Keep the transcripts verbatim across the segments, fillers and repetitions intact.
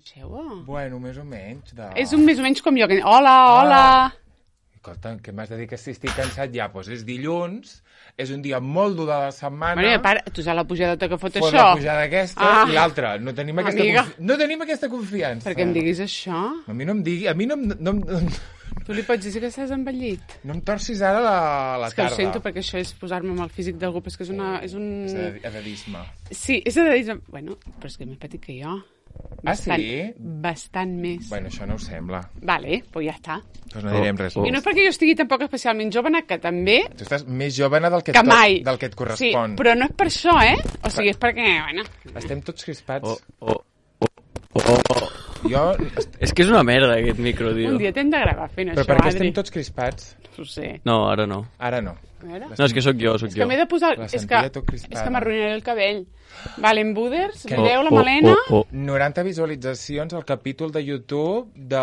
Coneixeu-ho? Bueno, més o menys. De... És un més o menys com jo. Que... Hola, hola. Ah. Escolta, què m'has de dir que si estic cansat ja? Doncs és dilluns, és un dia molt dur de la setmana. Bueno, para, tu saps la pujada que fot Fot això? la pujada aquesta ah. i l'altra. No, tenim aquesta confi... no tenim aquesta confiança. Per què em diguis això? A mi no em digui... A mi no em... No, no, tu li pots dir que estàs envellit? No em torcis ara la, la és que tarda. Ho sento, perquè això és posar-me amb el físic d'algú, però és que és una... És un... És edadisme. Sí, és edadisme. Bueno, però és que és més petit que jo. Bastant, ah, sí? Bastant més. Bueno, això no ho sembla. Vale, doncs ja està. Doncs no direm res. I no és perquè jo estigui tampoc especialment jovena, que també... Tu estàs més jovena del que, que mai. Del que et correspon. Sí, però no és per això, eh? O sigui, és perquè, bueno... Estem tots crispats. Oh, oh, oh, oh. Jo... És que és una merda, aquest micro, tio. Un dia t'hem de gravar fent però això, per què Adri? estem tots crispats? No ho sé. No, ara no. Ara no. No, és que sóc jo, sóc és jo. Que m'he de posar... La és que, és que m'arruïnaré el cabell. Vale, en Buders, que... veieu oh, la Malena? Oh, oh, oh. noranta visualitzacions al capítol de YouTube de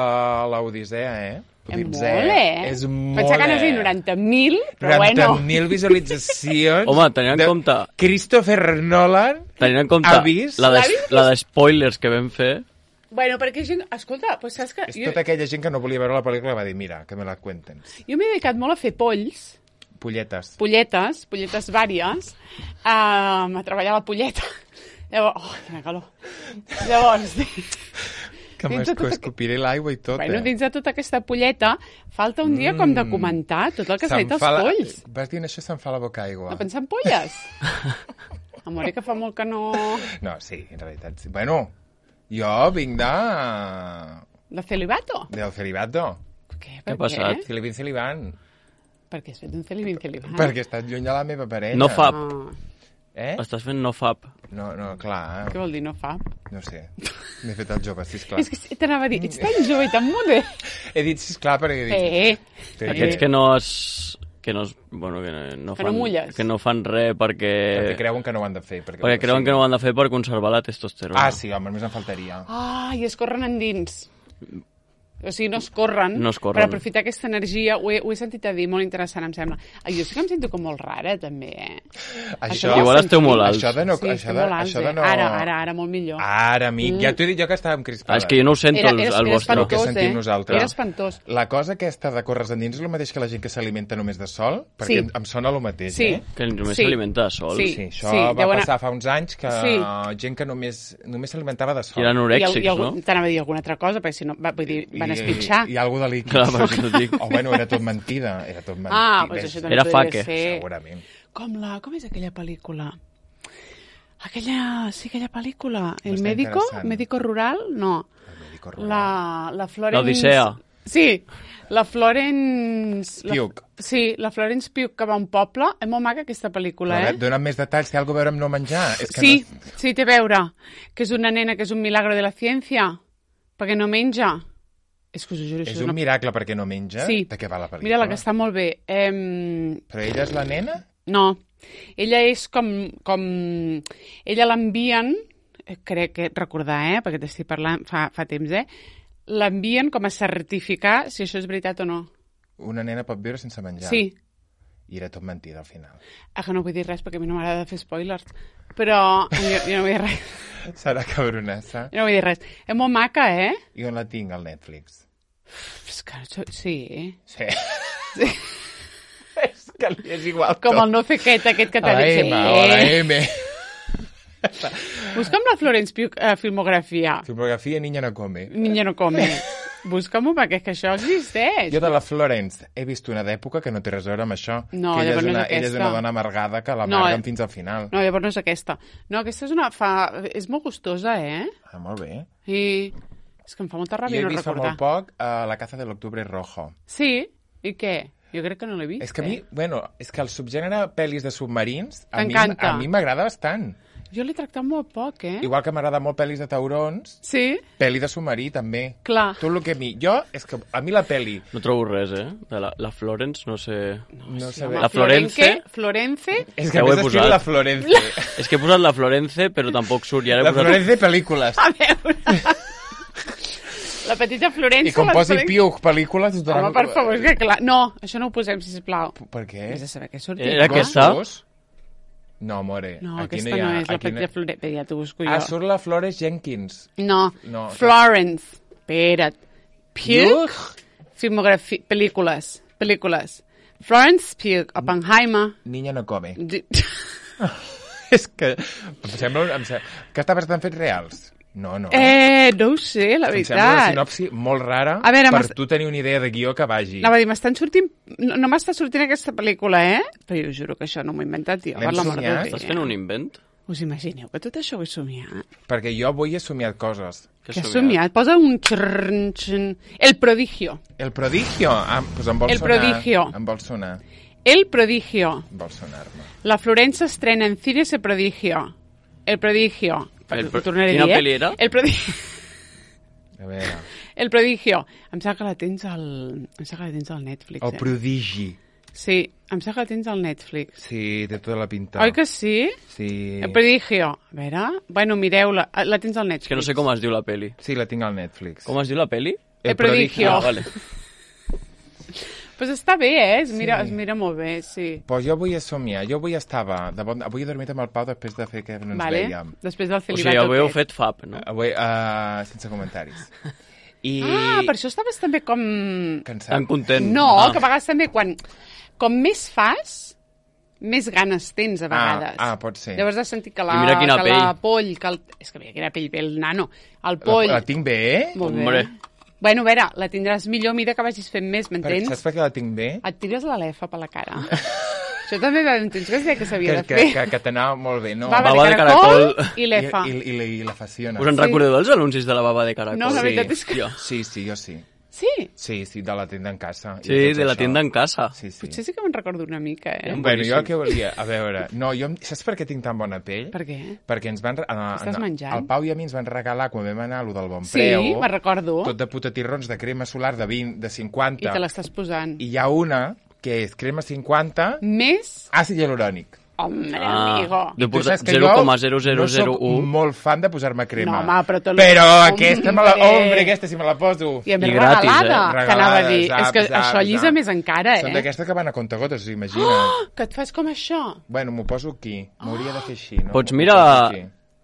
l'Odissea, eh? És molt, eh? És molt, Pensava que anaves a dir noranta mil, però noranta bueno. mil visualitzacions. Home, tenint en compte... Christopher Nolan tenint en compte ha vist... la de, la de spoilers que vam fer... Bueno, perquè gent... Escolta, pues saps que... És jo... tota aquella gent que no volia veure la pel·lícula va dir, mira, que me la cuenten. Jo m'he dedicat molt a fer polls. Polletes. Polletes, polletes vàries, um, a treballar la polleta. Llavors, oh, quina calor. Llavors, que m'escopiré tota... l'aigua i tot, bueno, eh? dins de tota aquesta polleta, falta un dia mm. com de comentar tot el que s'ha dit als la... polls. Vas dient això, se'm fa la boca aigua. No pensar en polles? Amore, que fa molt que no... No, sí, en realitat sí. Bueno, jo vinc de... De celibato? Del celibato. Què? Què ha passat? Celibin celibant. Per què has fet un celibin celibant? Perquè he estat lluny de la meva parella. No fab. Ah. Eh? Estàs fent no fab. No, no, clar. Eh? Què vol dir no fab? No sé. M'he fet el jove, sisplau. És que t'anava a dir, ets tan jove i tan modern. He dit sisplau perquè he dit... Eh, sí. Aquests que no es... Que no, es, bueno, que no, que fan, no mulles. que no fan res perquè... Perquè creuen que no ho han de fer. Perquè, perquè creuen que no ho han de fer per conservar la testosterona. Ah, sí, home, només em faltaria. Ah, i es corren endins. O sigui, no es corren, no es corren. per aprofitar aquesta energia. Ho he, ho he sentit a dir, molt interessant, em sembla. Ai, jo sí que em sento com molt rara, també, eh? Això, igual esteu molt alts. Això de no... Sí, això de, alts, això de no... Ara, ara, ara, molt millor. Ara, amic, mm. ja t'ho he dit jo que estàvem crispades. Ah, és que jo no ho sento, era, el, era, el era vostre. El que espantós, sentim eh? nosaltres. Era espantós. La cosa aquesta de córrer endins és el mateix que la gent que s'alimenta només de sol? Perquè Sí. em, em sona el mateix, Sí. eh? Que només Sí. s'alimenta de sol. Sí. Sí, això Sí, va deuen- passar fa uns anys que Sí. gent que només només s'alimentava de sol. I eren I, orèxics, i, algú, no? t'anava a dir alguna altra cosa, perquè si no, va, vull dir, van espitxar. I, i algú de líquid. Clar, per això t'ho dic. O bueno, era tot mentida. Era tot mentida. Ah, doncs això també Era podria faque. ser. Segurament. Com la... Com és aquella pel·lícula? Aquella... Sí, aquella pel·lícula. El Està médico? interessant. Médico rural? No. El médico rural. La, la Florence... L'Odissea. Sí, la Florence... La- Pugh. Sí, la Florence Pugh, que va a un poble. És molt maca aquesta pel·lícula, Però, eh? Dóna'm més detalls, té alguna a veure amb no menjar. És que Sí, no... sí, té a veure. Que és una nena que és un milagro de la ciència, perquè no menja. És que us ho juro, És això un una... miracle perquè no menja? Sí. De què va la pel·lícula? Mira, la que està molt bé. Em... Però ella és la nena? No, ella és com... com... Ella l'envien, eh, crec que recordar, eh, perquè t'estic parlant fa, fa temps, eh, l'envien com a certificar si això és veritat o no. Una nena pot viure sense menjar? Sí. I era tot mentida, al final. Ah, que no vull dir res perquè a mi no m'agrada fer spoilers. Però jo, jo no vull dir res. Serà cabronassa. Jo no vull dir res. És molt maca, eh? I on la tinc, al Netflix? És que, sí. Sí. Sí. És que li és igual Com tot. el no fer aquest, aquest que t'ha A la dit. M, o la M. Busca'm la Florence Pugh eh, filmografia. Filmografia Niña no come. Niña no come. Busca-m'ho perquè és que això existeix. Jo de la Florence he vist una d'època que no té res a veure amb això. No, que ella llavors és no és una, ella és aquesta. una dona amargada que No, l'amarguen eh. fins al final. No, llavors no és aquesta. No, aquesta és una... Fa... És molt gustosa, eh? Ah, molt bé. I és que em fa molta I ràbia he no vist fa recordar. molt poc uh, La caza de l'octubre rojo. Sí? I què? Jo crec que no l'he vist. És que a mi, eh? bueno, és que el subgènere pel·lis de submarins a mi, T'encanta. a mi m'agrada bastant. Jo l'he tractat molt poc, eh? Igual que m'agrada molt pel·lis de taurons, Sí? pel·li de submarí també. Clar. Tot el que a mi... Jo, és que a mi la pel·li... No trobo res, eh? De la, la Florence, no sé... No Sí, sé home, bé. La Florence? Florence? És Que que ho he m'has escrit posat. la Florence. És que he posat la Florence, però tampoc surt. I ara he La posat... Florence de pel·lícules. A veure... La petita Florence... I com les posi pel·lícules- Piuc pel·lícules... Home, per favor, és que clar... No, això no ho posem, sisplau. Per què? Has de saber què sortirà. Era aquesta? Gossos? No, more. No, aquí aquesta no, hi ha, no és la aquí petita Florence. Ja t'ho busco jo. Ah, surt la Flores Jenkins. No, No, Florence. Espera't. Pugh, Ugh. filmografia, pel·lícules, pel·lícules. Florence Pugh, Oppenheimer. Niña no come. Di- És que em sembla, em sembla... Que està bastant fets reals. No, no. Eh, no ho sé, la em sembla una veritat. sinopsi molt rara A veure, per m'est- tu tenir una idea de guió que vagi. Anava a dir, m'estan sortint... No, no m'està sortint aquesta pel·lícula, eh? Però jo juro que això no m'ho he inventat jo. L'hem per l'amor de somiat? Déu. Estàs fent un invent? Us imagineu que tot això ho he somiat? Perquè jo avui he somiat coses. Què Que has has somiat? Posa un xrrn, xrrn. El prodigio. El prodigio. Ah, doncs em vol El sonar. prodigio. Em vol sonar. El prodigio. Em vol sonar-me. La Florencia estrena en cines El prodigio. El prodigio. El pro- Ho tornaré a Quina dir, eh? pel·li era? El prodigio. A veure. El prodigio. Em sembla que la tens al... Em sembla que la tens al Netflix, El eh? prodigi. Sí, em sembla que la tens al Netflix. Sí, té tota la pinta. Oi que sí? Sí. El prodigio. A veure... Bueno, mireu-la. La tens al Netflix. És que no sé com es diu la peli. Sí, la tinc al Netflix. Com es diu la peli? El prodigio. Ah, vale. Pues està bé, eh? Es mira, sí. Es mira molt bé, sí. Pues jo avui he somiat. Jo avui estava... De bon... Avui he dormit amb el Pau després de fer que no ens Vale. vèiem. Després del O sigui, celibat avui heu aquest. fet fab, no? Avui, uh, sense comentaris. I... Ah, per això estaves també com... Cansat. Tan content. No, ah. que a vegades també quan... Com més fas, més ganes tens a vegades. Ah, ah, pot ser. Llavors has sentit que la, I mira quina que la pell. poll... Que el... És que mira quina pell ve el nano. El La, poll... la tinc bé, eh? Molt bé. Hombre. Bueno, a veure, la tindràs millor a mida que vagis fent més, Per, m'entens? saps per què la tinc bé? Et tires la lefa per la cara. Això també va entens que es deia que s'havia Que, de que, fer. que, que t'anava molt bé, no? Baba, Baba de de caracol, caracol. i lefa. I, i, i, i la faciona. Us en Sí. recordeu dels anuncis de la baba de caracol? No, la Sí. veritat és que... Jo. Sí, sí, jo sí. Sí? Sí, sí, de la tenda en casa. i Sí, tot de la això. tienda en casa. Sí, sí. Potser sí que me'n recordo una mica, eh? Bueno, jo Boníssim. el que volia... A veure, no, jo... Saps per què tinc tan bona pell? Per què? Perquè ens van... Uh, Estàs menjant? El Pau i a mi ens van regalar, quan vam anar a lo del Bon Sí, Preu, me'n recordo. tot de putatirrons de crema solar de vint, de cinquanta. I te l'estàs posant. I hi ha una que és crema cinquanta, Més... àcid hialurònic. Hombre, Ah, amigo. de I tu portar saps que zero jo coma zero zero zero no u. soc molt fan de posar-me crema. No, home, però te lo- Però Hombre. aquesta me la... Hombre, aquesta si me la poso. I a més I gratis, regalada, eh? t'anava a dir. Regalada, És que zap, això zap, llisa zap. més encara, Són eh? d'aquestes que van a contagotes, imagina't. Oh, que et fas com això. Bueno, m'ho poso aquí. M'hauria de fer així, no? Pots M'ho mirar poso aquí.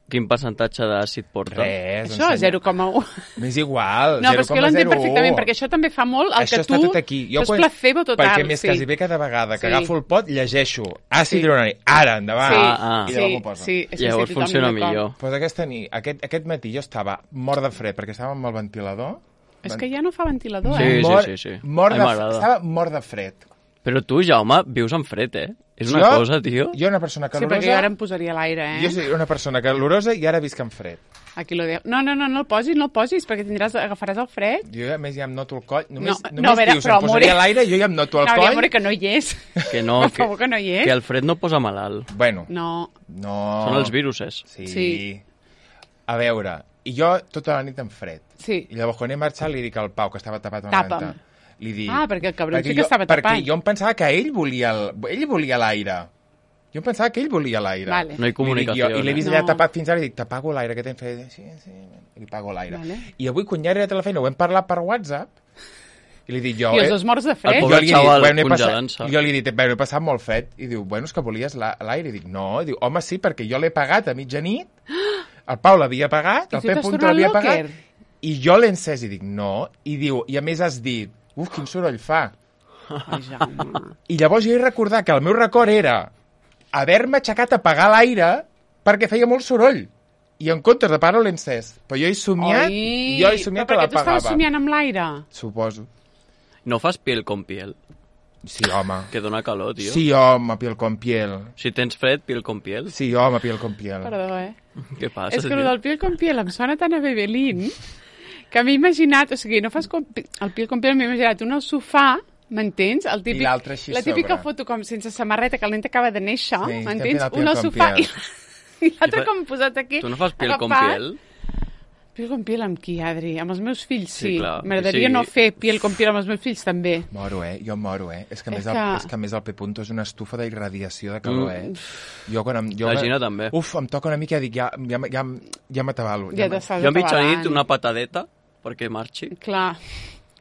quin percentatge d'àcid porta? Res, Això, ensenya. zero coma u. M'és igual, No, però és que jo l'entenc zero coma zero u. perfectament, perquè això també fa molt el Això que està tu... tot aquí. Jo és quan- placebo total. Perquè més sí. quasi bé cada vegada que Sí. agafo el pot, llegeixo àcid Sí. hialurònic. Ara, endavant. Sí, Ah, ah. I sí, llavors m'ho poso. sí, sí, Llavors sí, funciona totalment d'acord. millor. Pues aquesta nit, aquest, aquest matí jo estava mort de fred, perquè estava amb el ventilador. És que ja no fa ventilador, Sí, eh? sí, mort, sí, sí. Mort A mi de, m'agrada. estava mort de fred. Però tu, Jaume, vius en fred, eh? És una Jo- cosa, tio. Jo una persona Sí, calorosa... perquè jo ara em posaria a l'aire, eh? Jo soy una persona calorosa i ara visc en fred. Aquí lo deia. No, no, no, no el posis, no el posis, perquè tindràs, agafaràs el fred. Jo a més ja em noto el coll. Només, No, només no, a veure, dius, però, em posaria amore- a l'aire i jo ja em noto el no, coll. amore, que no hi és. Que no, Per que, favor, que no hi és. que el fred no posa malalt. Bueno, No. no... Són els viruses. Sí. Sí. A veure, i jo tota la nit en fred. Sí. I llavors quan he marxat li dic al Pau, que estava tapat amb Tapa'm. la venta. Li dic... Ah, perquè el cabron sí que jo, estava perquè tapat. jo em pensava que ell volia el- ell volia l'aire. Jo em pensava que ell volia l'aire. Vale. No hi comunicació. Li dic jo, I l'he vist eh? allà No. tapat fins ara i dic, t'apago l'aire, que t'hem fet? Sí, sí, i li pago l'aire. Vale. I avui, quan ja he arribat a la feina, ho hem parlat per WhatsApp, i li dic jo... I els eh, dos morts de fred. El jo pobre li he dit, xaval bueno, he passat, congelant-se. jo li he dit, bueno, he passat molt fred. I diu, bueno, és que volies la- l'aire. I dic, no. I diu, home, sí, perquè jo l'he pagat a mitjanit, el Pau l'havia pagat, I el tu Pep t'has Punto tornat l'havia locker? pagat, i jo l'he encès. I dic, no. I diu, i a més has dit, uf, quin soroll fa. Ai, Jaume. I llavors jo he recordat que el meu record era haver-me aixecat a apagar l'aire perquè feia molt soroll. I en comptes de parar-ho l'he encès. Però jo he somiat, Oi, jo he somiat que però perquè tu l'apagava. estaves somiant amb l'aire. Suposo. No fas piel con piel, Sí, home. que dona calor, tio. Sí, home, piel con piel. Si tens fred, piel con piel. Sí, home, piel con piel. Perdó, eh? Què passa, És que tio? el del piel con piel em sona tan a Bebelín que m'he imaginat, o sigui, no fas com, el piel con piel, m'he imaginat un al sofà, m'entens? El típic, I l'altre així la típica sobre. foto com sense samarreta, que el nen acaba de néixer, Sí, estem m'entens? fent el Un al piel con sofà piel. i, i l'altre I fa- com posat aquí. Tu no fas piel con agafat. piel? Piel con piel amb qui, Adri? Amb els meus fills, sí. Sí, clar, M'agradaria sí. no fer piel con piel amb els meus fills, també. Moro, eh? Jo em moro, eh? És que, a És més, el, que- és que a més el P-Punto és una estufa d'irradiació de calor, Mm. eh? Jo quan em... Jo, La Gina també. Uf, em toca una mica i dic, ja, ja, ja, ja m'atabalo. Ja me- t'estàs Jo a mitjanit atabalant. una patadeta perquè marxi. Clar.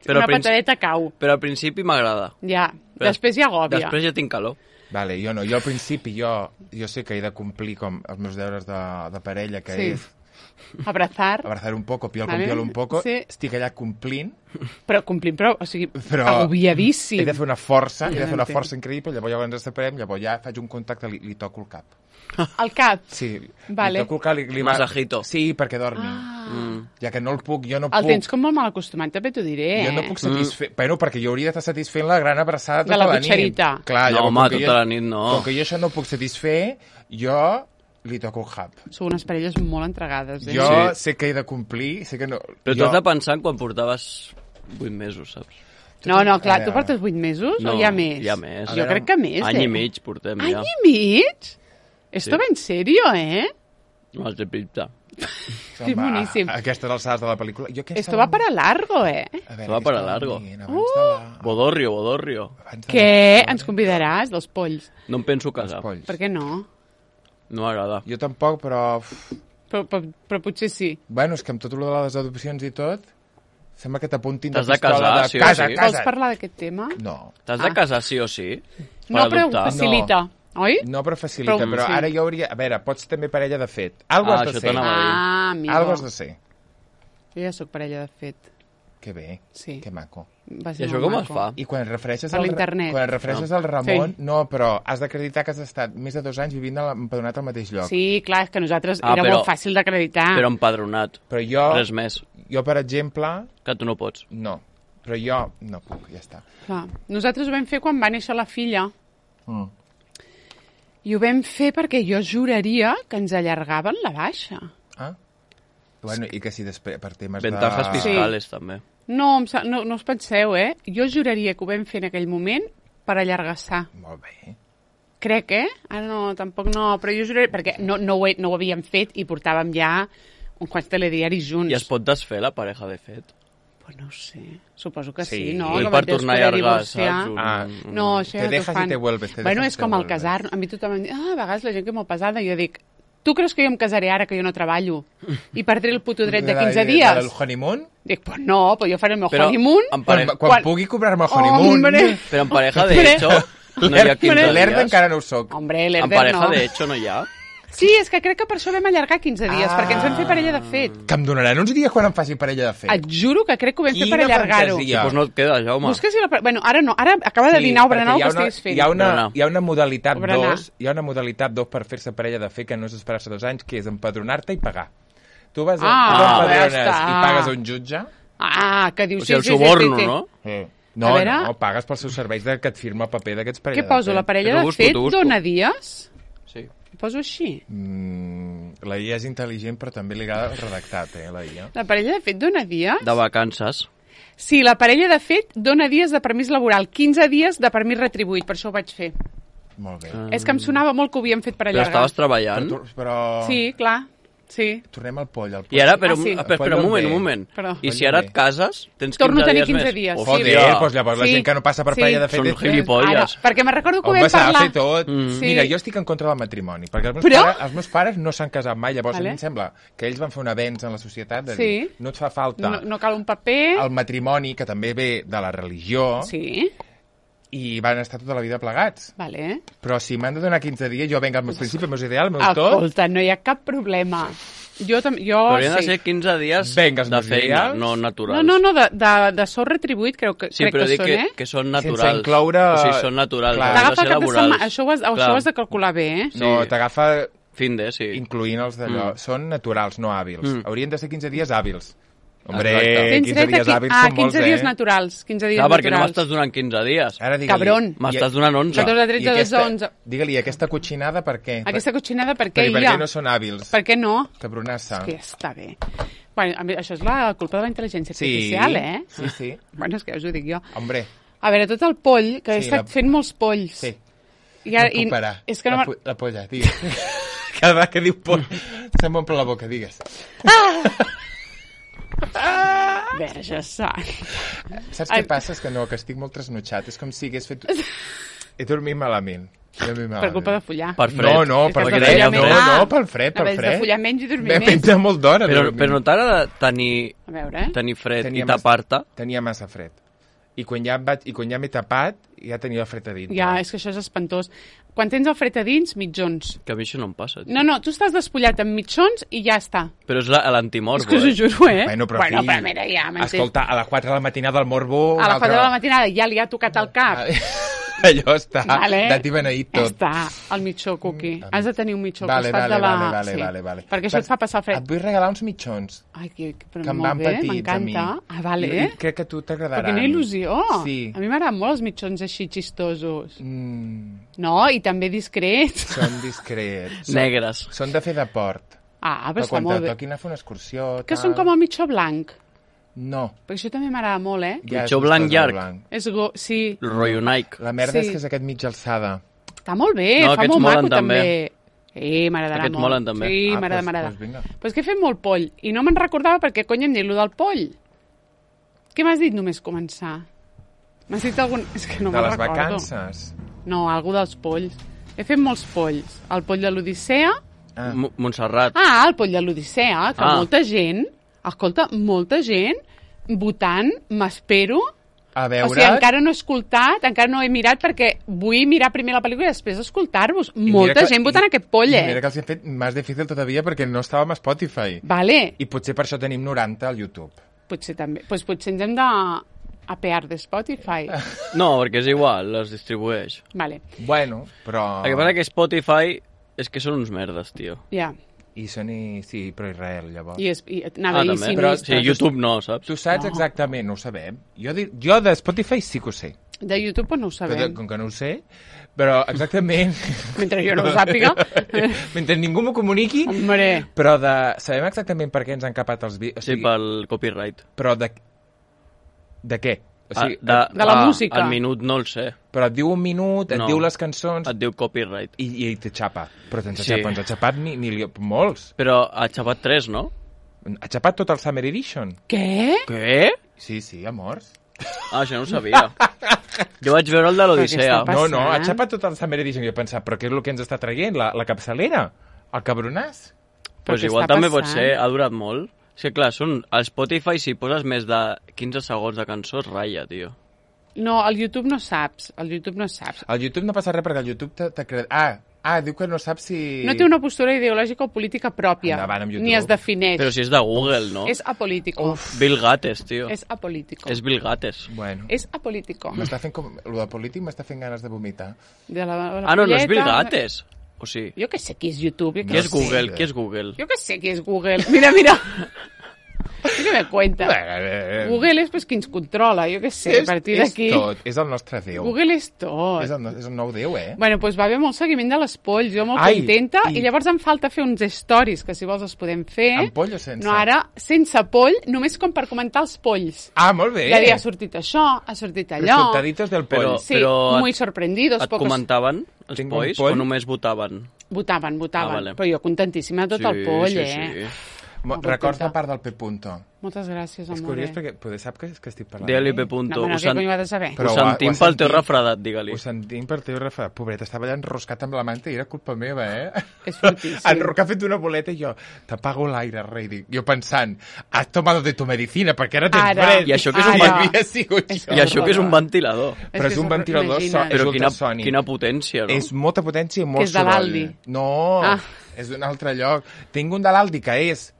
Però una al principi- patadeta cau. Però al principi m'agrada. Ja. Però Després ja agòbia. Després ja tinc calor. Vale, jo no. Jo al principi, jo, jo sé que he de complir com els meus deures de, de parella, que Sí. és Abrazar. abrazar un poco, piol Vale. con piol un poco. Sí. Estic allà complint, Però complint, però, o sigui, però agobiadíssim. he de fer una força, he de fer una Entenc. força increïble, llavors llavors ens separem, llavors ja faig un contacte, li, li toco el cap. Al cap. Sí, Vale. li toco el cap, li, li Masajito. Sí, perquè dormi. Ah. Mm. Ja que no el puc, jo no El puc. tens com molt mal acostumat, també t'ho diré, eh? Jo no puc satisfer... Mm. Bueno, perquè jo hauria d'estar satisfent la gran abraçada De tota la la nit. butxerita. Clar, No, llavors, home, com que tota jo- la nit no. Com que jo això no puc satisfer, jo li toco el cap. Sou unes parelles molt entregades, eh? Jo Sí. sé que he de complir, sé que no... Però jo... t'has de pensar en quan portaves vuit mesos, saps? No, no, clar, A tu veure. portes vuit mesos No, o hi ha més? hi ha més. A Jo veure, crec que més, Any eh? i mig portem Any ja. i mig? Esto Sí. va en serio, eh? No, és de pinta. Que boníssim. A aquestes alçades de la pel·lícula... Jo aquesta Esto va para largo, eh? A veure, va què para estàvem largo. dient abans de la... Bodorrio, bodorrio. abans de Què? la- Ens convidaràs, dels polls? No em penso Els casar. polls. Per què no? No m'agrada. Jo tampoc, però... uf, Però, però, però potser sí. Bueno, és que amb tot el de les adopcions i tot, sembla que t'apuntin de T'has de pistola casar, de sí o casa, sí. casa. Vols parlar d'aquest tema? No, T'has Ah. de casar sí o sí? Per No, però adoptar? facilita, oi? no però facilita, Però- però, sí. ara jo hauria... A veure, pots ser també parella de fet. Algo Ah, has de això ser. t'anava a dir. Ah, amigo. Algo has de ser. Jo ja sóc parella de fet. Que bé, Sí. que maco. Va I ser això molt com maco. es fa? I quan et refereixes, Per al, l'internet. quan et refereixes No. al Ramon, Sí. no, però has d'acreditar que has estat més de dos anys vivint a la- empadronat al mateix lloc. Sí, clar, és que nosaltres Ah, era però- molt fàcil d'acreditar. Però empadronat. Però jo, Res més. jo, per exemple, Que tu no pots. no. Però jo no puc, ja està. Clar. Nosaltres ho vam fer quan va néixer la filla. Mm. I ho vam fer perquè jo juraria que ens allargaven la baixa. Ah? Bueno, i que si després, per temes Ventajas de... fiscales, també. No, em sa- no, no us penseu, eh? Jo juraria que ho vam fer en aquell moment per allargassar. Molt bé. Crec, eh? Ara no, tampoc no, però jo juraria... Perquè no, no, ho, he, no ho havíem fet i portàvem ja uns quants telediaris junts. I es pot desfer la pareja de fet? Pues no ho sé, suposo que sí, Sí. no? Vull Que per mateix tornar a poder allargar, divorciar. saps? Un- Ah, un- No, això Te ja t'ho dejas fan. y te vuelves, te bueno, dejas és y te com el vuelves. casar. A mi tothom em diu, ah, a vegades la gent que és molt pesada. Jo dic, tu creus que jo em casaré ara que jo no treballo i perdré el puto dret de quinze El dies? honeymoon? Dic, pues no, pues jo faré el meu Però honeymoon. en Quan, pareja, quan, Quan- pugui cobrar-me el honeymoon. Hombre. però en pareja de Hombre. hecho no hi ha quinze L'Erda dies. encara no ho soc. Hombre, En l'Herder pareja no. de hecho no hi ha. Sí, és que crec que per això vam allargar quinze dies, Ah. perquè ens vam fer parella de fet. Que em donaran uns dies quan em faci parella de fet. Et juro que crec que ho vam fer Quina per allargar-ho. fantasia. Doncs no et queda, Jaume. Busca si la... Bueno, ara no, ara acaba de dinar o perquè berenar el hi ha que una- estiguis fent. Hi ha una, Berenar. hi ha una modalitat O berenar. dos, hi ha una modalitat dos per fer-se parella de fet que no és esperar-se dos anys, que és empadronar-te i pagar. Tu vas a, Ah, tu ja empadrones està. i pagues a un jutge. Ah, que dius... O sigui, el sí, sí, sí, suborno, sí, sí. no? Eh. No, A veure- no, pagues pels seus serveis de que et firma el paper d'aquests parella Què poso? de La fet. parella T'ho de busco, fet t'ho busco. dona dies? Sí. Ho poso així. Mm, la I A és intel·ligent, però també li agrada el redactat, eh, la I A. La parella de fet dona dies? De vacances. Sí, la parella de fet dona dies de permís laboral, quinze dies de permís retribuït, per això ho vaig fer. Molt bé. Ah. És que em sonava molt que ho havíem fet per Però allargar. estaves treballant. Però, tu- però... Sí, clar, sí. Tornem al poll. Al poll. I ara, però, Ah, sí. ah, espera, espera, un moment, un moment. Perdó. I si ara et cases, tens quinze Torno a tenir dies quinze més. dies, sí. Joder, Hòstia. doncs llavors la Sí, gent que no passa per sí. parella de fet... Són és- gilipolles. Ara, perquè me'n recordo que ho Home, vam s'ha de parlar. fer tot. Mm. Sí. Mira, jo estic en contra del matrimoni, perquè els meus, Però- pares, els meus pares no s'han casat mai, llavors Vale. a mi em sembla que ells van fer un avenç en la societat de Sí. dir, no et fa falta No, no cal un paper. el matrimoni, que també ve de la religió, Sí, i van estar tota la vida plegats. vale. Però si m'han de donar quinze dies, jo venga els meus principis, els meus ideals, el meu tot... Escolta, no hi ha cap problema. Jo, tam- jo Però haurien de sí. ser quinze dies Vinga, els de meus feina, ideals. no No, naturals. no, no, de, de, de sou retribuït crec que, Sí, crec però que dic són, que, eh? que són Sense naturals. incloure- O sigui, són naturals, Clar. han de T'agafa ser cap de setmana, laborals. això ho, has, això Clar. ho has de calcular bé, eh? Sí. No, t'agafa Fin de, sí. incloent els d'allò. Mm. Són naturals, no hàbils. Mm. Haurien de ser quinze dies hàbils. Hombre, Exacte. Tens quinze dret a dies qui- hàbils ah, són molts, quinze dies eh? naturals. quinze dies Clar, perquè no naturals. m'estàs donant quinze dies. Ara digue-li. Cabron. M'estàs donant onze. Nosaltres de tretze I a aquesta- onze. Digue-li, aquesta cotxinada per què? Aquesta cotxinada per per, què per hi ha? què no són hàbils? Per què no? Cabronassa. Que està bé. Bueno, a mi, això és la culpa de la intel·ligència Sí, artificial, eh? sí, sí. Bueno, és que ja us ho dic jo. Hombre, A veure, tot el poll, que he Sí, estat la- fent molts polls. sí. I, ara, no puc parar. és que no la, m'ha- po- la polla, digues. Cada vegada que diu poll, se'm omple la boca, digues. Verge sant. Saps Ai. què passa? És que no, que estic molt trasnotxat. És com si hagués fet... He dormit malament. He dormit malament. Per culpa de follar. Per fred. No, no, És que per has de fred. follar No, més. no, Ah. pel fred, pel Haver de fred. follar menys i dormir M'he més. fet de molt d'hora. Però, dormint. però no t'agrada tenir, A veure, eh? tenir fred Tenia i tapar-te? Tenia massa fred. I quan ja, em vaig, i quan ja m'he tapat, ja tenia el fred a dintre. Ja, és que això és espantós. Quan tens el fred a dins, mitjons. Que a mi això no em passa. Tio. No, no, tu estàs despullat amb mitjons i ja està. Però és la- l'antimorbo, És que us ho eh? juro, eh? Bueno, però, bueno, fill, però mira, ja m'entens. escolta, a les quatre de la matinada del morbo... A la un quatre de la altre- matinada ja li ha tocat el cap. Allò està Vale. dat i beneït tot. Està, el mitjó, Cuqui. Has de tenir un mitjó Vale, al costat vale, de la... vale, vale, sí. vale, vale. Perquè això et fa passar fred. Et vull regalar uns mitjons Ai, que, però que em molt van bé, petits a mi. m'encanta. Ah, vale. I, i crec que a tu Però t'agradaran. quina il·lusió. Sí. A mi m'agraden molt els mitjons així xistosos. Mm, No, i també discrets. són discrets. Són, Negres. són de fer de port. Ah, però Però està quan molt te bé. toquin a fer una excursió... Que tal... són com el mitjó blanc. No. Perquè això també m'agrada molt, eh? Ja Mitjó és blanc vistós, el llarg. blanc. És go... Sí, El rotllo Nike. La merda Sí. és que és aquest mitja alçada. està molt bé, No, fa aquests molt molen maco també. també. Sí, m'agradarà Aquests molt. molen també. Sí, Ah, m'agrada, doncs- m'agrada. doncs vinga. Però és que he fet molt poll i no me'n recordava perquè cony em dit lo del poll. Què m'has dit només començar? M'has dit algun... És que no de me'n les recordo. vacances. No, algú dels polls. He fet molts polls. El poll de l'Odissea. Ah. M- Montserrat. Ah, el poll de l'Odissea, que Ah. molta gent, escolta, molta gent votant, m'espero. A veure... O sigui, encara no he escoltat, encara no he mirat, perquè vull mirar primer la pel·lícula i després escoltar-vos. I mira Molta que- gent votant i- aquest poll, i eh? Mira que els he fet més difícil todavía perquè no estàvem a Spotify. Vale, I potser per això tenim noranta al YouTube. potser també. Pues potser ens hem de apear de Spotify. No, perquè és igual, les distribueix. Vale, Bueno, però... El que passa que Spotify és que són uns merdes, tio. ja. I són i... Sí, però Israel, llavors. I, es, i anava Ah, a dir també. Però- sinistre. Sí, YouTube no, saps? Tu saps No. exactament, no ho sabem. Jo, di... jo de Spotify sí que ho sé. De YouTube pues no ho Però sabem. com que no ho sé, però exactament... Mentre jo no ho sàpiga. Mentre ningú m'ho comuniqui, Hombre, però de... sabem exactament per què ens han capat els vídeos. O Sí, sigui, pel copyright. Però de... De què? O sigui, Ah, de la música. El minut no el sé. però et diu un minut, et No. diu les cançons Et diu copyright. i, i te xapa. Però ens ha Sí. xapat, ens ha xapat ni, ni li... molts. Però ha xapat tres, no? Ha xapat tot el Summer Edition. què? Què? Sí, sí, amors. Ah, això no ho sabia. Jo vaig veure el de l'Odissea. Però què està No, no, ha passant? xapat tot el Summer Edition. I he pensat, però què és el que ens està traient? La, la capçalera? El cabronàs? Pues què igual està també pot passant? ser, ha durat molt. És que clar, són, al Spotify si poses més de quinze segons de cançó es ratlla, tio. No, al YouTube no saps. Al YouTube no saps. Al YouTube no passa res perquè el YouTube t'ha creat... Ah, ah, diu que no sap si... No té una postura ideològica o política pròpia. Endavant amb YouTube. Ni es defineix. Però si és de Google, no? És apolítico. Bill Gates, tio. És apolítico. És Bill Gates. Bueno, És apolítico. m'està fent com... Lo de polític m'està fent ganes de vomitar. De la, la Ah, no, no és polleta. Bill Gates. O sí. Jo que sé qui és YouTube. Jo Qui que és sé. Google? Qui és Google? Jo que sé qui és Google. Mira, mira. Jo que me cuenta. Google Google és pues, qui ens controla. Jo que sé, a partir és d'aquí... tot, és el nostre Déu. Google és tot. És, el, és el nou Déu, eh? Bueno, doncs va haver molt seguiment de les polls, jo molt Ai, contenta, i... i- i llavors em falta fer uns stories, que si vols els podem fer. Amb poll o sense? No, ara, sense poll, només com per comentar els polls. Ah, molt bé. Ja dir, ha sortit això, ha sortit allò. Resultaditos del poll. Però- Sí, et- muy sorprendidos. Et pocos... comentaven els Tinc un polls poll. o només votaven? Votaven, votaven. Ah, vale. Però jo contentíssima de tot el poll, sí, eh? Sí. Mo- molt Records contenta. la part del P. Punto. Moltes gràcies, És amor. curiós perquè poder sap que, que estic parlant. Digue-li d'ell. P. Punto. No, però Ho, què sen... cony ho ha de saber? Però ho ho ha- sentim ho ha pel teu sentit. refredat, digue-li. Ho sentim per teu refredat. Pobret, estava allà enroscat amb la manta i era culpa meva, eh? És fortíssim. El Roc ha fet una boleta i jo, t'apago l'aire, rei. Dic, jo pensant, has tomado de tu medicina perquè ara tens Ara. fred. I això que és un Ara. vent- Havia sigut És jo. I això que és un ventilador. És Però que és un és- ventilador so, imagina't. és Però quina, ultrasònic. quina potència, no? És molta potència i molt Que és de soroll. l'Aldi. No, Ah. és d'un altre lloc. Tinc un de l'Aldi que és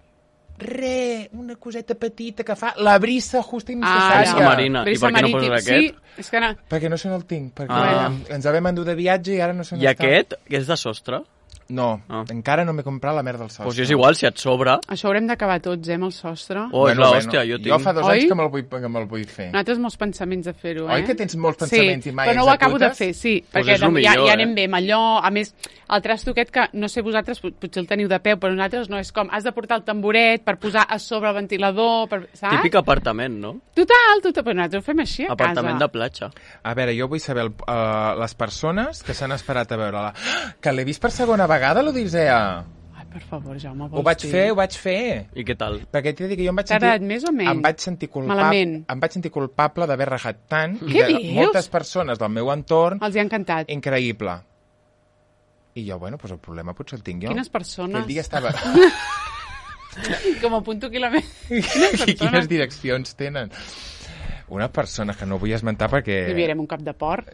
re, una coseta petita que fa la brisa justa i Ah, necessària. Brisa marina. I Brisa per què no marítim. poses aquest? Sí, és que no... Perquè no se no el tinc, perquè Ah. ah. ens vam endur de viatge i ara no se I aquest, que és de sostre? No, Ah. encara no m'he comprat la merda del sostre. Doncs pues és igual, si et sobra... Això haurem d'acabar tots, eh, amb el sostre. Oh, és l'hòstia, jo tinc... Jo fa dos Oi? anys que me'l vull, que me'l vull fer. Nosaltres molts pensaments de fer-ho, eh? Oi que tens molts pensaments sí, i mai però no ho acabo de executes? fer, sí, Pues perquè és lo ja, millor, ja eh? anem bé amb allò. A més, el trasto aquest que, no sé vosaltres, pot- potser el teniu de peu, però nosaltres no, és com, has de portar el tamboret per posar a sobre el ventilador, per, saps? Típic apartament, no? Total, total, però nosaltres ho fem així a Apartament de casa. platja. A veure, jo vull saber el, uh, les persones que s'han esperat a veure-la. Que l'he vist per segona vegada, l'Odissea. Ai, per favor, Jaume, vols Ho vaig dir? fer, ho vaig fer. I què tal? Perquè t'he de dir que jo em vaig T'ha sentir... agradat més o menys? Em vaig sentir culpable, Malament. em vaig sentir culpable d'haver rajat tant i Què de dius? moltes persones del meu entorn. Els hi ha encantat. Increïble. I jo, bueno, doncs el problema potser el tinc jo. Quines persones? Aquell dia estava... Com a punto quilòmetre. I quines direccions tenen? Una persona que no vull esmentar perquè... Li enviarem un cap de porc.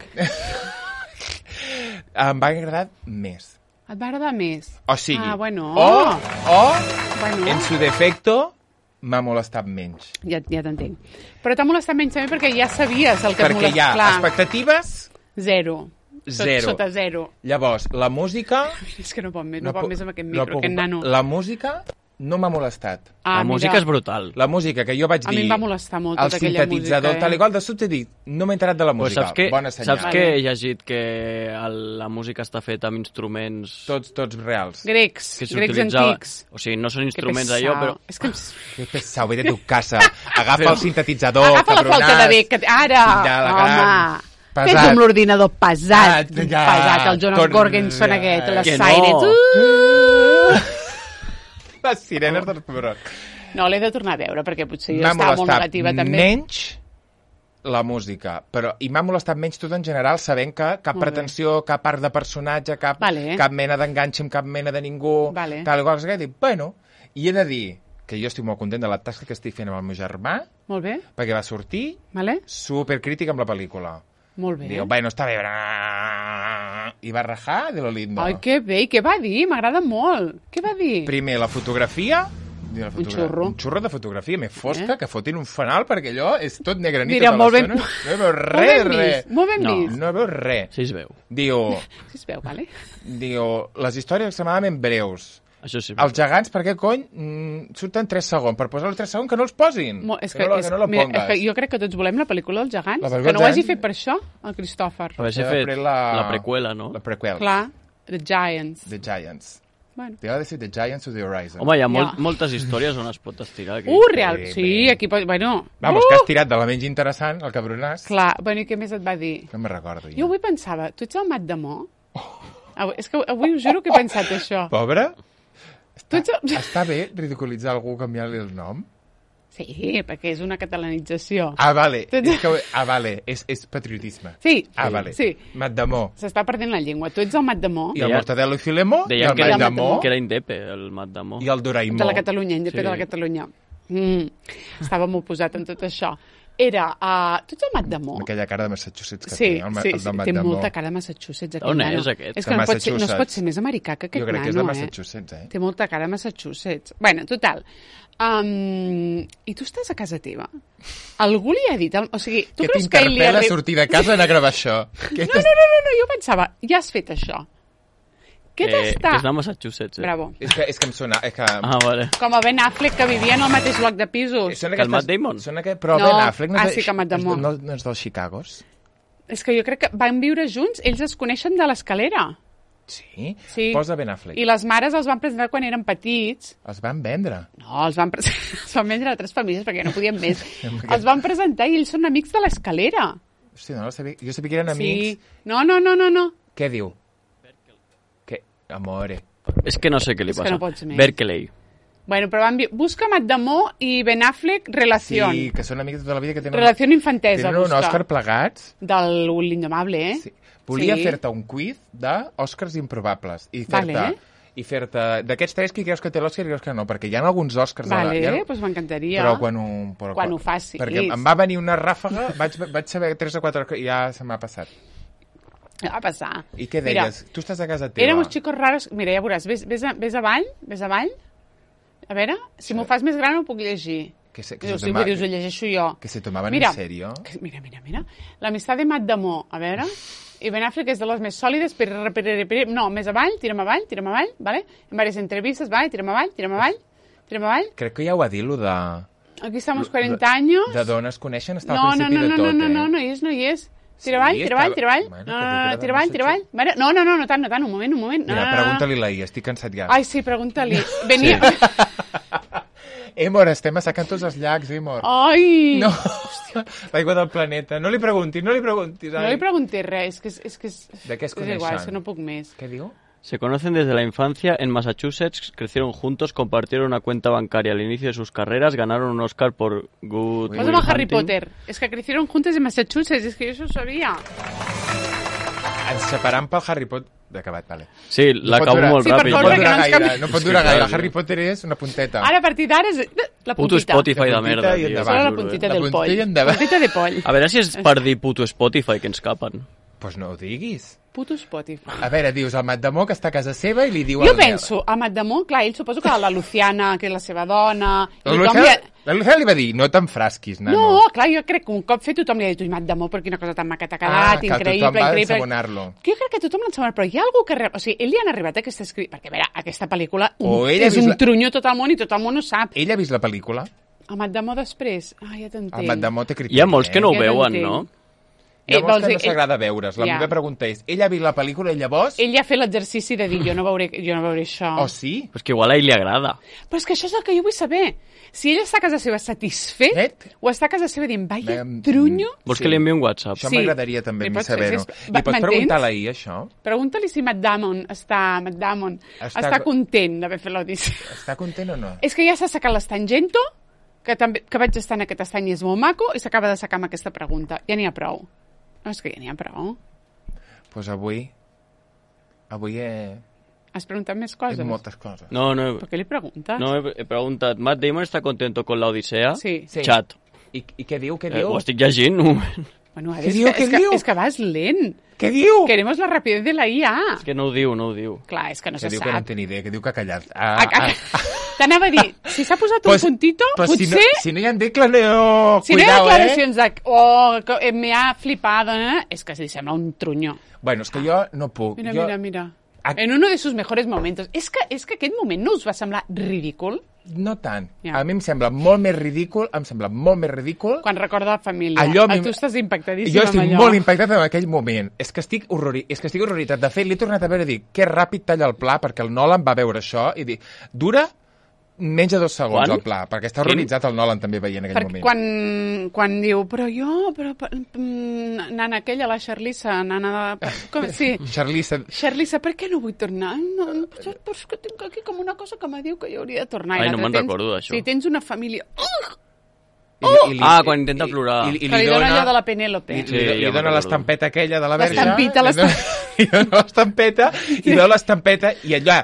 Em va agradar més. Et va agradar més? O sigui, Ah, bueno. o, o Bueno. en su defecto, m'ha molestat menys. Ja, ja t'entenc. Però t'ha molestat menys també perquè ja sabies el que et Perquè hi ha molestava. expectatives... Zero. Sot- Zero. Sota zero. Llavors, la música... És que no pot més, no, pot pu- més amb aquest no micro, puc- aquest nano. La música no m'ha molestat. Ah, La música mira, és brutal. La música que jo vaig A dir... mi em va molestar molt el tota aquella sintetitzador, música, eh? tal i qual, de sobte he dit, no m'he enterat de la Pues música. saps que, Bona senyal. saps que he llegit que el, la música està feta amb instruments Tots, tots reals. Grecs, que grecs s'utilitzava... antics. O sigui, no són Que instruments pesau. allò, però... És que... Que pesau, vete a tu casa. Agafa el sintetitzador, Agafa la flauta de bec. que- Ara, Ja, la home. gran. Fes Pesat. amb l'ordinador pesat. Ah, ja. Pesat, el Jonas Con- Gorgenson aquest, les Que no. Sirens. Uh! Les sirenes dels pebrons. No, l'he de tornar a veure, perquè potser jo M'ha estava molt molestat negativa també. menys la música, però i m'ha molestat menys tot en general, sabent que cap Molt bé. pretensió, cap art de personatge, cap, Vale. cap mena d'enganxe amb cap mena de ningú, Vale. tal i qual, que dic, bueno, i he de dir que jo estic molt content de la tasca que estic fent amb el meu germà, Molt bé, perquè va sortir vale? supercrític amb la pel·lícula. Molt bé. Diu, bueno, està bé, i va rajar de lo lindo. Ai, que bé, i què va dir? M'agrada molt. Què va dir? Primer, la fotografia... La Un xurro. Un xurro de fotografia més fosca, Eh? que fotin un fanal, perquè allò és tot negre nit Dirà, tota molt ben- l'estona. No veu Molt res, ben res. vist, molt ben No. vist. No veu res. Sí es veu. Diu, Sí es veu, vale? diu, les històries extremadament breus. Això sí es veu. Els gegants, per què cony, mm, surten tres segons? Per posar els tres segons que no els posin. Mo- és que, que no, és, que no la mira, pongues. és que jo crec que tots volem la pel·lícula dels gegants. La pel·lícula Que no ho dels hagi gegants- fet per això, el Cristòfer. Haver-se Ja fet després la... la- preqüela, no? La prequel. Clar, The Giants. The Giants. Bueno. T'ha de ser The Giants of the Horizon. Home, hi ha molt, Ja. moltes històries on es pot estirar aquí. Uh, real, bé, sí, bé. aquí pot... Bueno, Vamos, uh! que has tirat de la menys interessant, el cabronàs. Clar, bueno, i què més et va dir? No me'n recordo. Jo avui pensava, tu ets el Mat Damó? Avui, és que avui us juro que he pensat això. Pobre? Tu ets el... Està bé ridiculitzar algú canviant-li el nom? Sí, perquè és una catalanització. Ah, vale. Tu ets- És que, ah, vale. És, és patriotisme. Sí, Ah, vale. sí. Matdamó. S'està perdent la llengua. Tu ets el Mat Damó I el Deia- Mortadelo i Filemó, i Deien el que era, Matdamó, que era indepe, el Mat Damó. i el Doraemó. de la Catalunya, independent Sí. de la Catalunya. Mm, estava molt posat en tot això. Era, uh, tu ets el Mat Damó? Amb aquella cara de Massachusetts que Sí, té, el, ma- sí, el sí, del té Matdamó. molta cara de Massachusetts. Aquest On nano. és, aquest? És De que no, pot ser, no es Massachusetts. pot ser més americà que aquest Jo crec nano, que és de eh? Massachusetts, eh? Té molta cara de Massachusetts. Bueno, total. Um, I tu estàs a casa teva? Algú li ha dit... El, o sigui, tu Què creus que ell li ha... t'interpel·la arri- sortir de casa i anar a gravar això? Què No, no, no, no, no, jo pensava, ja has fet això. Què Eh, t'està... que és de Massachusetts, eh? Bravo. És que, és que em sona... És que... Ah, vale. Com el Ben Affleck, que vivia en el mateix bloc de pisos. Sona Que el Matt Damon? Sona que, però No. Ben Affleck no Ah, és, sí que Matt Damon. no, no és dels Chicagos? És que jo crec que van viure junts, ells es coneixen de l'escalera. Sí? Sí. Posa Ben Affleck. I les mares els van presentar quan eren petits. Els van vendre. No, els van, pre els van vendre a tres famílies perquè no podien més. Els van presentar i ells són amics de l'escalera. Hosti, no, sabia, jo sabia que eren amics. Sí. No, no, no, no, no. Què diu? Que... Amore. És que no sé què li És que passa. no pots més. Berkeley. Bueno, però van... vi- Busca Matt Damó i Ben Affleck, relació. Sí, que són amics de tota la vida que tenen... Relació infantesa, Tenen un busca. Òscar plegats. Del l'Indomable, eh? Sí. Volia Sí. fer-te un quiz d'Òscars improbables. I fer-te... Vale. I fer-te... D'aquests tres, qui creus que té l'Òscar i creus que no? Perquè hi ha alguns Òscars... a la- Vale, hi ha... doncs pues m'encantaria. Però quan ho... Però Quan ho facis. Perquè em va venir una ràfaga, vaig, vaig saber tres o quatre... i ja se m'ha passat. Va passar. I què Mira, deies? Tu estàs a casa teva. éramos chicos raros... Mira, ja veuràs, ves, ves, a, ves avall, ves avall. A veure, si m'ho fas més gran ho puc llegir. Que se, que Dius, se sí, toma- dius, ho llegeixo jo. que se tomaven Mira, en serio. que- Mira, mira, mira. L'amistat de Matt Damó, a veure... I Ben Affleck és de les més sòlides, però... No, més avall, tira'm avall, tira'm avall, ¿vale? En varias entrevistas, vale, tira'm avall, tira'm avall, tira'm avall. Crec que ja ho va dir, lo de... Aquí estamos cuarenta años. De dones coneixen, està No, al no, principi no, no, de tot, no, no, eh? no, no hi és, no hi és. Sí, Tira avall, tira avall, estava- tira avall. Bueno, No, que no, diu que no, era tira avall, de tira avall. Vale, no, no, no, no tant, no tant, un moment, un moment. No, Mira, no, no. pregunta-li la I, estic cansat ja. Ai, sí, pregunta-li. Venia... Emor, estem assecant tots els llacs, Emor. Ai! No, l'aigua del planeta. No li preguntis, no li preguntis. No ai. li pregunté res, és que és... És, que és... De què es És igual, coneixen? és que no puc més. Què diu? Se conocen desde la infancia en Massachusetts, crecieron juntos, compartieron una cuenta bancaria al inicio de sus carreras, ganaron un Oscar por Good Uy, Vas Will amb el Harry Hunting. Potter. És que crecieron juntos en Massachusetts, és que jo això ho sabia. Ens separam pel Harry Potter. acabat, vale. Sí, l'acabo durar- molt Sí, per ràpid. No favor, pot que durar no ens gaire, canvi- no pot És durar que gaire. clar, Harry Potter és una punteta. Ara, a partir d'ara, és la Puto puntita. Spotify de La puntita merda, i tio. endavant. Solo la juro, eh. puntita La del puntita poll. i endavant. Puntita de poll. A veure si és per dir puto Spotify que ens capen. Pues no ho diguis. Puto Spotify. A veure, dius el Mat Damó que està a casa seva i li diu... Jo al- penso, a Matdemont, clar, ell suposo que la Luciana, que és la seva dona... La tothom Luciana, li ha- la Luciana li va dir, no t'enfrasquis, nano. No, clar, jo crec que un cop fet tothom li ha dit, ui, Matdemont, però quina cosa tan maca t'ha quedat, Ah, que increïble, tothom va increïble. ensabonar-lo. Que jo crec que tothom l'ha ensabonar, però hi ha algú que... Re... O sigui, ell li han arribat aquesta escrit... Perquè, a veure, aquesta pel·lícula O un... ell ha és vist un la- trunyó tot el món i tot el món ho sap. Ell ha vist la pel·lícula? A Matdemont després? Ah, ja t'entenc. El Mat Damó té criteri. Hi ha molts que no ho Ja veuen, t'entenc. no? Hi ha Eh, molts vols que dir, no s'agrada veure's. La Ja. meva pregunta és, ell ha vist la pel·lícula i llavors... Ell ja ha fet l'exercici de dir, jo no veuré, jo no veuré això. O sí? Però és que igual a ell li agrada. Però és que això és el que jo vull saber. Si ell està a casa seva satisfet, Et? o està a casa seva dient, vaya Em- trunyo, Vols Sí. que li enviï un WhatsApp? Això Sí. m'agradaria també a Li mi pots- saber-ho. és- Li pots m'entens? preguntar a la I, això? pregunta-li si Matt Damon està, Matt Damon Està- està, content d'haver fet l'Odissea. Està content o no? És que ja s'ha sacat l'Estangento, que, també, que vaig estar en aquest estany i és molt maco, i s'acaba de sacar amb aquesta pregunta. Ja n'hi ha prou. No, és que ja n'hi ha prou. Doncs pues avui... Avui he... Has preguntat més he coses? moltes coses. No, no, Per què li preguntes? no, he, he preguntat. Matt Damon està contento con la Odissea? Sí. Sí. Chat. I, I què diu? Què Eh, diu? ho estic llegint, un moment. Bueno, Què és, diu, que, què és, que, diu? és que vas lent. Què diu? Queremos la rapidez de la I A. És que no ho diu, no ho diu. Clar, és que no Que se diu que no en sap. té ni idea, que diu que ha callat. Ah, Ah, ah, ah. T'anava a dir, si s'ha posat un Pues- puntito, pues potser... Si no, si no hi ha declaració... Si no hi ha Cuidao, declaracions de... Oh, que eh, me ha flipado, eh? És que li sembla un trunyó. eh? Bueno, és que jo no puc. Mira, jo... mira, mira. Ah. En uno de sus mejores momentos. És que, és que aquest moment no us va semblar ridícul? No tant. Ja. A mi em sembla molt més ridícul, em sembla molt més ridícul... Quan recorda la família. Allò a Ah, mi- tu estàs impactadíssim Jo amb estic allò. molt impactat en aquell moment. És que estic, horrori... és que estic horroritzat. De fet, l'he tornat a veure i dic, que ràpid talla el pla, perquè el Nolan va veure això i dic, dura menys de dos segons Quan? el pla, perquè està horroritzat el Nolan també veient aquell Per, moment. quan, quan diu, però jo, però, però mm, nana aquella, la Charlissa, nana de... Com, sí, Charlize... Charlissa, per què no vull tornar? No, no, però és que tinc aquí com una cosa que me diu que jo hauria de tornar. I Ai, no l'altre me'n tens- recordo d'això. Si tens una família... Uh! I, li- i li- Ah, quan intenta plorar. I, i, i Que li dona allò de la Penélope. Li, Sí, li, li ja me'n dona recordo. l'estampeta aquella de la verge. L'estampita, li dona- Li dona l'estampeta i veu l'estampeta i allà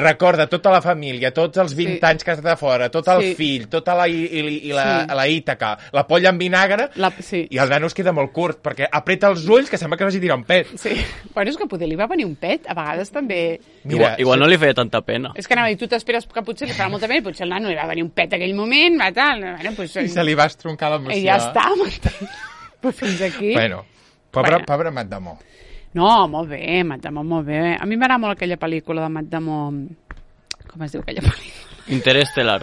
recorda tota la família, tots els vint Sí. anys que has estat fora, tot el Sí. fill, tota la, i, i, i la, Sí. la Ítaca, la polla amb vinagre, La, sí. i el nano es queda molt curt, perquè apreta els ulls que sembla que vagi a tirar un pet. Sí. Bueno, és que poder li va venir un pet, a vegades també... Igual, igual no li feia tanta pena. És que anava a dir, tu t'esperes que potser li farà molta pena i potser el nano li va venir un pet aquell moment, va tal... Bueno, pues, I se li va estroncar l'emoció. I ja està, m'entens? Però fins aquí... Bueno, pobre, Bueno. pobre Matt Damon. No, molt bé, Matt Damon, molt bé. A mi m'agrada molt aquella pel·lícula de Matt Damon... Com es diu aquella pel·lícula? Interestelar.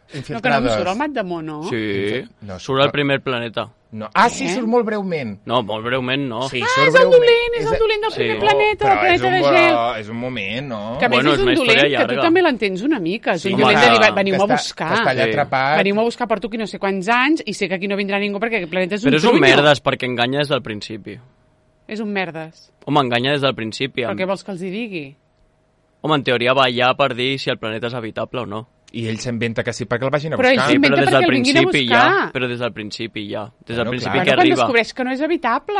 No, que no em surt el Matt Damon, no? Sí. No, Surt al primer planeta. No. Ah, sí, Eh? surt molt breument. No, molt breument no. Sí, Ah, surt és el breument. dolent, és el dolent del Sí. primer No, planeta, però del planeta és de un, gel. bo- és un moment, no? Que a més Bueno, és és un una dolent, història que tu llarga. també l'entens una mica. És Sí, un home, dolent de dir, que- veniu que a està- buscar. que està allà Sí. atrapat. Veniu a buscar per tu qui no sé quants anys i sé que aquí no vindrà ningú perquè aquest planeta és un Però és un trunyo. merdes perquè enganya des del principi. És un merdes. Home, enganya des del principi. Però Amb... què vols que els hi digui? Home, en teoria va allà per dir si el planeta és habitable o no. I ell s'inventa que sí perquè el vagin a Però ell buscar. Sí, s'inventa però des perquè del el vinguin a principi buscar. ja. Però des del principi ja. Des del Bueno, principi clar. que Bueno, quan arriba. descobreix que no és habitable.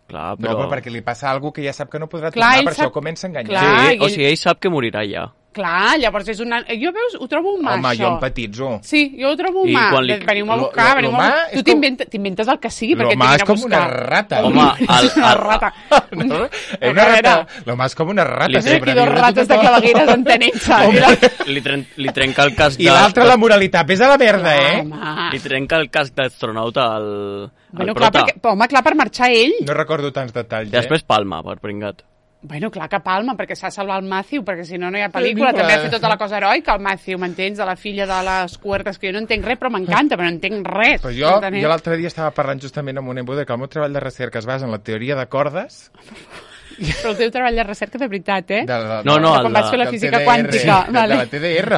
Clar, No, però... però perquè li passa alguna que ja sap que no podrà Clar, tornar, ell per sap- això comença a enganyar. Clar. Sí, i o ell- sigui, ell sap que morirà ja. Clar, llavors és una... Jo, veus, ho trobo humà, Home, això. jo empatitzo. Sí, jo ho trobo I humà. quan li- De- Veniu a lo- buscar, lo- veniu lo a humà buscar. és Tu com- t'inventes t'inventes el que sigui perquè L'humà t'hi és a com buscar. una rata. Home, el- És una el- rata. No? És A una veure. rata. L'humà és com una rata. Li Tens aquí sobreviu dos de rates de tot. clavegueres entenent-se. Home. Li, tren li trenca el casc I l'altra, la moralitat. Ves a la merda, eh? Home, Li trenca el casc d'astronauta al, bueno, al clar, prota. perquè, home, clar, per marxar ell. No recordo tants detalls, I després palma, per pringat. Bueno, clar que palma, perquè s'ha de salvar el Matthew, perquè si no, no hi ha pel·lícula. Pel·lícula. També ha fet tota la cosa heroica, el Matthew, m'entens? De la filla de les Cuertes, que jo no entenc res, però m'encanta, però no entenc res. Pues jo, entenem? jo l'altre dia estava parlant justament amb un embude que el meu treball de recerca es basa en la teoria de cordes. Però el teu treball de recerca de veritat, eh? De la, No, no, de el quan de- vas fer la del física T D R, quàntica. de, Vale. de la T D R.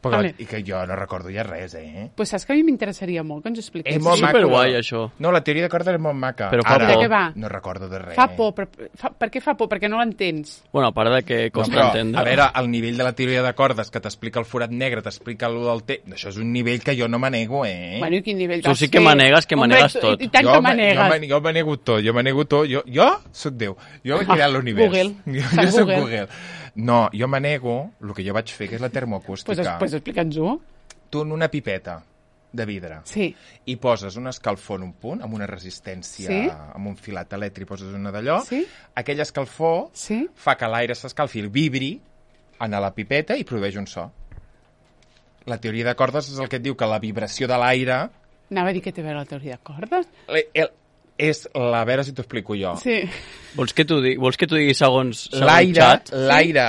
Però, Vale. I que jo no recordo ja res, eh? Pues saps que a mi m'interessaria molt que ens ho expliquessis. És molt maco. Superguai, això. No, la teoria de cordes és molt maca. Però fa Ara, por. De què va? no recordo de res. Fa por, però, fa, per què fa por? Perquè no l'entens. Bueno, a part de que No, costa però, entendre. a veure, el nivell de la teoria de cordes que t'explica el forat negre, t'explica allò del té... Això és un nivell que jo no manego, eh? Bueno, i quin nivell Tu vas sí que fer? manegues, que Hombre, manegues tu- tot. I, i tant jo, que ma- manegues. Jo, ma- jo manego tot, jo manego tot. Jo, jo soc Déu. Jo he creat l'univers. Google. Jo, Sant jo soc Google. Google. No, jo manego el que jo vaig fer, que és la termoacústica. Pues, es- pues explica'ns-ho. Tu en una pipeta de vidre Sí. i poses un escalfor en un punt, amb una resistència, Sí. amb un filat elèctric, poses una d'allò, Sí. aquell escalfor Sí. fa que l'aire s'escalfi, el vibri en la pipeta i produeix un so. La teoria de cordes és el que et diu que la vibració de l'aire Anava a dir que té a veure la teoria de cordes. el, el, és la... A veure si t'ho explico jo. Sí. Vols que t'ho digui, vols que t'ho digui segons, segons L'aire, xat? l'aire,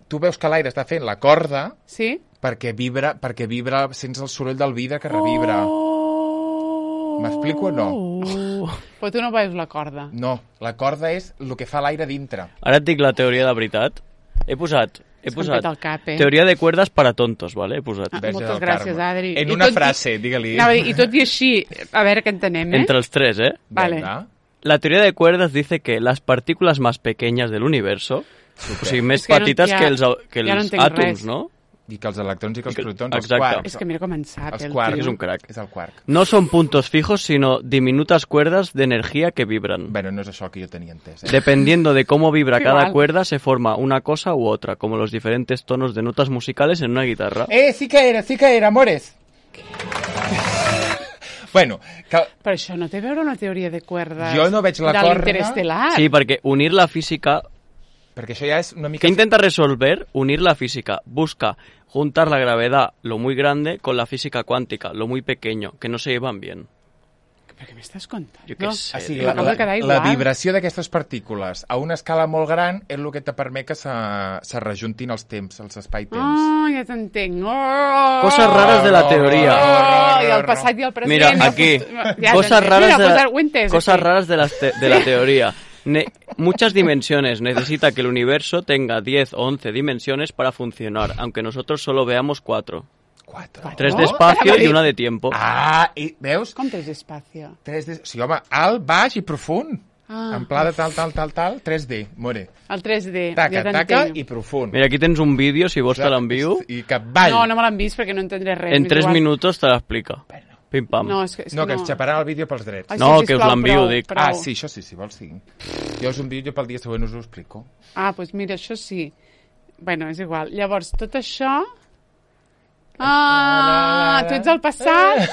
tu veus que l'aire està fent la corda Sí? perquè vibra, perquè vibra, sents el soroll del vidre que revibra. Oh. M'explico o no? Oh. Però tu no veus la corda. No, la corda és el que fa l'aire dintre. Ara et dic la teoria de veritat. He posat, he És que em posat peta el cap, eh? teoria de cuerdas para tontos, ¿vale? He posat. Ah, Verge moltes del gràcies, Carme. Adri. En I una tot i- frase, digue-li. Anava a dir, I tot i així, a veure què entenem, eh? Entre els tres, ¿eh? Vale. Venga. La teoría de cuerdas dice que las partículas más pequeñas del universo, o sigui, més És que no- petites ja- que els, que ja no els entenc àtoms, res. no? I que els electrons i que els I que- protons, els exacte. quarks. És que mira com en sap, Els el quarks. tio. És un crack. És el quark. No son puntos fijos, sino diminutas cuerdas de energía que vibran. Bueno, no és això que jo tenia entès. Eh? Dependiendo de cómo vibra cada Igual. cuerda, se forma una cosa u otra, como los diferentes tonos de notas musicales en una guitarra. Eh, sí que era, sí que era, amores. Bueno, que Però això no té a veure una teoria de cuerdes Jo no veig la de corda. l'interestel·lar. Sí, perquè unir la física... perquè això ja és una mica... ¿Qué intenta resolver? Unir la física. Busca juntar la gravedad, lo muy grande, con la física cuántica, lo muy pequeño, que no se llevan bien. Per què m'estàs contant? Jo què No. sé. Ah, sí, I la, m'acaba la, de quedar la igual. vibració d'aquestes partícules a una escala molt gran és el que te permet que se, se rejuntin els temps, els espai-temps. Oh, ja t'entenc. Oh! Cosas raras de la teoria. Oh, i el passat i el present. Mira, i el aquí, futur. Ja cosas t'entenc. raras, Mira, de, pues, la, ho he entès, cosas aquí. raras de, las te- de la teoría. Ne- muchas dimensiones. Necesita que el universo tenga diez o once dimensiones para funcionar, aunque nosotros solo veamos cuatro. Quatre. Tres Oh, de espacio espera, y una de tiempo. Ah, i veus? Com tres espacio? tres D... Sí, home, alt, baix i profund. Ah. En pla de tal, tal, tal, tal, tres D, more. El tres D. Taca, ja taca t'entenc. i profund. Mira, aquí tens un vídeo, si vols te l'envio. I capvall. No, no me l'han vist perquè no entendré res. En m'és tres igual. minutos te l'explica. Pim pam. No, és que, és No, que no. ens xaparan el vídeo pels drets. Ai, No, sí, que us sisplau, l'envio, prou, dic. prou. Ah, sí, això sí, si vols, sí. Jo us envio, jo pel dia següent us ho explico. Ah, doncs mira, això sí. Bueno, és igual. Llavors, tot això... Ah, tu ets el passat.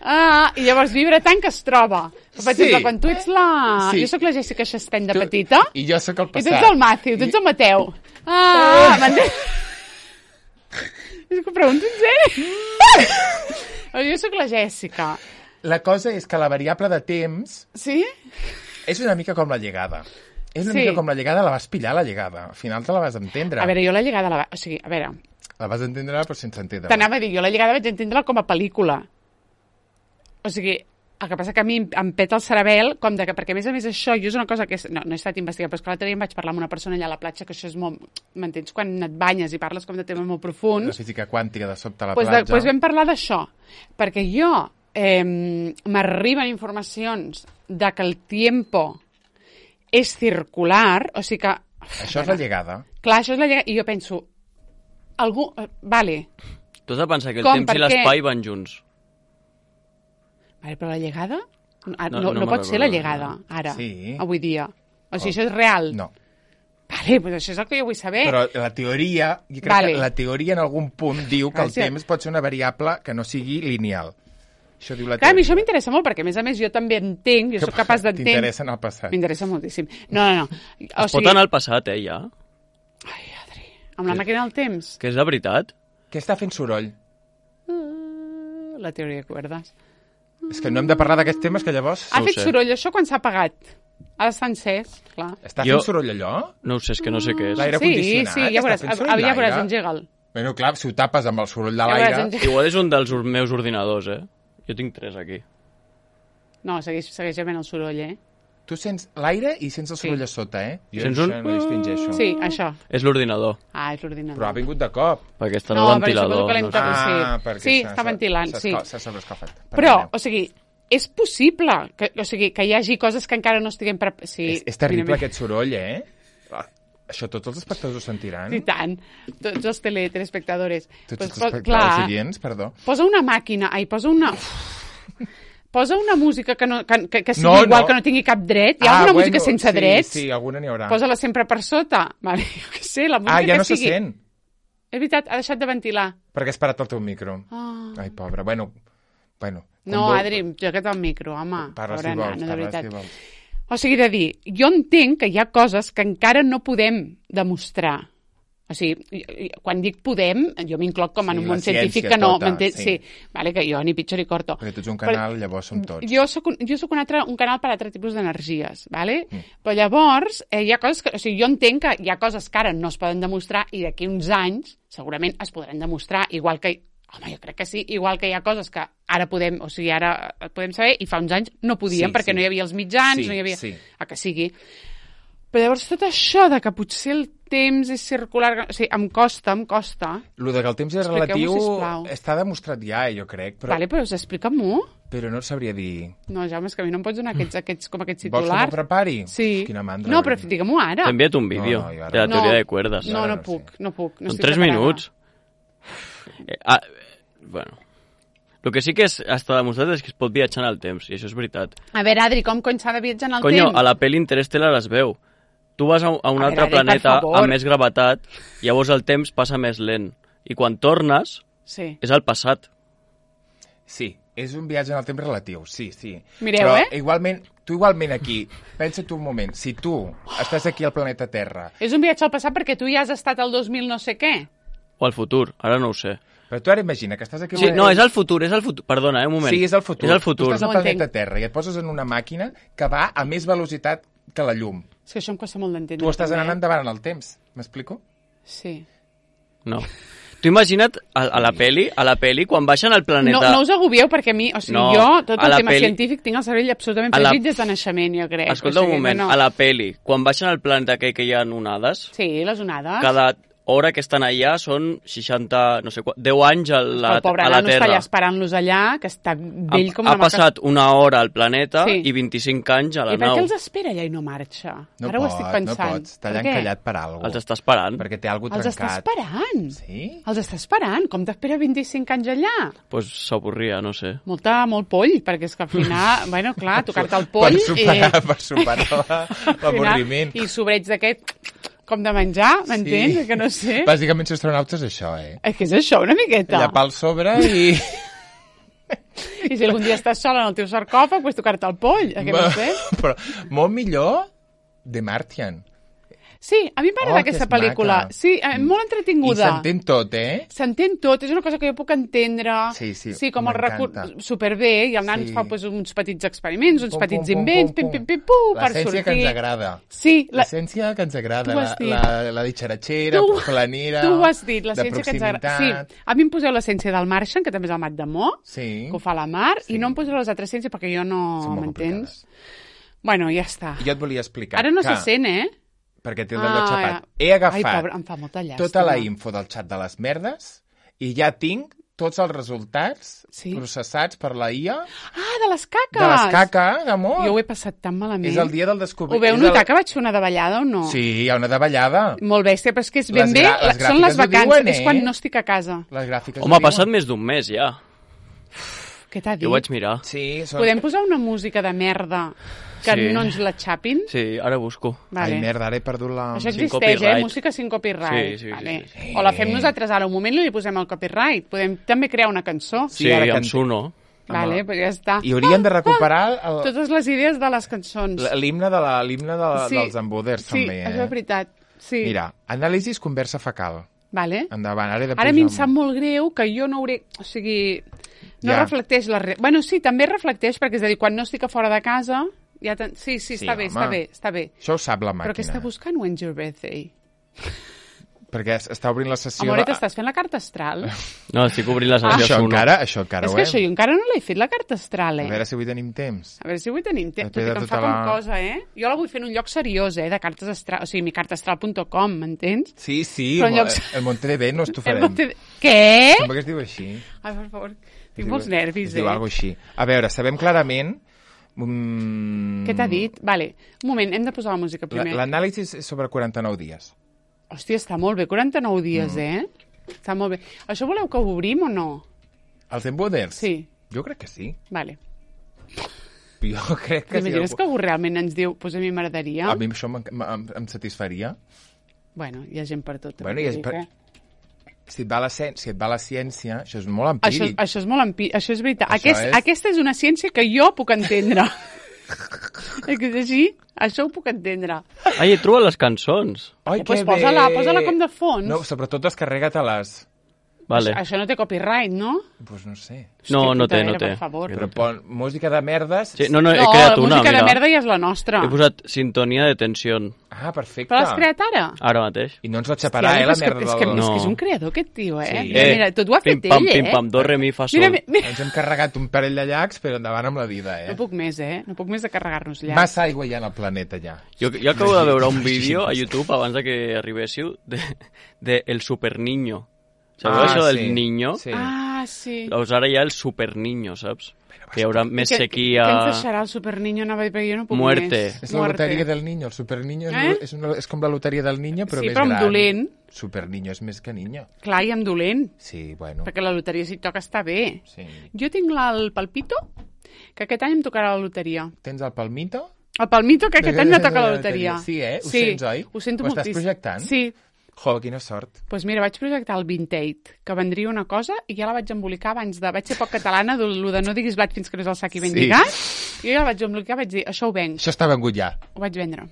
Ah, i llavors vibra tant que es troba. Per Sí. exemple, quan tu ets la... Sí. Jo sóc la Jessica Chastain de Tu- petita. I jo sóc el I passat. tu ets el Matthew, tu ets el Mateu. Ah, m'entens? És que ho pregunto en sèrio. Jo sóc la Jessica. La cosa és que la variable de temps Sí? és una mica com la llegada. És una Sí. mica com la llegada, la vas pillar, la llegada. Al final te la vas entendre. A veure, jo la llegada... La... va- O sigui, a veure, La vas entendre, però sense entendre. t'anava a dir, jo la llegada vaig entendre com a pel·lícula. O sigui, el que passa que a mi em, em peta el cerebel, com de que, perquè a més a més això, jo és una cosa que... És, no, no he estat investigant, però és que l'altre dia em vaig parlar amb una persona allà a la platja, que això és molt... M'entens? Quan et banyes i parles com de temes molt La profuns, física quàntica de sobte a la doncs, platja. de, doncs vam parlar d'això. Perquè jo eh, m'arriben informacions de que el tiempo és circular, o sigui que... Això és la llegada. Clar, això és la llegada, i jo penso... Algú... eh, Vale, Tu has de pensar que el Com, temps i per què? l'espai van junts. Vale, però la llegada ah, No, no, no, no no me'n pot ser la recordo. llegada, ara, Sí. avui dia. O sigui, això és real. No. Vale, doncs això és el que jo vull saber. Però la teoria, jo crec Vale. que la teoria en algun punt diu que el Gràcies. temps pot ser una variable que no sigui lineal. Això diu la Clar, a mi teoria. això m'interessa molt, perquè a més a més jo també entenc, jo sóc capaç d'entendre... T'interessa en el passat. M'interessa moltíssim. No, no, no. O Es pot anar al passat, eh, ja? Ai, Adri, amb la màquina del temps. Que és de veritat. Què està fent soroll? Uh, la teoria de cuerdes. És que no hem de parlar d'aquests temes que llavors... Ha ho fet sé. soroll això quan s'ha apagat. Ha d'estar encès, clar. Està Jo- fent soroll allò? No ho sé, és que no sé què és. L'aire Sí, condicionat? sí, ja Està veuràs, fent soroll ja veuràs, l'aire? engega'l. Bueno, clar, si ho tapes amb el soroll de Ja veuràs, l'aire... engega'l. Igual és un dels or- meus ordinadors, eh? Jo tinc tres aquí. No, segueix, segueix havent el soroll, eh? tu sents l'aire i sents el soroll a sota, eh? Jo Sents això un- no distingeixo. Sí, això. És l'ordinador, Ah, és l'ordinador. Però ha vingut de cop. perquè està No, el però suposo ventilador. que l'hem No sé. tapat. sí. Ah, perquè Sí, s'ha- està ventilant, s'ha- sí. S'ha sobreescalfat. Però, Perdoneu. o sigui, és possible que, o sigui, que hi hagi coses que encara no estiguem... Pre... Sí, És, és terrible mira, aquest soroll, eh? Això tots els espectadors ho sentiran. I tant, tots els tele, telespectadors. Tots Pues, els po- espectadors clar, oients, perdó. posa una màquina, ai, posa una... Posa una música que, no, que, que, que sigui No, igual, no. que no tingui cap dret. Hi ha alguna música sense sí, drets? Sí, alguna n'hi haurà. Posa-la sempre per sota. Vale, jo què sé, la música Ah, ja que no se sigui... sent, És veritat, ha deixat de ventilar. perquè has parat el teu micro. Ah. Ai, pobra. Bueno, bueno. com No, vol- Adri, joca't al micro, home. Parla si Pobra vols, nana, de parla veritat. si vols. O sigui, de dir, jo entenc que hi ha coses que encara no podem demostrar. O sigui, i- i- quan dic podem, jo m'incloc com en Sí, un la món científic ciència que no... tota, m'entén? sí. Sí, vale, que jo ni pitjor ni corto. Perquè tu ets un Però- canal, llavors som tots. Jo soc un, jo soc un, altre, un canal per a altre tipus d'energies, ¿vale? Mm. Però llavors, eh, hi ha coses que... O sigui, jo entenc que hi ha coses que ara no es poden demostrar i d'aquí uns anys segurament es podran demostrar, igual que... Home, jo crec que sí, igual que hi ha coses que ara podem, o sigui, ara podem saber i fa uns anys no podíem Sí, perquè sí. no hi havia els mitjans, Sí, no hi havia... sí. A que sigui. Però llavors tot això de que potser el temps és circular... O sigui, em costa, em costa. Lo de que el temps és Expliqueu-m'ho, relatiu sisplau. està demostrat ja, jo crec, però, Vale, però explica-m'ho. però no et sabria dir. No, Jaume, és que a mi no em pots donar aquests, aquests, com aquests Vols que titulars. m'ho prepari? Sí. Quina mandra. No, però digue-m'ho ara. T'he enviat un vídeo No, no, jo ara de la no. teoria No. de cuerdas. No, Ara no no puc, sé. no puc. No Són estic tres preparada. minuts. Eh, ah, bueno. El que sí que és, està demostrat és que es pot viatjar en el temps, i això és veritat. A veure, Adri, com cony s'ha de viatjar en el Conyo, temps? a la pel·li Interstellar es veu. Tu vas a un, a un A altre veure, Adri, per planeta favor. amb més gravetat, llavors el temps passa més lent. I quan tornes, Sí. és al passat. Sí, és un viatge en el temps relatiu, sí, sí. Mireu, Però eh? igualment, tu igualment aquí, pensa tu un moment, si tu estàs aquí al planeta Terra, És un viatge al passat perquè tu ja has estat al dos mil no sé què. O al futur, ara no ho sé. però tu ara imagina que estàs aquí... al Sí, planeta- no, és el futur, és el futur. Perdona, eh, un moment. Sí, és el futur. És el futur. Tu estàs al No ho planeta entenc. Terra i et poses en una màquina que va a més velocitat que la llum. És que això em costa molt d'entendre. Tu estàs també, anant eh? endavant en el temps, m'explico? Sí. No. Tu imagina't a, a la peli, a la peli, quan baixen al planeta... No, no us agobieu perquè a mi, o sigui, No, jo, tot a el la tema peli- científic, tinc el cervell absolutament a la- fregit des de naixement, jo crec. Escolta o sigui, un moment, no, no. a la peli, quan baixen al planeta aquell que hi ha onades, Sí, les onades. cada hora que estan allà són seixanta, no sé, qua- deu anys a la, El pobre a la nano està Terra. allà esperant-los allà, que està vell ha, com ha una maca- passat una hora al planeta Sí. i vint-i-cinc anys a la I per nau. què els espera allà i no marxa? No Ara pot, ho estic pensant. no pots. Està allà Per què? encallat per alguna Els cosa. està esperant. Perquè té alguna Els cosa està trencat. esperant. Sí? Els està esperant. Com t'espera vint-i-cinc anys allà? Doncs pues s'avorria, no sé. Molta, molt poll, perquè és que al final, bueno, clar, tocar-te el poll... Per superar, eh, per superar la- al final, l'avorriment. I sobreig d'aquest com de menjar, m'entens? Sí. Que no sé. Bàsicament, ser astronauta és això, eh? És que és això, una miqueta. Llapar al sobre i... I si algun dia estàs sola en el teu sarcòfag, pues tocar-te el poll, eh, que no sé. Però molt millor de Martian. Sí, a mi m'agrada Oh, que aquesta és pel·lícula. maca. Sí, eh, molt I entretinguda. s'entén tot, eh? S'entén tot, és una cosa que jo puc entendre. Sí, sí, Sí, com el m'encanta. recurs superbé, i el nan Sí. fa pues, uns petits experiments, uns Pum, petits pum, pum, invents, pum, pim, pim, pum. pim, pum, per L'essència sortir. que ens agrada. Sí, la... L'essència que ens agrada, Tu ho la, has dit. la, la ditxaratxera, Tu- planera, Tu ho has dit, de l'essència que ens agrada. proximitat. Sí, a mi em poseu l'essència del Martian, que també és el Mat de Mo, Sí. que ho fa la Mar, Sí. i no em poseu les altres ciències perquè jo no Són molt m'entens. Bueno, ja està. Jo et volia explicar Ara no que, se sent, eh? perquè té el d'allò Ah, xapat, ja. he agafat Ai, pobre, em fa molta llàstima. tota la info del xat de les merdes i ja tinc tots els resultats Sí? processats per la I A Ah, de les caques! de les caca, d'amor. Jo ho he passat tan malament. És el dia del Ho descobriment. veu és notar el... que vaig fer una davallada o no? Sí, hi ha una davallada. Molt bèstia, però és que és ben Les bé, gra- les la- són les gràfiques ho vacances, diuen, és eh? quan no estic a casa. Les gràfiques Home, ho ha passat diuen. més d'un mes ja. Què t'ha dit? Jo ho vaig mirar. Sí, són... Podem posar una música de merda que Sí. no ens la xapin? Sí, ara busco. Vale. Ai, merda, ara he perdut la... Això Sin existeix, eh? copyright. Música sin copyright. Sí, sí, sí, vale. sí, sí. O la fem nosaltres ara un moment i li posem el copyright. Podem també crear una cançó. Sí, Sí, ara amb can- Suno. Vale, però ja està. I hauríem de recuperar el... Totes les idees de les cançons. l'himne de la, l'himne de, la- Sí. dels emboders, Sí, també, eh? això és veritat. Sí. Mira, anàlisis conversa fecal. Vale. Endavant, ara he de Ara a mi em posar- sap molt greu que jo no hauré... O sigui, no Ja. reflecteix la... Re... Bueno, sí, també reflecteix, perquè és a dir, quan no estic a fora de casa... Ja ten... Sí, sí, Sí, està bé, home. està bé, està bé. Això ho sap la màquina. Però què està buscant When's Your Birthday? perquè està obrint la sessió... Amoret, estàs fent la carta astral? No, estic obrint la Ah, sessió això Suno. encara, això encara És ho que hem. això jo encara no l'he fet, la carta astral, A eh? veure si avui tenim temps. A veure si avui tenim temps, tot Depèn i de que em tota fa com la- cosa, eh? Jo la vull fer en un lloc seriós, eh, de cartes astral, o sigui, mi carta astral punt com, m'entens? Sí, sí, Però en mo- llocs- el Monterrey no t'ho El farem. Monte- Què? Sembla que es diu així. Ai, per favor, Es tinc diu- molts nervis, es eh? diu alguna així. A veure, sabem clarament... Mm, Què t'ha dit? Vale, un moment, hem de posar la música la- primer. L'anàlisi és sobre quaranta-nou dies. Hòstia, està molt bé, quaranta-nou dies, Mm. eh? Està molt bé. Això voleu que ho obrim o no? Els emboders? Sí, Jo crec que sí. vale. Jo crec que sí. T'imagines que algú realment ens diu, pues a mi m'agradaria? A mi això em, em, em satisfaria. Bueno, hi ha gent per tot. Bueno, i és vull dir per- que- Si et va la, ciència, si et va la ciència, això és molt Això, empíric. això és molt empi... Això és veritat. Això Aquest, és- Aquesta és una ciència que jo puc entendre. És que és així? Això ho puc entendre. Ai, he trobat les cançons. Ai, pues que posa-la, bé! posa-la com de fons. No, sobretot descarrega-te-les. Vale. Això, això no té copyright, no? Doncs pues no sé. No, no té, putadera, no té. Per favor. Però pon música de merdes... Sí, no, no, he No, creat la una, música mira. de merda ja és la nostra. He posat sintonia de tensió. Ah, perfecte. Però l'has creat ara? Ara mateix. I no ens la xaparà, Hòstia, eh, la és que, merda és, que, del... és No. que és un creador, aquest tio, eh? Sí. Mira, mira, tot ho ha fet pim, pam, ell, eh? pim, pam, do, re, mi, fa, sol. Mira, mira, mira. Ens hem carregat un parell de llacs, però endavant amb la vida, eh? No puc més, eh? No puc més de carregar-nos llacs. Massa aigua hi ha en el planeta, ja. Jo, jo acabo de veure un vídeo a YouTube abans de que arribéssiu de, de El Super Niño. Sabeu Ah, això del sí, niño? sí. Ah, sí. Doncs ara hi ha el Super Niño, saps? Que hi haurà més que, sequia... Què ens deixarà el superniño? No, perquè jo no puc Muerte. més. És la loteria del niño. El superniño Eh? és, una, és com la loteria del niño, però Sí, més però amb gran. dolent. Superniño és més que niño. Clar, i amb dolent. Sí, bueno. Perquè la loteria, si et toca, està bé. Sí. Jo tinc la, el palpito, que aquest any em tocarà la loteria. Tens el palmito? El palmito, que aquest any me toca la loteria. Sí, eh? Ho sents, oi? Ho sento Ho estàs moltíssim. projectant? Sí. Jo, quina sort. Doncs pues mira, vaig projectar el Vintate, que vendria una cosa, i ja la vaig embolicar abans de... Vaig ser poc catalana, de, lo de no diguis blat fins que no és el sac i ben Sí. lligat, i ja la vaig embolicar, vaig dir, això ho venc, Això està vengut ja. ho vaig vendre.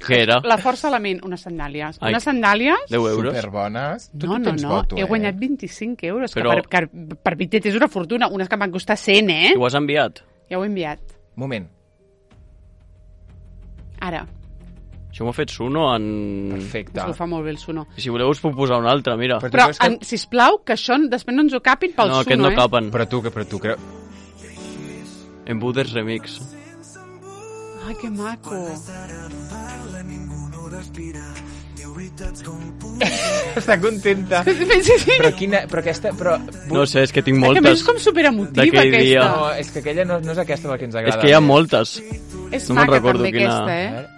Què era? La força element, unes sandàlies. Ai. Unes sandàlies... deu euros? Superbones. Tu, No, tu no, tens no, voto, he eh? guanyat vint-i-cinc euros, Però- que per, per, per Vintate és una fortuna, unes que em van costar cent, eh? I ho has enviat? Ja ho he enviat. Moment. Ara, Això m'ho ha fet Suno en... Perfecte. us ho fa molt bé el Suno. I si voleu us puc posar un altre, mira. Però- Però, creus que- en, sisplau, que això després no ens ho capin pel No, Suno, aquest no eh? capen. Però tu, que però tu creu... En Buders Remix. Ai, que maco. Està contenta. Sí, sí, sí. Però quina... Però aquesta... Però... No sé, és que tinc Que a més moltes. és com superemotiva, d'aquell aquesta. dia. No, és que aquella no, no és aquesta la que ens És agrada. que hi ha més. moltes. És No me'n maca recordo també quina- aquesta, A eh? veure.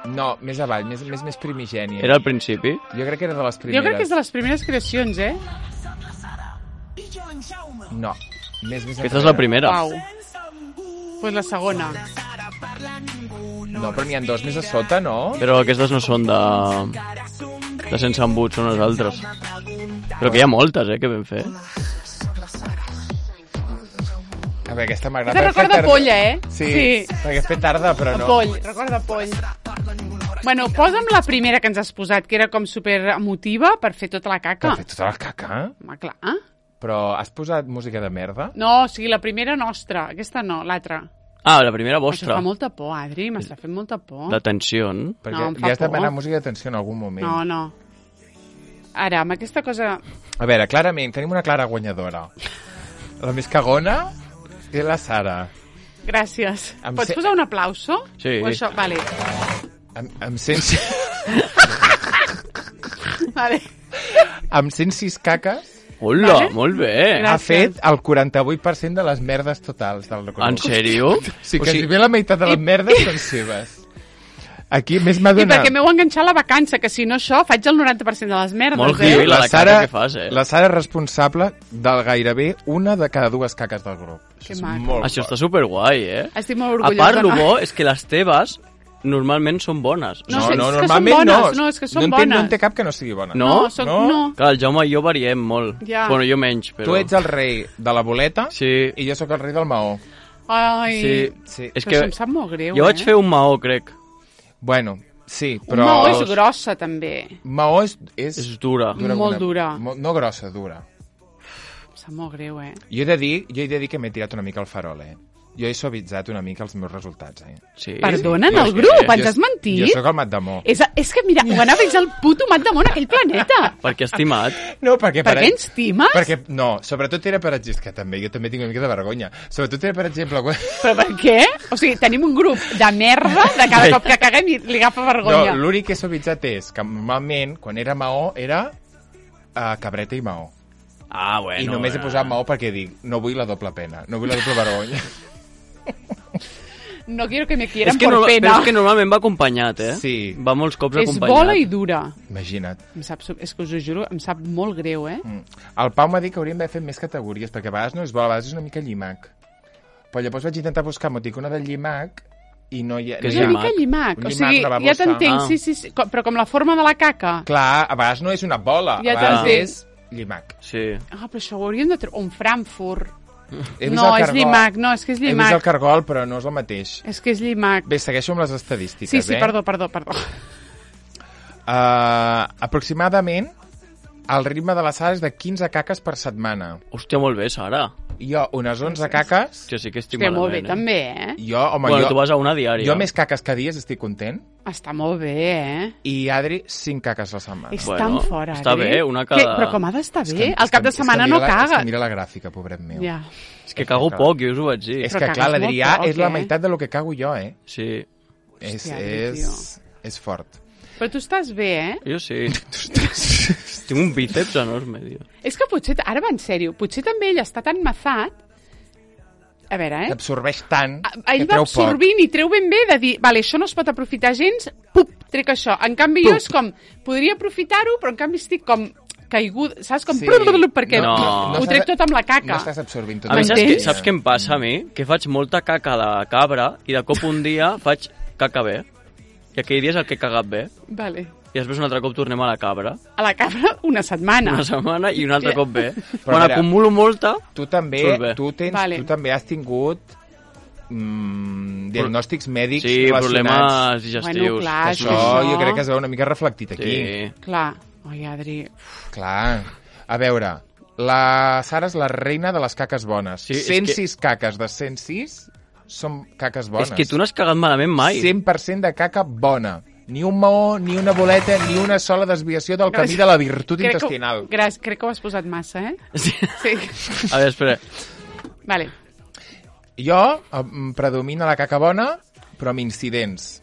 No, més avall, més, més, més primigènia. Era al principi? Jo crec que era de les primeres. Jo crec que és de les primeres creacions, eh? No, més, més Aquesta és la primera. Uau. Pues la segona. No, però n'hi ha dos més a sota, no? Però aquestes no són de... de sense embut, són les altres. Però que hi ha moltes, eh, que vam fer. A veure, aquesta m'agrada. Aquesta perquè recorda tarda. polla, eh? Sí, Sí. perquè és fer tarda, però no. Poll, recorda poll. Bueno, posa'm la primera que ens has posat, que era com super emotiva per fer tota la caca. Per fer tota la caca? Home, clar. Però has posat música de merda? No, o sigui, la primera nostra. Aquesta no, l'altra. Ah, la primera Això vostra. fa molta por, Adri, m'està fent molta por. De tensió. Perquè No, em fa li has de por. demanar música d'atenció en algun moment. No, no. Ara, amb aquesta cosa... A veure, clarament, tenim una clara guanyadora. La més cagona és la Sara. Gràcies. Em Pots sé- posar un aplauso? Sí. O això? Vale. Amb, amb, cent... Vale. amb cent sis caques Hola, Vale. molt bé. Gràcies. ha fet el quaranta-vuit per cent de les merdes totals del recorregut. En sèrio? Sí, O que sigui, si bé la meitat de les merdes són seves. Aquí més m'ha I donat... perquè m'heu enganxat la vacança, que si no això, faig el noranta per cent de les merdes, Molt eh? heavy, la- la cara Sara, que fas, eh? la Sara és responsable del gairebé una de cada dues caques del grup. Que Això és maco. molt Això fort. està superguai, eh? Estic molt A orgullosa. part, el no? bo és que les teves normalment són bones. No, No, sí, no, és que normalment són bones, no. no, és que són no, en té, no bones. en té cap que no sigui bona. No? No, soc, No? no. Clar, el Jaume i jo variem molt. Ja. Bueno, jo menys, però... Tu ets el rei de la boleta Sí. i jo sóc el rei del maó. Ai, Sí. Sí. És però que això em sap molt greu, jo vaig eh? fer un maó, crec. Bueno, sí, Però... però... Maó és grossa, també. Maó és... és... És dura. Molt com dura. Mo- No grossa, dura. Em sap molt greu, eh? Jo he de dir, jo he de dir que m'he tirat una mica el farol, eh? Jo he suavitzat una mica els meus resultats, eh? Sí. Perdona, en Jo el és grup, que- ens has mentit? Jo sóc el Mat Damó. És, és que, mira, ho anava a el puto Mat Damó en aquell planeta. Perquè estimat. No, perquè... Per què ens times? Perquè, no, sobretot era per exemple... És que també, jo també tinc una mica de vergonya. Sobretot era, per exemple... Quan... Però per què? O sigui, tenim un grup de merda de cada cop que caguem i li agafa vergonya. No, l'únic que he suavitzat és que normalment, quan era Maó, era uh, cabreta i Maó. Ah, bueno. I només he eh. posat Maó perquè dic, no vull la doble pena, no vull la doble vergonya. No quiero que me quieran És que, por no, pena. però és que normalment va acompanyat, eh? Sí. Va molts cops És acompanyat. bola i dura. Imagina't. Em sap, és que us ho juro, em sap molt greu, eh? Mm. El Pau m'ha dit que hauríem d'haver fet més categories, perquè a vegades no és bola, a vegades és una mica llimac. Però llavors vaig intentar buscar emoticona del llimac i no hi ha... Què És és una llimac? mica llimac. Un O llimac, sigui, una ja babosa. t'entenc, Ah. sí, sí, sí, com- però com la forma de la caca. Clar, a vegades no és una bola, Ja a vegades t'entenc. és llimac. Sí. Ah, però això ho hauríem de treure. Un Frankfurt. He vist No, el és cargol. llimac, no, és que és He vist llimac. el cargol, però no és el mateix. És que és llimac. Bé, segueixo amb les estadístiques, Sí, sí, eh? perdó, perdó, perdó. Uh, aproximadament, el ritme de la Sara és de quinze caques per setmana. Hòstia, molt bé, Sara. Jo, unes onze caques... Jo sí que estic Hòstia, molt bé, malament, eh? també, eh? Jo, home, Bueno, jo, tu vas a una diària. jo més caques que dies estic content. Està molt bé, eh? I Adri, cinc caques a la setmana. És Bueno, tan fora, està Adri. bé, una cada- Què? Però com ha d'estar És bé? que- Al és cap que- de és que setmana mira no la- És cagues. que mira la gràfica, pobret meu. Ja. És que cago Clar. poc, jo us ho vaig dir. És Però que, cagues clar, molt l'Adrià poc, és la eh? meitat de lo que cago jo, eh? Sí, És, Hòstia, Adri, és, és fort. Però tu estàs bé, eh? jo sí. Tinc un bíceps enorme, tio. És que potser, ara va en sèrio, potser també ell està tan mazat. A veure, eh? Absorbeix tant A- Ell que va treu poc. absorbint i treu ben bé de dir, vale, això no es pot aprofitar gens, pup, trec això. En canvi, jo és com, podria aprofitar-ho, però en canvi estic com caigut, saps? Com, Sí. perquè No. ho estàs- trec tot amb la caca. No estàs absorbint tot. A mi, saps, M'entens? què, saps què em passa a mi? Que faig molta caca de cabra i de cop un dia faig caca bé. I aquell dia és el que he cagat bé. Vale. I després un altre cop tornem a la cabra. A la cabra una setmana. Una setmana i un altre cop bé. Però Quan mira, acumulo molta... Tu també, Surt bé. tu, tens, Vale. tu també has tingut mm, diagnòstics mèdics Sí, relacionats. problemes digestius. Bueno, clar, Això, això- jo crec que es veu una mica reflectit aquí. Sí. Clar. Oi, Adri. Clar. A veure, la Sara és la reina de les caques bones. Sí, és cent sis caques de cent sis són caques bones. És que tu no has cagat malament mai. cent per cent de caca bona. Ni un maó, ni una boleta, ni una sola desviació del camí de la virtut Crec que, intestinal. gràcies, crec que ho has posat massa, eh? Sí. Sí. A veure, espera. Vale. Jo em predomina la caca bona, però amb incidents.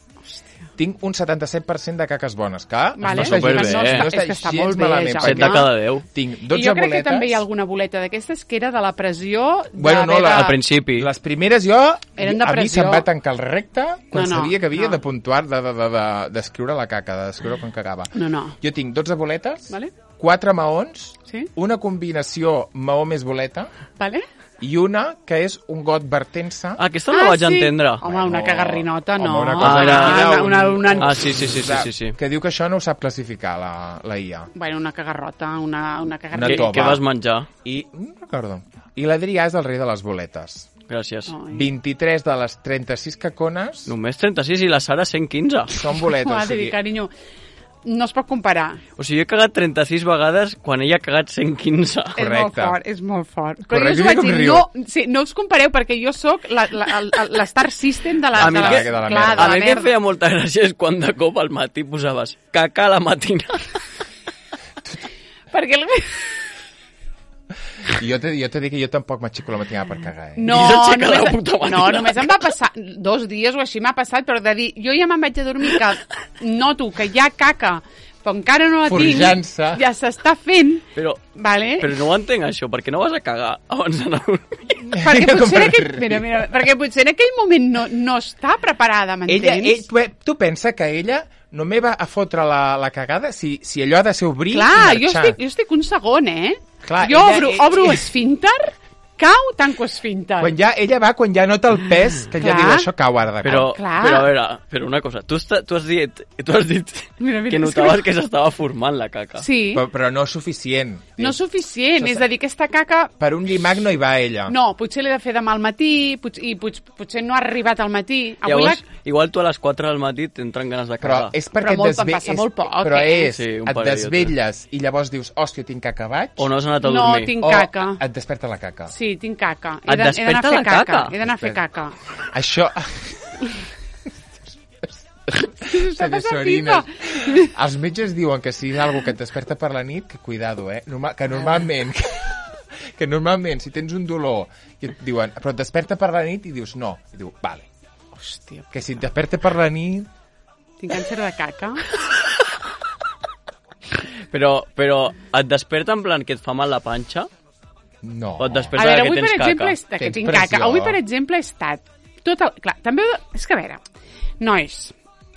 Tinc un setanta-set per cent de caques bones, que Vale. no està superbé, gens, eh? no És està que està gens molt bé, malament. Jaume. set de cada deu. Tinc I dotze jo crec boletes. que també hi ha alguna boleta d'aquestes que era de la pressió de Bueno, no, haver la- de- Al principi. Les primeres jo, Eren de a mi pressió. se'm va tancar el recte quan No, no, sabia que havia no. de puntuar, de, de, de, de, d'escriure la caca, d'escriure quan cagava. No, no. Jo tinc dotze boletes, Vale. quatre maons, Sí? una combinació maó més boleta Vale? i una que és un got vertent-se. Ah, aquesta no la vaig sí. entendre. Home, una cagarrinota, no. Home, una cosa Ah, era- una, una, una, una, Ah, sí, sí, sí, sí, sí, sí. Que diu que això no ho sap classificar, la, la I A. Bueno, una cagarrota, una, una Una cagarrota. Què, tova. què vas menjar? I, no recordo. I l'Adrià és el rei de les boletes. Gràcies. Ai. vint-i-tres de les trenta-sis cacones Només trenta-sis i la Sara cent quinze. són boletes. o Adri, sigui, carinyo, no es pot comparar. O sigui, jo he cagat trenta-sis vegades quan ella ha cagat cent quinze. És molt Correcte. fort, és molt fort. Però Correcte, jo us vaig com dir, riu. no, sí, no us compareu perquè jo sóc la- la- el- el- l'Star System de la, A mi de la, que- de la clar, merda. de A la mi que em merda. feia molta gràcia és quan de cop al matí posaves caca a la matina. Perquè el... I jo te, jo te dic que jo tampoc m'aixeco la matinada per cagar, eh? No, I s'aixeca la només, puta matina. no, només em va passar dos dies o així m'ha passat, però de dir, jo ja me'n vaig a dormir que noto que hi ha caca, però encara no la tinc, Forjant-se. ja s'està fent, Però, vale? però no ho entenc, això. Per què no vas a cagar abans d'anar a dormir? perquè Com potser, en per aquell, riure. mira, mira, perquè potser en aquell moment no, no està preparada, Ella, m'entens? ell, tu, tu pensa que ella no me va a fotre la, la cagada si, si allò ha de ser obrir Clar, i jo marxar. estic, jo estic un segon, eh? Clar, jo ella- obro, ella- obro esfínter, cau, tanco esfínter. Quan ja, ella va quan ja nota el pes, que ja Clar. diu, això cau ara de Però, cau. Clar. però a veure, però una cosa. Tu, esta, tu has dit, tu has dit Mira, mira, que és notaves que- que s'estava formant la caca. Sí, Però, però no suficient. no suficient, Això és a dir, aquesta caca Per un llimac no hi va ella. no, potser l'he de fer demà al matí, potser, i potser, potser no ha arribat al matí. Avui Llavors, la... igual tu a les quatre del matí t'entren ganes de Però cagar. és perquè Però molt- et desve... em passa és... molt poc, Però eh? és, Sí, un et parell o desvetlles i llavors dius, hòstia, tinc caca baix, O no has anat a No, dormir. tinc o caca. et desperta la caca. Sí, Sí, tinc caca. Et He de- he d'anar desperta a fer la caca? He d'anar a fer caca. Això... Està Senyor passant Sorinas, pipa. els metges diuen que si hi ha alguna que et desperta per la nit, que cuidado, eh? Normal, que normalment... Que, que normalment, si tens un dolor i et diuen, però et desperta per la nit, i dius, no. I diu, vale. Hòstia, Que si et desperta per la nit... tinc càncer de caca. Però, però et desperta en plan que et fa mal la panxa? No. O et A desperta veure, que avui, per tens exemple, caca? és que Tens tinc pressió. caca. Avui, per exemple, he estat tot el... Clar, també... És que, a veure, nois,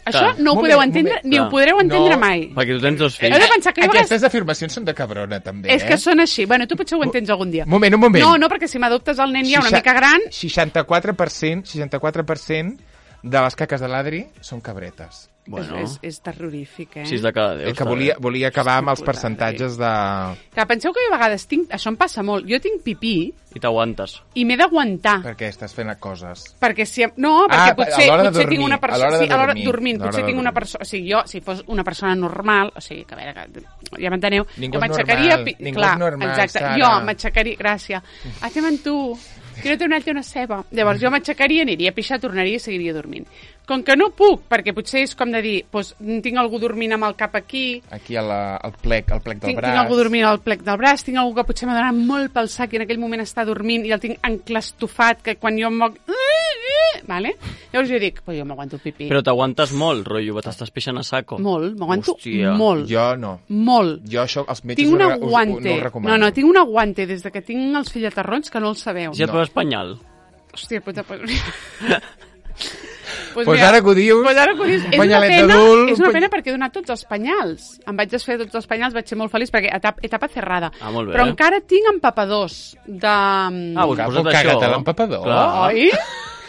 això Clar. no ho Moment, podeu entendre, moment. ni ho Clar. podreu entendre No. mai. Perquè tu tens dos Heu fills. de pensar que jo a vegades... Aquestes afirmacions són de cabrona, també, És eh? que són així. Bueno, tu potser ho entens algun dia. Un moment, un moment. No, no, perquè si m'adoptes el nen ja una Seixa- mica gran... seixanta-quatre per cent, seixanta-quatre per cent de les caques de l'Adri són cabretes. Bueno, és, és, és terrorífic, eh? sis de cada deu. Eh, que està volia, bé. volia acabar amb els Puta, percentatges de... Que penseu que jo a vegades tinc... Això em passa molt. Jo tinc pipí I t'aguantes. i m'he d'aguantar. Perquè estàs fent coses. Perquè si... No, perquè Ah, potser, a l'hora de potser tinc dormir, una a persona... l'hora de Sí, a l'hora dormir, dormint. a l'hora Potser de tinc una dormir. persona... O sigui, jo, si fos una persona normal... O sigui, que a veure, que ja m'enteneu... Ningú jo és m'aixecaria... normal, pi- ningú Clar, és normal, exacte. Sara. Jo m'aixecaria... Gràcies. Hacem amb tu. Tira-te una altra una ceba. Llavors jo m'aixecaria, aniria a pixar, tornaria i seguiria dormint. Com que no puc, perquè potser és com de dir, doncs, tinc algú dormint amb el cap aquí, Aquí al, al plec, al plec del tinc, braç. tinc algú dormint al plec del braç, tinc algú que potser m'ha donat molt pel sac i en aquell moment està dormint i el tinc enclastofat, que quan jo em moc... Vale? Llavors jo dic, pues jo m'aguanto el pipí. Però t'aguantes molt, rotllo, t'estàs pixant a saco. Molt, m'aguanto Hòstia. molt. Jo no. Molt. Jo això, els metges Tinc un ho, re- us- ho- aguante. no ho recomano. No, no, tinc un aguante des de que tinc els fillaterrons que no el sabeu. Si et No. poses penyal. Hòstia puta, pues... pues Pues ara que ho dius, Pues ara que ho dius, és una panyalet pena, d'adult, és una un pena perquè he donat tots els penyals. Em vaig desfer de tots els penyals, vaig ser molt feliç perquè etapa, etapa cerrada. Ah, molt bé. Però encara tinc empapadors de... Ah, doncs Cap, posa't caga't això. a l'empapador. Clar. Oi?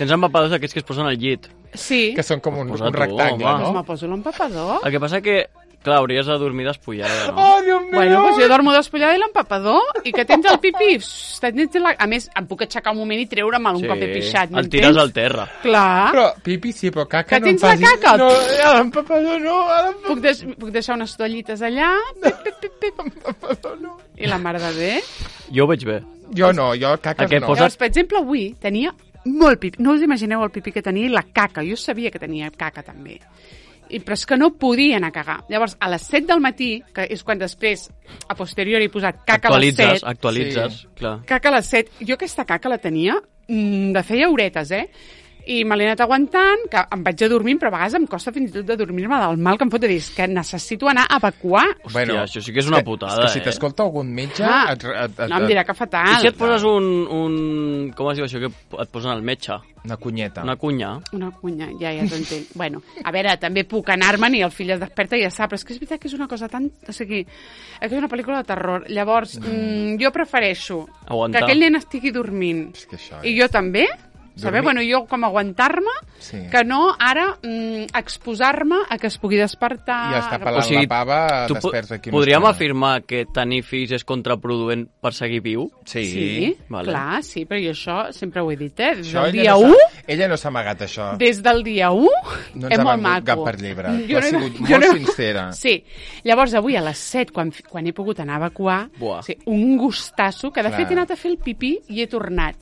Tens empapadors d'aquests que es posen al llit. Sí. Que són com un, Posa un tu, rectangle, home. Doncs no? me poso l'empapador. El que passa que, clar, hauries de dormir despullada, no? Oh, Dios mío! Bueno, doncs jo dormo despullada i l'empapador i que tens el pipí. Tens la... A més, em puc aixecar un moment i treure'm un cop he pixat. el tires al terra. Clar. Però pipi sí, però caca Que no em tens la facis... caca? No, a l'empapador no, a Puc, des... puc deixar unes toallites allà. Pip, pip, pip, pip. l'empapador no. I la mare de bé. Jo ho veig bé. Jo no, jo caques Aquest no. posa- Llavors, per exemple, avui tenia molt pipí. No us imagineu el pipí que tenia i la caca. Jo sabia que tenia caca també. I, però és que no podia anar a cagar. Llavors, a les set del matí, que és quan després, a posteriori, he posat caca a les Actualitzes, set, actualitzes, Sí. clar. caca a les set, jo aquesta caca la tenia mm, de feia horetes, eh? I me l'he anat aguantant, que em vaig a dormir, però a vegades em costa fins i tot de dormir-me del mal que em fot de dir, és que necessito anar a evacuar. Hòstia, això sí que és una putada, és que si eh? t'escolta algun metge... Ah, et, et, et, no, em dirà que fatal. I si et poses un, un... Com es diu això que et posen al metge? Una cunyeta. Una cunya? Una cunya, ja, ja t'ho entenc. Bueno, a veure, també puc anar-me'n i el fill es desperta i ja sap, però és que és veritat que és una cosa tan... O sigui, és que és una pel·lícula de terror. Llavors, mm, jo prefereixo Aguantar. que aquell nen estigui dormint És que això i és... jo també, saber, Dormir- bueno, jo com aguantar-me, Sí. que no ara mm, exposar-me a que es pugui despertar. I està pelant O sigui, la pava, Tu po- desperts aquí una podríem estona. afirmar que tenir fills és contraproduent per seguir viu? Sí. Sí, Vale. clar, sí, però jo això sempre ho he dit, eh? Des Això del ella dia no u, s'ha- Ella no s'ha amagat, això. des del dia u, No ens és ha molt vengut maco. cap per llebre. Tu Jo has no- sigut jo molt no- sincera. Sí. Llavors, avui a les set, quan, quan he pogut anar a evacuar, Buah. sí, un gustasso, que de Clar. fet he anat a fer el pipí i he tornat.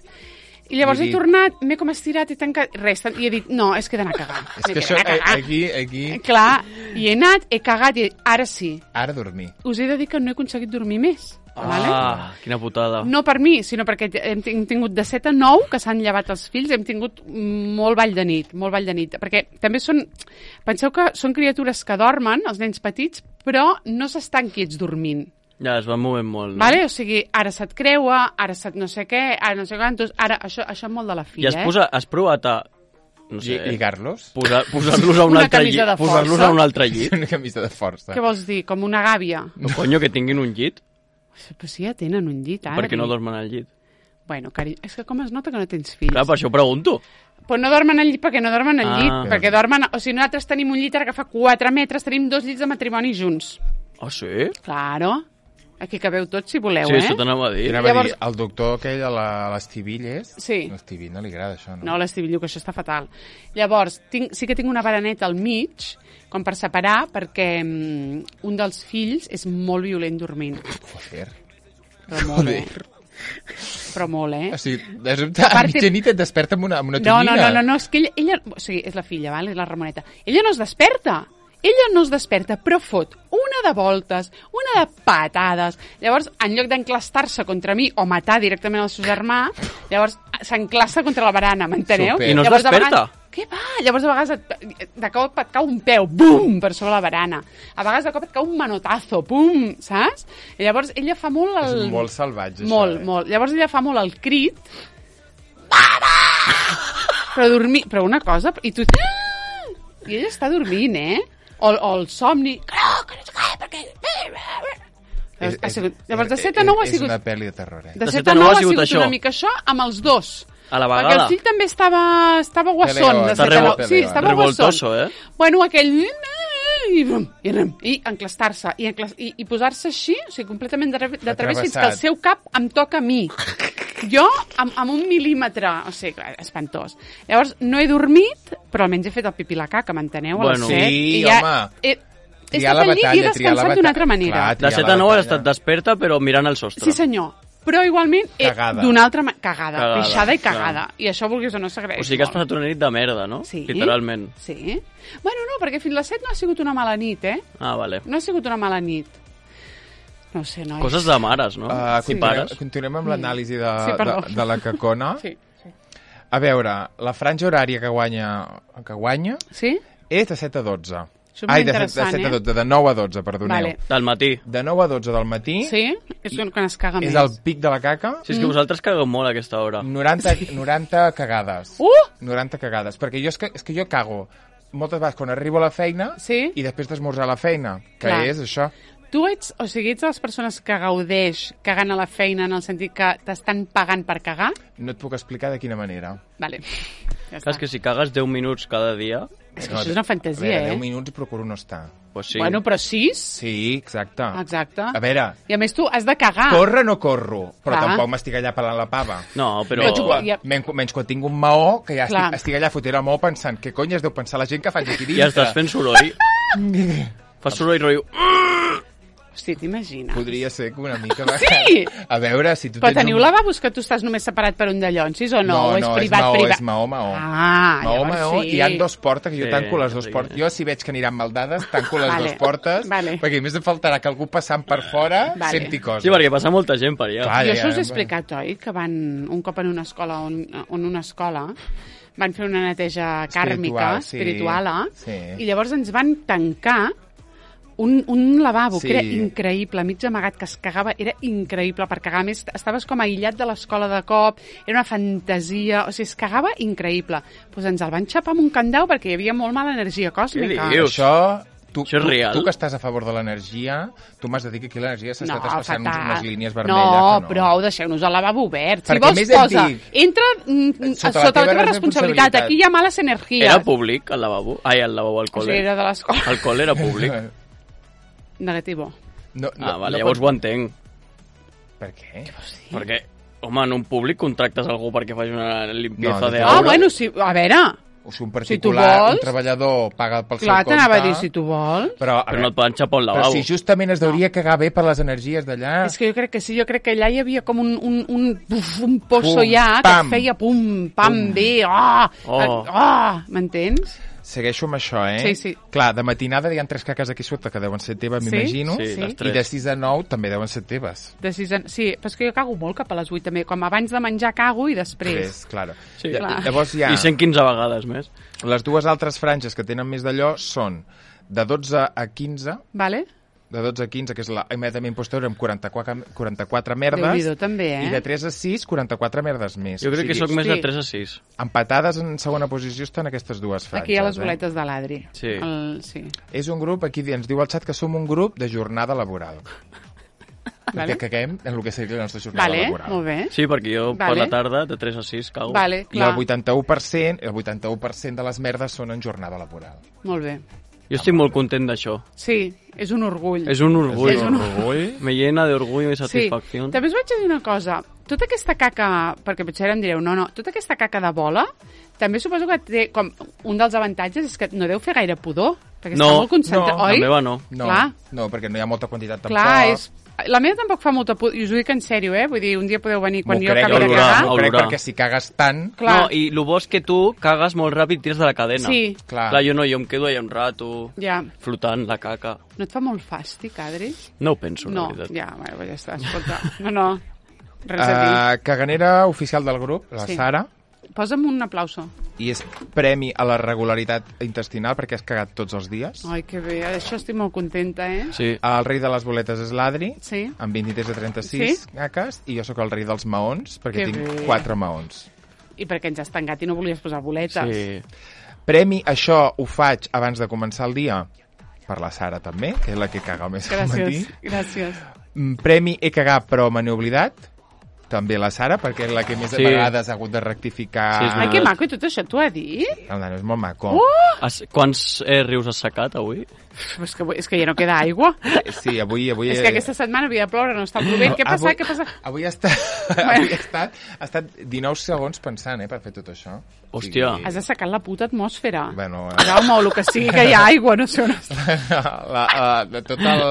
I llavors I he he dit- tornat, m'he com estirat i tancat, res, i he dit, no, és que he d'anar a cagar. És M'he que això, d'anar a eh, cagar. aquí, aquí, Clar, i he anat, he cagat i ara sí. ara dormir. Us he de dir que no he aconseguit dormir més. Vale? Ah, quina putada. No per mi, sinó perquè hem hem tingut de set a nou, que s'han llevat els fills, hem tingut molt ball de nit, molt ball de nit. Perquè també són... Penseu que són criatures que dormen, els nens petits, però no s'estan quiets dormint. Ja, es va movent molt, no? Vale? O sigui, ara se't creua, ara se't no sé què, ara no sé quantos, ara això, això molt de la I filla, has, eh? posa, has provat a... No sé, Lli- Lligar-los? posar- posar-los a un Una altre camisa llit. de força. Posar-los a un altre llit. Una camisa de força. Què vols dir? Com una gàbia? No, conyo, que tinguin un llit. Però si ja tenen un llit, ara. Per què no dormen al llit? Bueno, cari... és que com es nota que no tens fills? Clar, per això ho pregunto. Però no dormen al llit perquè no dormen al Ah. llit, perquè dormen... O sigui, nosaltres tenim un llit ara que fa quatre metres, tenim dos llits de matrimoni junts. Ah, sí? Claro. Aquí cabeu tots, si voleu, Sí, eh? això t'anava a dir. I anava Llavors- a dir, el doctor aquell a la- a l'Estivilles... Sí. A l'Estivill no li agrada això, no? No, l'Esteve diu que això està fatal. Llavors, tinc, sí que tinc una baraneta al mig, com per separar, perquè um, un dels fills és molt violent dormint. Joder. Però molt, eh? Però molt, eh? O sigui, de sobte, a part, mitjanit et desperta amb una, amb una No, tonyina. no, no, no, no, és que ella, ella... O sigui, és la filla, val? És la Ramoneta. Ella no es desperta. Ella no es desperta, però fot una de voltes, una de patades. Llavors, en lloc d'enclastar-se contra mi o matar directament el seu germà, llavors s'enclassa contra la barana, m'enteneu? Super. I no es Llavors, de desperta? Vegades, què va? Llavors, a vegades, et, de cop et cau un peu, bum, per sobre la barana. A vegades, de cop et cau un manotazo, pum, saps? I llavors, ella fa molt el... És molt salvatge, això. Molt, eh? molt. Llavors, ella fa molt el crit. Mama! Però dormir... Però una cosa... I tu... I ella està dormint, eh? O, o el somni... Que no, que no sé què, perquè... És, Ha és, sigut... Llavors, de set a nou ha és sigut... una pel·li de terror, eh? De set a nou ha sigut això. una mica això amb els dos. A la Perquè vegada. el fill també estava, estava guasson. Peleo, de està set a nou. revol- Sí, estava revoltoso, guasson. eh? Bueno, aquell... I, brum, i, brum, i enclastar-se. I, enclas... I, i posar-se així, o sigui, completament de, de través fins que el Atravessat. seu cap em toca a mi. Jo, amb, amb un mil·límetre. O sigui, clar, espantós. Llavors, no he dormit, però almenys he fet el pipí i la caca, m'enteneu? A les Bueno. set. Sí, I ja home. He, he Triar estat la al llit i he batalla, triar la descansat d'una altra batalla. manera. Clar, De triar set la a nou has batalla. estat desperta, però mirant el sostre. Sí, senyor. Però igualment, he- Cagada. d'una altra manera... Cagada, Cagada, pixada i clar. cagada. I això, vulguis o no, s'agraeix O sigui que has molt. passat una nit de merda, no? Sí. Literalment. Sí. Bueno, no, perquè fins les set no ha sigut una mala nit, eh? Ah, vale. No ha sigut una mala nit. No ho sé, nois. Coses de mares, no? Uh, Sí. continuem, Pares. continuem amb l'anàlisi de, Sí, perdó. de, de la cacona. Sí, sí. A veure, la franja horària que guanya, que guanya Sí? és de set a dotze. Això és Ai, molt de, set, de interessant, set a eh? dotze, de nou a dotze, perdoneu. Vale. Del matí. De nou a dotze del matí Sí? És quan es caga és més. el pic de la caca. Si és que vosaltres cagueu molt a aquesta hora. noranta, noranta cagades. Uh! noranta cagades. Perquè jo és, que, és que jo cago moltes vegades quan arribo a la feina Sí? i després d'esmorzar a la feina, que Clar. és això. Tu ets, o sigui, ets de les persones que gaudeix cagant a la feina en el sentit que t'estan pagant per cagar? No et puc explicar de quina manera. Vale. Ja Clar, és que si cagues deu minuts cada dia, És que això és una fantasia, a veure, eh? deu minuts procuro no estar. doncs sí. Bueno, però sis? Sí, exacte. Exacte. A veure, I a més tu has de cagar. córrer no corro, però Clar. tampoc m'estic allà pelant la pava. No, però... Però tu- Quan, ja- menys, menys quan tinc un maó, que ja Clar. estic, estic allà fotent el maó pensant què cony es deu pensar la gent que faig aquí dintre. Ja estàs fent soroll. Fas soroll rotllo... Hosti, t'imagines? Podria ser que una mica... Sí! A veure, si tu Però tens teniu un... lavabos que tu estàs només separat per un de llonsis o no? No, o és no, privat, és maó, privat? és maó, maó. Ah, Maó, llavors maó, sí. i hi ha dos portes, que jo Sí, tanco les dues sí. portes. Jo, si veig que aniran mal dades, tanco les Vale, dues portes, vale. perquè a més em faltarà que algú passant per fora Vale. senti coses. Sí, perquè passa molta gent per allà. Clar. Jo ja, això us he ja, explicat, oi? Que van un cop en una escola, on, on una escola van fer una neteja kàrmica, Espiritual, sí. espiritual, Sí. i llavors ens van tancar un, un lavabo, Sí. que era increïble, mig amagat, que es cagava, era increïble per cagar. A més, estaves com aïllat de l'escola de cop, era una fantasia, o sigui, es cagava increïble. Doncs pues ens el van xapar amb un candau perquè hi havia molt mala energia còsmica. Què dius? Això... Tu, Això és tu, real? tu que estàs a favor de l'energia, tu m'has de dir que aquí l'energia s'ha estat expressant fatal. unes línies vermelles. No, que no. prou, deixeu-nos el lavabo obert. Si Perquè vols, més et posa. dic, Entra mm, sota, sota la teva responsabilitat. Aquí hi ha males energies. Era públic, el lavabo? Ai, el lavabo al O sigui, col·le. era de l'escola. El col·le era públic. Negativo. No, no, Ah, vale, no llavors pot- ho entenc. Per què? Perquè, home, en un públic contractes algú perquè faci una limpieza No, de de Ah, aura. bueno, sí, a veure, O sigui, un Si tu particular, vols. un treballador paga pel clar, seu compte... t'anava a dir si tu vols. Però, a Però no veure, et poden xapar un però lavabo. si justament es deuria cagar bé per les energies d'allà... És que jo crec que sí, jo crec que allà hi havia com un, un, un, uf, un pozo Pum, ja que pam. et feia pum, pam, Pum. bé, oh, Oh. oh, m'entens? Segueixo amb això, eh? Sí, sí. Clar, de matinada hi ha tres caques aquí sota que deuen ser teves, Sí? m'imagino. Sí, Sí. les I tres. de sis a nou també deuen ser teves. De sis a... Sí, però és que jo cago molt cap a les vuit també, com abans de menjar cago i després. Tres, clar. Sí. Lla- Clar. Llavors hi ha... I cent quinze vegades més. Les dues altres franges que tenen més d'allò són de dotze a quinze, Vale? de dotze a quinze, que és la immediatament posterior, amb quaranta-quatre, quaranta-quatre merdes, Déu-n'hi-do, també, eh? i de tres a sis, quaranta-quatre merdes més. Jo crec que sóc més hosti. de tres a sis. Empatades en segona posició estan aquestes dues franges. Aquí hi ha les eh? boletes de l'Adri. Sí. El... sí. És un grup, aquí ens diu al xat que som un grup de jornada laboral. Vale? Que caguem en el que seria la nostra jornada Vale, laboral. molt bé. Sí, perquè jo per Vale. la tarda, de tres a sis, cago. Vale, I clar. el vuitanta-u per cent, el vuitanta-u per cent de les merdes són en jornada laboral. Molt bé. Jo estic molt content d'això. Sí, és un orgull. És un orgull. És un orgull. Me llena de orgullo i Sí, satisfacció. també us vaig a dir una cosa. Tota aquesta caca, perquè potser ara em direu, no, no, tota aquesta caca de bola, també suposo que té, com, un dels avantatges és que no deu fer gaire pudor, perquè No, està molt concentrat, no, oi? La meva no. No, Clar. no, perquè no hi ha molta quantitat tampoc. Clar, és La meva tampoc fa molta por, i us ho dic en sèrio, eh? Vull dir, un dia podeu venir quan M'ho jo crec, acabi de olorà, cagar. M'ho crec olorà. perquè si cagues tant... Clar. No, i el bo és que tu cagues molt ràpid i tires de la cadena. Sí. Clar. Clar, jo no, jo em quedo allà un rato, Ja. flotant la caca. No et fa molt fàstic, Adri? No ho penso, No, la veritat. ja, bueno, ja està, escolta. No, no, res a dir. Uh, caganera oficial del grup, la Sí. Sara, Posa'm un aplauso. i és premi a la regularitat intestinal perquè has cagat tots els dies. Ai, que bé, això estic molt contenta, eh? Sí. El rei de les boletes és l'Adri, Sí. amb vint-i-tres de trenta-sis Sí? caques, i jo sóc el rei dels maons, perquè Que tinc bé. quatre maons. I perquè ens has tancat i no volies posar boletes. Sí. Premi, això ho faig abans de començar el dia, per la Sara també, que és la que caga més al matí. Gràcies, gràcies. Mm, Premi, he cagat però me n'he oblidat, també la Sara, perquè és la que més Sí. sí. vegades ha hagut de rectificar. Sí, és Ai, que maco, i tot això t'ho ha dit? El nano és molt maco. Oh! Has, quants eh, rius has sacat avui? És que, és que ja no queda aigua. Sí, avui... avui És que aquesta setmana havia de ploure, no està plovent. Què passa? avui, Què passa? Avui ha estat, avui ha estat, ha estat dinou segons pensant, eh, per fer tot això. Hòstia. Has assecat la puta atmosfera. Bueno, eh, Jaume, o el que sigui que hi ha aigua, no sé on està. la, la, de tot el,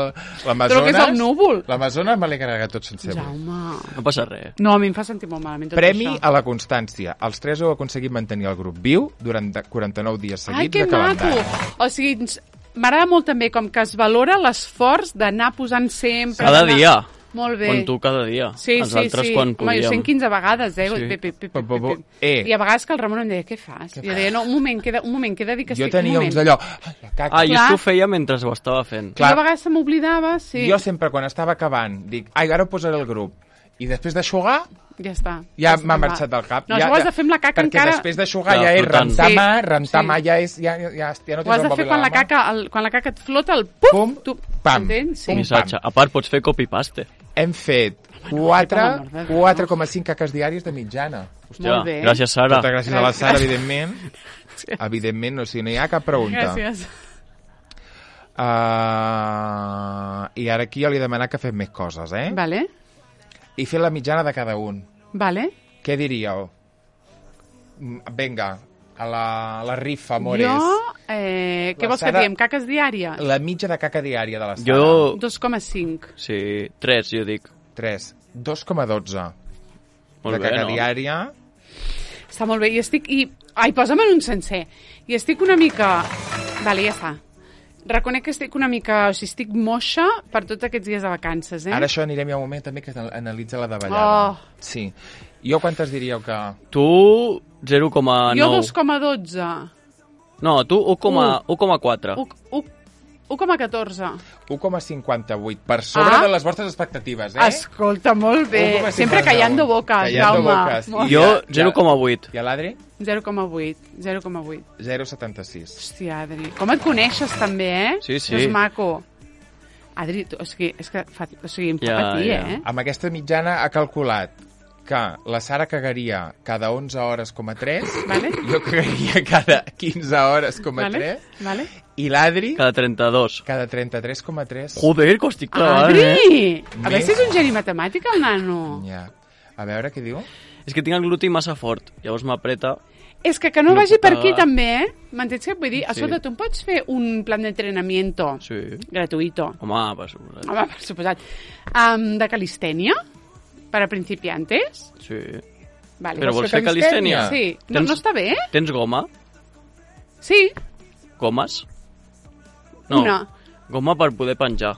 l'Amazones... Tot el que és el núvol. L'Amazones me l'he carregat tot sense avui. Jaume... No passa res. No, a mi em fa sentir molt malament tot Premi això. a la constància. Els tres heu aconseguit mantenir el grup viu durant quaranta-nou dies seguits Ai, que de calendari. maco! O sigui, ens- m'agrada molt també com que es valora l'esforç d'anar posant sempre... Cada d'anar- dia. Molt bé. Quan tu cada dia. Sí, Els sí, altres sí. quan Home, jo podíem. cent quinze vegades, eh? Sí. Pi, pi, pi, pi, Pa, pa, pa. pi. Eh. I a vegades que el Ramon em deia, què fas? I jo deia, no, un moment, queda, un moment, queda dir que Jo estic... tenia un uns moment. d'allò... Ai, la caca. Ah, jo Clar. és que ho feia mentre ho estava fent. I jo a vegades se m'oblidava, sí. Jo sempre, quan estava acabant, dic, ai, ara ho posaré al grup. I després d'aixugar, Ja està. ja està m'ha va. marxat del cap. No, ja, això ho has de fer amb la caca perquè encara... Perquè després d'aixugar Ja, ja és flotant. rentar Sí, mà, rentar sí. mà ja, és, ja, ja, ja, ja no Ho has tens de el fer mòbil quan a la, la mà. caca, el, quan la caca et flota, el puf, Pum, tu, pam, entens? Sí. pum. Missatge. A part, pots fer copy-paste. Hem fet per l'amor de Déu. quatre coma cinc caques diàries de mitjana. Hòstia, Molt bé. gràcies, Sara. Moltes gràcies a la Sara, evidentment. Evidentment, no, si no hi ha cap pregunta. Gràcies. Uh, I ara aquí jo li he demanat que fem més coses, eh? Vale, I fer la mitjana de cada un. vale. Què diríeu? Mm, Vinga, a la, a la rifa, amores. Jo, eh, què La vols Sara- que diem? Caques diàries? La mitja de caca diària de la Sara. Jo... dos coma cinc. Sí, tres, jo dic. tres. dos coma dotze. Molt de bé, caca no? diària. Està molt bé. I estic... I... Ai, posa'm en un sencer. I estic una mica... Vale, ja està. Reconec que estic una mica... O sigui, estic moixa per tots aquests dies de vacances, eh? Ara això anirem ja un moment també que analitza la davallada. Oh. Sí. Jo quantes diríeu que... Tu, zero coma nou. Jo dos coma dotze. No, tu, u coma quatre. u coma catorze. u coma cinquanta-vuit. Per sobre Ah. de les vostres expectatives, eh? Escolta, molt bé. u coma Sempre cinquanta-un. callando boques, Callando Jaume. boques. Molt- I Jo, ja- zero coma vuit. I a l'Adri? zero coma vuit. zero coma vuit. zero coma setanta-sis. Hòstia, Adri. Com et coneixes, també, eh? Sí, sí. És maco. Adri, tu, o sigui, és que fa, o sigui, em fa Ja, patir, ja. eh? Amb aquesta mitjana ha calculat que la Sara cagaria cada onze hores coma tres, Vale? jo cagaria cada quinze hores coma Vale? tres, Vale? i l'Adri Cada trenta-dos. cada trenta-tres coma tres. Joder, que ho estic clavant, Adri! eh? A veure Més- si és un geni matemàtic, el nano. Ja. A veure què diu. És que tinc el gluti massa fort, llavors m'apreta. És que que no, No vagi puc per aquí cagar. també, eh? M'entens què et vull dir? Sí. Escolta, tu em pots fer un plan d'entrenamiento Sí. gratuito, Home, per suposat. home, per suposat, um, de calistènia per a principiantes? Sí. Vale. Però vols vols fer fer calistènia? Sí. No, Tens- no està bé? Tens goma? Sí, Gomes? una. Goma per poder penjar.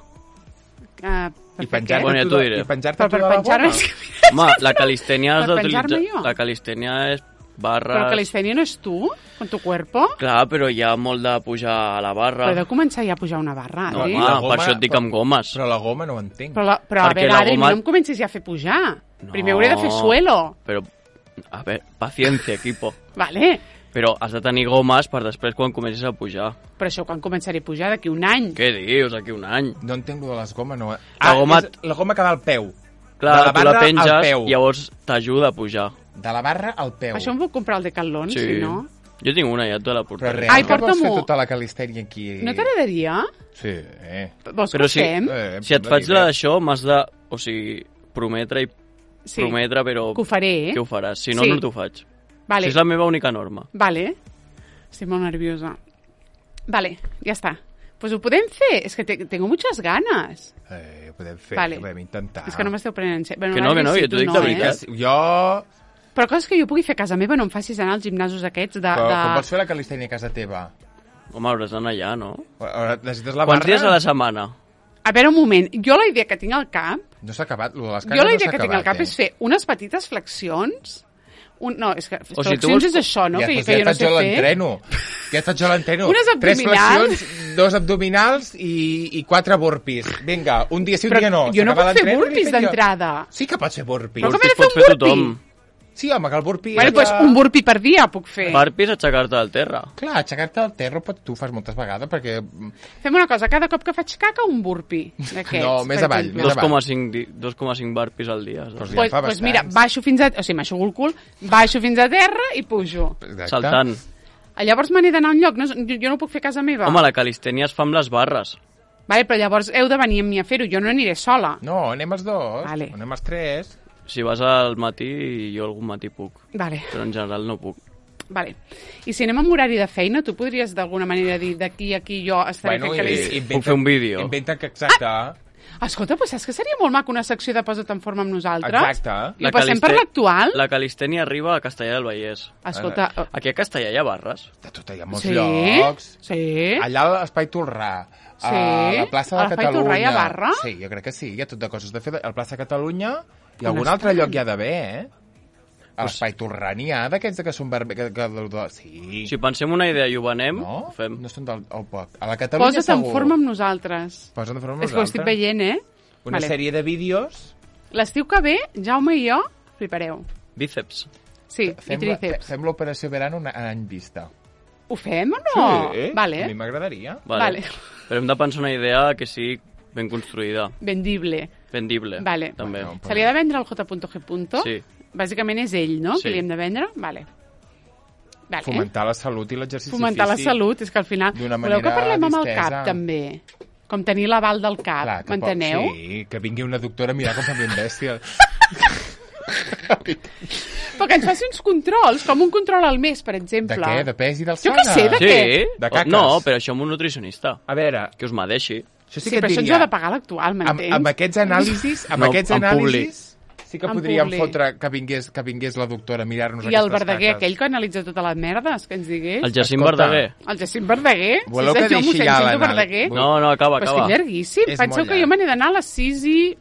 Uh, per I fer penjar-te què? Bueno, ja tu t'ho de- diré. i penjar-te Però tu per de la penjar-me... goma? Home, la calistènia has Per d'utilitzar... penjar-me jo? La calistènia és Però barres... calistènia no és tu, con tu cuerpo? Clar, però hi ha molt de pujar a la barra. Però he de començar ja a pujar una barra, No, Adri. home, la per goma- això et dic amb gomes. Però la goma no ho entenc. Però, la, però a Perquè veure, la Adri, goma- no em comencis ja a fer pujar. No. Primer hauré de fer suelo. Però, a veure, paciència, equipo. Vale. Però has de tenir gomes per després quan comencis a pujar. Però això quan començaré a pujar? D'aquí un any. Què dius, aquí un any? No entenc lo de les gomes. No. La Ah, goma- és la goma que va al peu. Clar, de la tu la barra al penges, peu. llavors t'ajuda a pujar. De la barra al peu. Això em puc comprar al Decathlon, Sí. si no? Jo tinc una, ja te la Però portaré. real, Ai, que vols fer porta-m'ho. tota la calistènia aquí? No t'agradaria? Sí, eh. Vols Però que sí. ho fem? eh Si et em faig sembla la bé. d'això, m'has de... O sigui, prometre i Sí. prometre, però... Que ho faré, eh? Que ho faràs. Si no, Sí. no t'ho faig. Vale. Si és la meva única norma. Vale. Estic molt nerviosa. Vale, ja està. Pues ho podem fer. És que te, tengo muchas ganas. Eh, ho podem fer, Vale. ho podem intentar. És que no m'esteu prenent en sèrio. Bueno, Que no, que no, sí, jo t'ho tu dic no, de veritat. Eh? Jo... Però coses que jo pugui fer a casa meva, no em facis anar als gimnasos aquests de... Però, de... com vols fer la calistènia a casa teva? Home, hauràs d'anar allà, no? Necessites la Quants barra? dies a la setmana? A veure, un moment. Jo la idea que tinc al cap... No s'ha acabat, lo de les cagues Jo la no idea s'ha que tinc al acabat, cap eh? és fer unes petites flexions... Un, no, és que O flexions si tu vols- és això, no? Ja, que, doncs que ja jo no faig sé jo fer. l'entreno. Ja faig jo l'entreno. Unes Tres abdominals. flexions, dos abdominals i, i quatre burpees. Vinga, un dia sí, un Però dia no. jo no S'acaba puc fer l'entreno i burpees li faig jo. d'entrada. Sí que pots fer burpees. Però com he Burpees de fer pot un fer burpee? tothom. Sí, home, que el burpee... Bueno, és doncs ja- un burpee per dia puc fer. Burpees, aixecar-te del terra. Clar, aixecar-te del terra pot, tu fas moltes vegades perquè... Fem una cosa, cada cop que faig caca, un burpee d'aquests. No, més per avall, exemple. més dos coma cinc di- dos coma cinc burpees al dia. Però saps? ja Pues, fa pues mira, bastants. baixo fins a... O sigui, m'aixugo el cul, baixo fins a terra i pujo. Exacte. Saltant. Llavors me n'he d'anar a un lloc, no, jo, jo no ho puc fer a casa meva. Home, la calistènia es fa amb les barres. Vale, però llavors heu de venir amb mi a fer-ho, jo no aniré sola. No, anem els dos, Vale. anem els tres. Si vas al matí, jo algun matí puc. Vale, Però en general no puc. vale. I si anem amb horari de feina, tu podries d'alguna manera dir d'aquí a aquí jo estaré Bueno, fent i, calis... Puc fer un vídeo. Inventa que exacte... Ah! Escolta, pues saps que seria molt maco una secció de Posa't en forma amb nosaltres? Exacte. I ho passem per l'actual? La calistènia arriba a Castellà del Vallès. Escolta... oh, Aquí a Castellà hi ha barres. De tot, hi ha molts sí? llocs. Sí? Allà a l'Espai Tolrà, Sí? a la plaça de A l'Espai Catalunya... Tolrà hi ha barra? Sí, jo crec que sí, hi ha tot de coses de fer. Al plaça de Catalunya i On algun estan? altre lloc hi ha d'haver, eh? A l'Espai Tolrà n'hi ha d'aquests que són... Barbe... Que, que, que, sí. Si pensem una idea i ho venem, No? ho fem. No són del... Oh, poc. A la Catalunya Posa't en segur. forma amb nosaltres. Posa't en forma amb És que ho estic nosaltres. veient, eh? Una Vale. sèrie de vídeos... L'estiu que ve, Jaume i jo flipareu. Bíceps. Sí, Fem, i tríceps. fem l'operació verano un any vista. Ho fem o no? Sí, Vale. a mi m'agradaria. Vale. Vale. Però hem de pensar una idea que sigui ben construïda, Vendible. vendible. Vale. També. Bueno, Se li ha de vendre al J.G. Sí. Bàsicament és ell, no? Sí. Que li hem de vendre? Vale. Vale. Fomentar la salut i l'exercici Fomentar la físic. salut, és que al final... d'una Voleu que manera parlem amb el distesa. cap, també? Com tenir l'aval del cap, Clar, que m'enteneu? pot- Sí, que vingui una doctora a mirar com fa ben bèstia. Però que ens faci uns controls, com un control al mes, per De exemple. què? De pes i Jo d'alçada? què sé, de Sí? què? De caques. No, però això amb un nutricionista. A veure, Que us medeixi. això sí, Sí, que et però això ens diria... ho ha de pagar l'actual, amb, m'entens? amb aquests anàlisis, amb No, aquests en anàlisis, sí que En podríem publi. fotre que vingués, que vingués la doctora a mirar-nos I aquestes el Verdaguer, caques. aquell que analitza totes les merdes, que ens digués. El Jacint Escolta. Verdaguer. El Jacint Verdaguer? Voleu sí, que senyor, deixi mossèn ja Cinto l'anàlisi? Verdaguer? No, no, acaba, Però és acaba. que llarguíssim. És Penseu molt que jo llarg. me n'he d'anar a les sis i...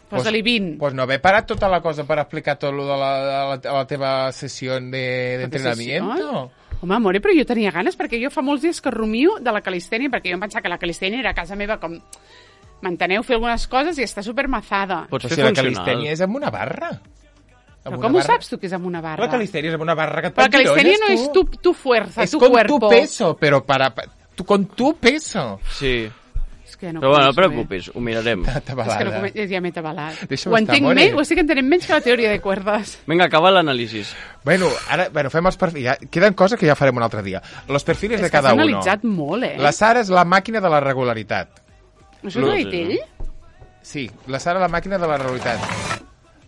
Posa-li vint. Pues no haver parat tota la cosa per explicar tot lo de la, de la, de la teva sessió de, d'entrenamiento. Home, amore, però jo tenia ganes, perquè jo fa molts dies que rumio de la calistènia, perquè jo em pensava que la calistènia era a casa meva com... M'enteneu? Fer algunes coses i està supermazada. Pots Però fer si la funcional. calistènia és amb una barra. Però Amb com una ho barra. saps tu que és amb una barra? La calistènia és amb una barra que et Però la pot calistènia no girolles, és tu, tu fuerza, Es tu con cuerpo. tu peso, pero para... pa- tu, con tu peso. Sí. És que no Però bueno, no començo bé. preocupis, ho mirarem. És que no Tabalada. començo, ja m'he tabalat. Deixa'm Ho estar, entenc more. menys, ho estic entenent menys que la teoria de cuerdas. Vinga, acaba l'anàlisi. Bueno, ara bueno, fem els perfils. Ja, queden coses que ja farem un altre dia. Los perfiles És de que has cada uno. analitzat molt, eh? La Sara és la màquina de la regularitat. Això ho ha dit ell? Sí, la Sara la màquina de la regularitat.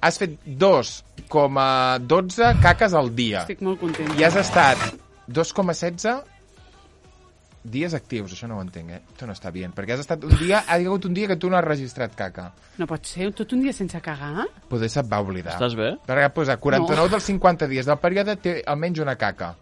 Has fet dos coma dotze caques al dia. Estic molt contenta. I has estat dos coma setze dies actius. Això no ho entenc, eh? Això no està bé. Perquè has estat un dia... Ha hagut un dia que tu no has registrat caca. No pot ser, tot un dia sense cagar? Poder se't va oblidar. Estàs bé? Perquè posa quaranta-nou No. dels cinquanta dies del període té almenys una caca.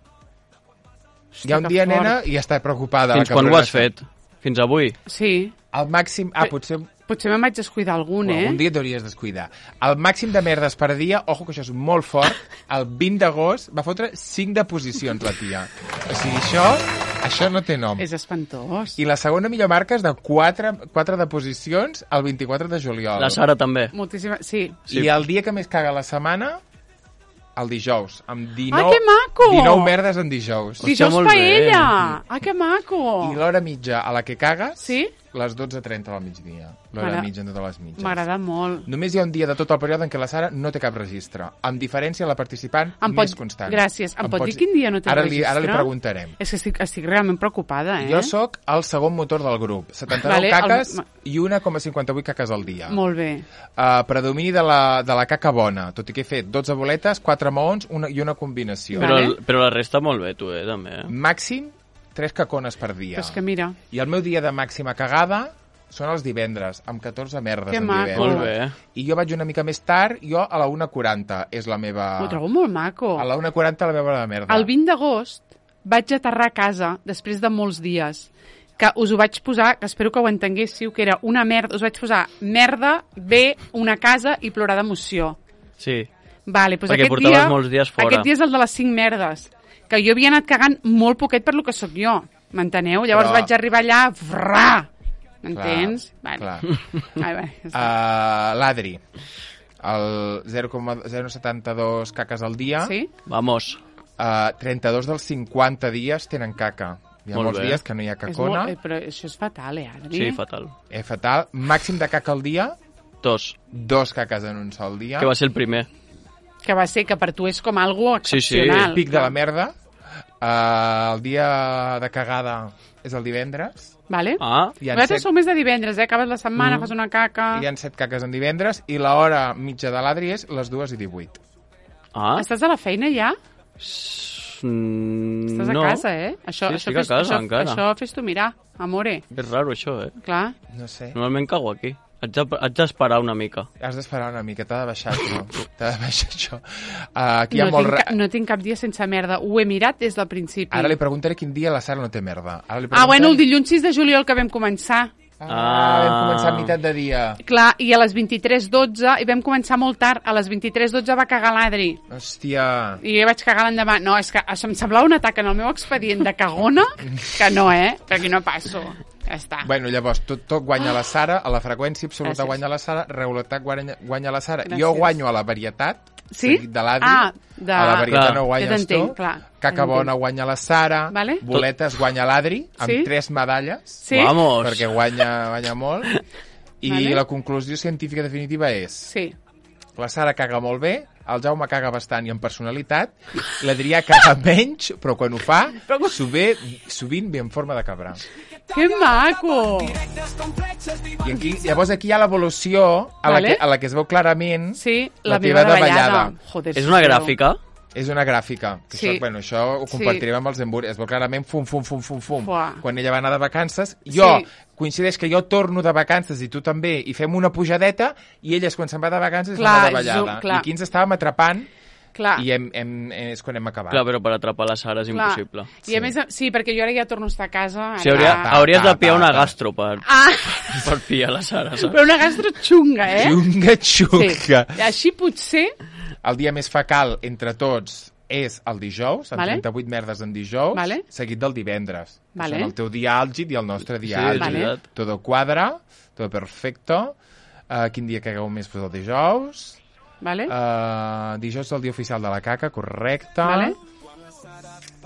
Hòstia, Hi ha un que dia, fort. nena, i està preocupada. Fins la quan ho cabrona. has fet? Fins avui? Sí. El màxim... Ah, potser... Potser me'n vaig descuidar algun, Bueno, eh? un dia t'hauries descuidar. El màxim de merdes per dia, ojo que això és molt fort, el vint d'agost va fotre cinc deposicions la tia. O sigui, això, això no té nom. És espantós. I la segona millor marca és de quatre, quatre deposicions el vint-i-quatre de juliol. La Sara també. Moltíssima... Sí. Sí. I el dia que més caga la setmana, el dijous. Amb dinou, Ah, que maco! dinou merdes en dijous. Hòstia, Dijous molt bé. paella! Ah, que maco! I l'hora mitja a la que cagues, Sí? les dotze trenta del migdia. L'hora M'agrada- mitja de totes les mitges. M'agrada molt. Només hi ha un dia de tot el període en què la Sara no té cap registre. Amb diferència, la participant Em més pot- constant. Gràcies. Em pot dir quin dia no té ara registre? Li, ara li preguntarem. És que estic, estic realment preocupada, eh? Jo sóc el segon motor del grup. setanta-nou Vale, el- caques ma- i un coma cinquanta-vuit caques al dia. Molt bé. Uh, predomini de la, de la caca bona, tot i que he fet dotze boletes, quatre maons una, i una combinació. Vale. Però, el- però la resta molt bé, tu, eh, també. Eh? Màxim tres cacones per dia. Però és que mira... I el meu dia de màxima cagada són els divendres, amb catorze merdes Que en maco. divendres. Molt bé. I jo vaig una mica més tard, jo a la una quaranta és la meva... Ho trobo molt maco. A la una quaranta la meva hora de merda. El vint d'agost vaig aterrar a casa, després de molts dies, que us ho vaig posar, que espero que ho entenguéssiu, que era una merda, us vaig posar merda, bé, una casa i plorar d'emoció. Sí. Vale, doncs Perquè aquest portaves dia, molts dies fora. Aquest dia és el de les cinc merdes, que jo havia anat cagant molt poquet per lo que sóc jo, m'enteneu? Llavors Però- vaig arribar allà, frà, m'entens? Clar, clar. Ai, va, ja està. Uh, L'Adri, el zero coma zero setanta dos caques al dia, Sí? Vamos. uh, trenta-dos dels cinquanta dies tenen caca. Hi ha Molt molts bé. dies que no hi ha És molt, cacona, eh, però això és fatal, eh, Adri? Sí, fatal. és fatal. Màxim de caca al dia, Dos. dos caques en un sol dia. Que va ser el primer. Que va ser que per tu és com algo Sí, sí. excepcional. Pic de la merda. Uh, el dia de cagada és el divendres. Vale? Ah, Hi ha Vosaltres set, sou més de divendres, eh? Acabes la setmana, Mm. fas una caca... hi ha set caques en divendres i l'hora mitja de l'Adri és les dues i divuit. ah. Estàs a la feina ja? Mm, Estàs a no. casa, eh? Això, Sí, això, estic a casa, això, encara. això fes-t'ho mirar, amore. És raro, això, eh? Clar. No sé. Normalment cago aquí. Haig de- haig d'esperar una mica. Has d'esperar una mica, t'ha de baixar això. T'ha de baixar això. Uh, aquí hi ha No molt... tinc, Ra... ca- no tinc cap dia sense merda. Ho he mirat des del principi. Ara li preguntaré quin dia la Sara no té merda. Ara li Ah, bueno, el preguntaré- dilluns sis de juliol que vam començar. Ah, vam començar a meitat de dia. Clar, i a les vint-i-tres dotze, i vam començar molt tard, a les vint-i-tres dotze va cagar l'Adri. Hòstia. I jo vaig cagar l'endemà. No, és que això em semblava un atac en el meu expedient de cagona, que no, eh? Per aquí no passo. Ja està. Bueno, llavors, tot, tot guanya la Sara, a la freqüència absoluta Gràcies. guanya la Sara, regularitat guanya, guanya la Sara. Gràcies. Jo guanyo a la varietat, Sí? seguit de l'Adri. Ah, de- A la varietat Clar. no Ja guanyes t'entenc, tu. clar. Caca Ja bona t'entenc. guanya la Sara. Vale. Boletes guanya l'Adri, amb Sí? tres medalles. Sí? Vamos. Perquè guanya, guanya molt. I Vale. la conclusió científica definitiva és: Sí. la Sara caga molt bé, el Jaume caga bastant i amb personalitat, l'Adrià caga menys, però quan ho fa, sovint, sovint ve en forma de cabra. Que maco! I aquí, llavors aquí hi ha l'evolució a, la Vale. que, a la que es veu clarament Sí, la, la, teva meva davallada. davallada. Joder, És una sisplau. gràfica? És una gràfica. Que Sí. això, bueno, això ho Sí. compartirem amb els emburs. Es veu clarament fum, fum, fum, fum, fum. Fuà. Quan ella va anar de vacances, jo, Sí. coincideix que jo torno de vacances i tu també, i fem una pujadeta, i ella és quan se'n va de vacances és Clar, una és davallada. un- clar. I aquí ens estàvem atrapant Clar. i hem, hem, és quan hem acabat. Clar, però per atrapar la Sara és Clar. impossible. I a més, sí, perquè jo ara ja torno a estar a casa. O sigui, hauria, ara- ta, hauries ta, de pillar ta, una ta. gastro per, Ah, per pillar la Sara, saps? però una gastro xunga, eh? Xunga, xunga. Sí. Així potser... El dia més fecal entre tots és el dijous, amb Vale. trenta-vuit merdes en dijous, Vale. seguit del divendres. que Vale. Són el teu dia àlgid i el nostre dia Sí, àlgid. és Vale. veritat. Todo quadra, todo perfecto. Uh, quin dia cagueu més? Pues el dijous. Vale? Uh, dijous és el dia oficial de la caca, correcte. Vale.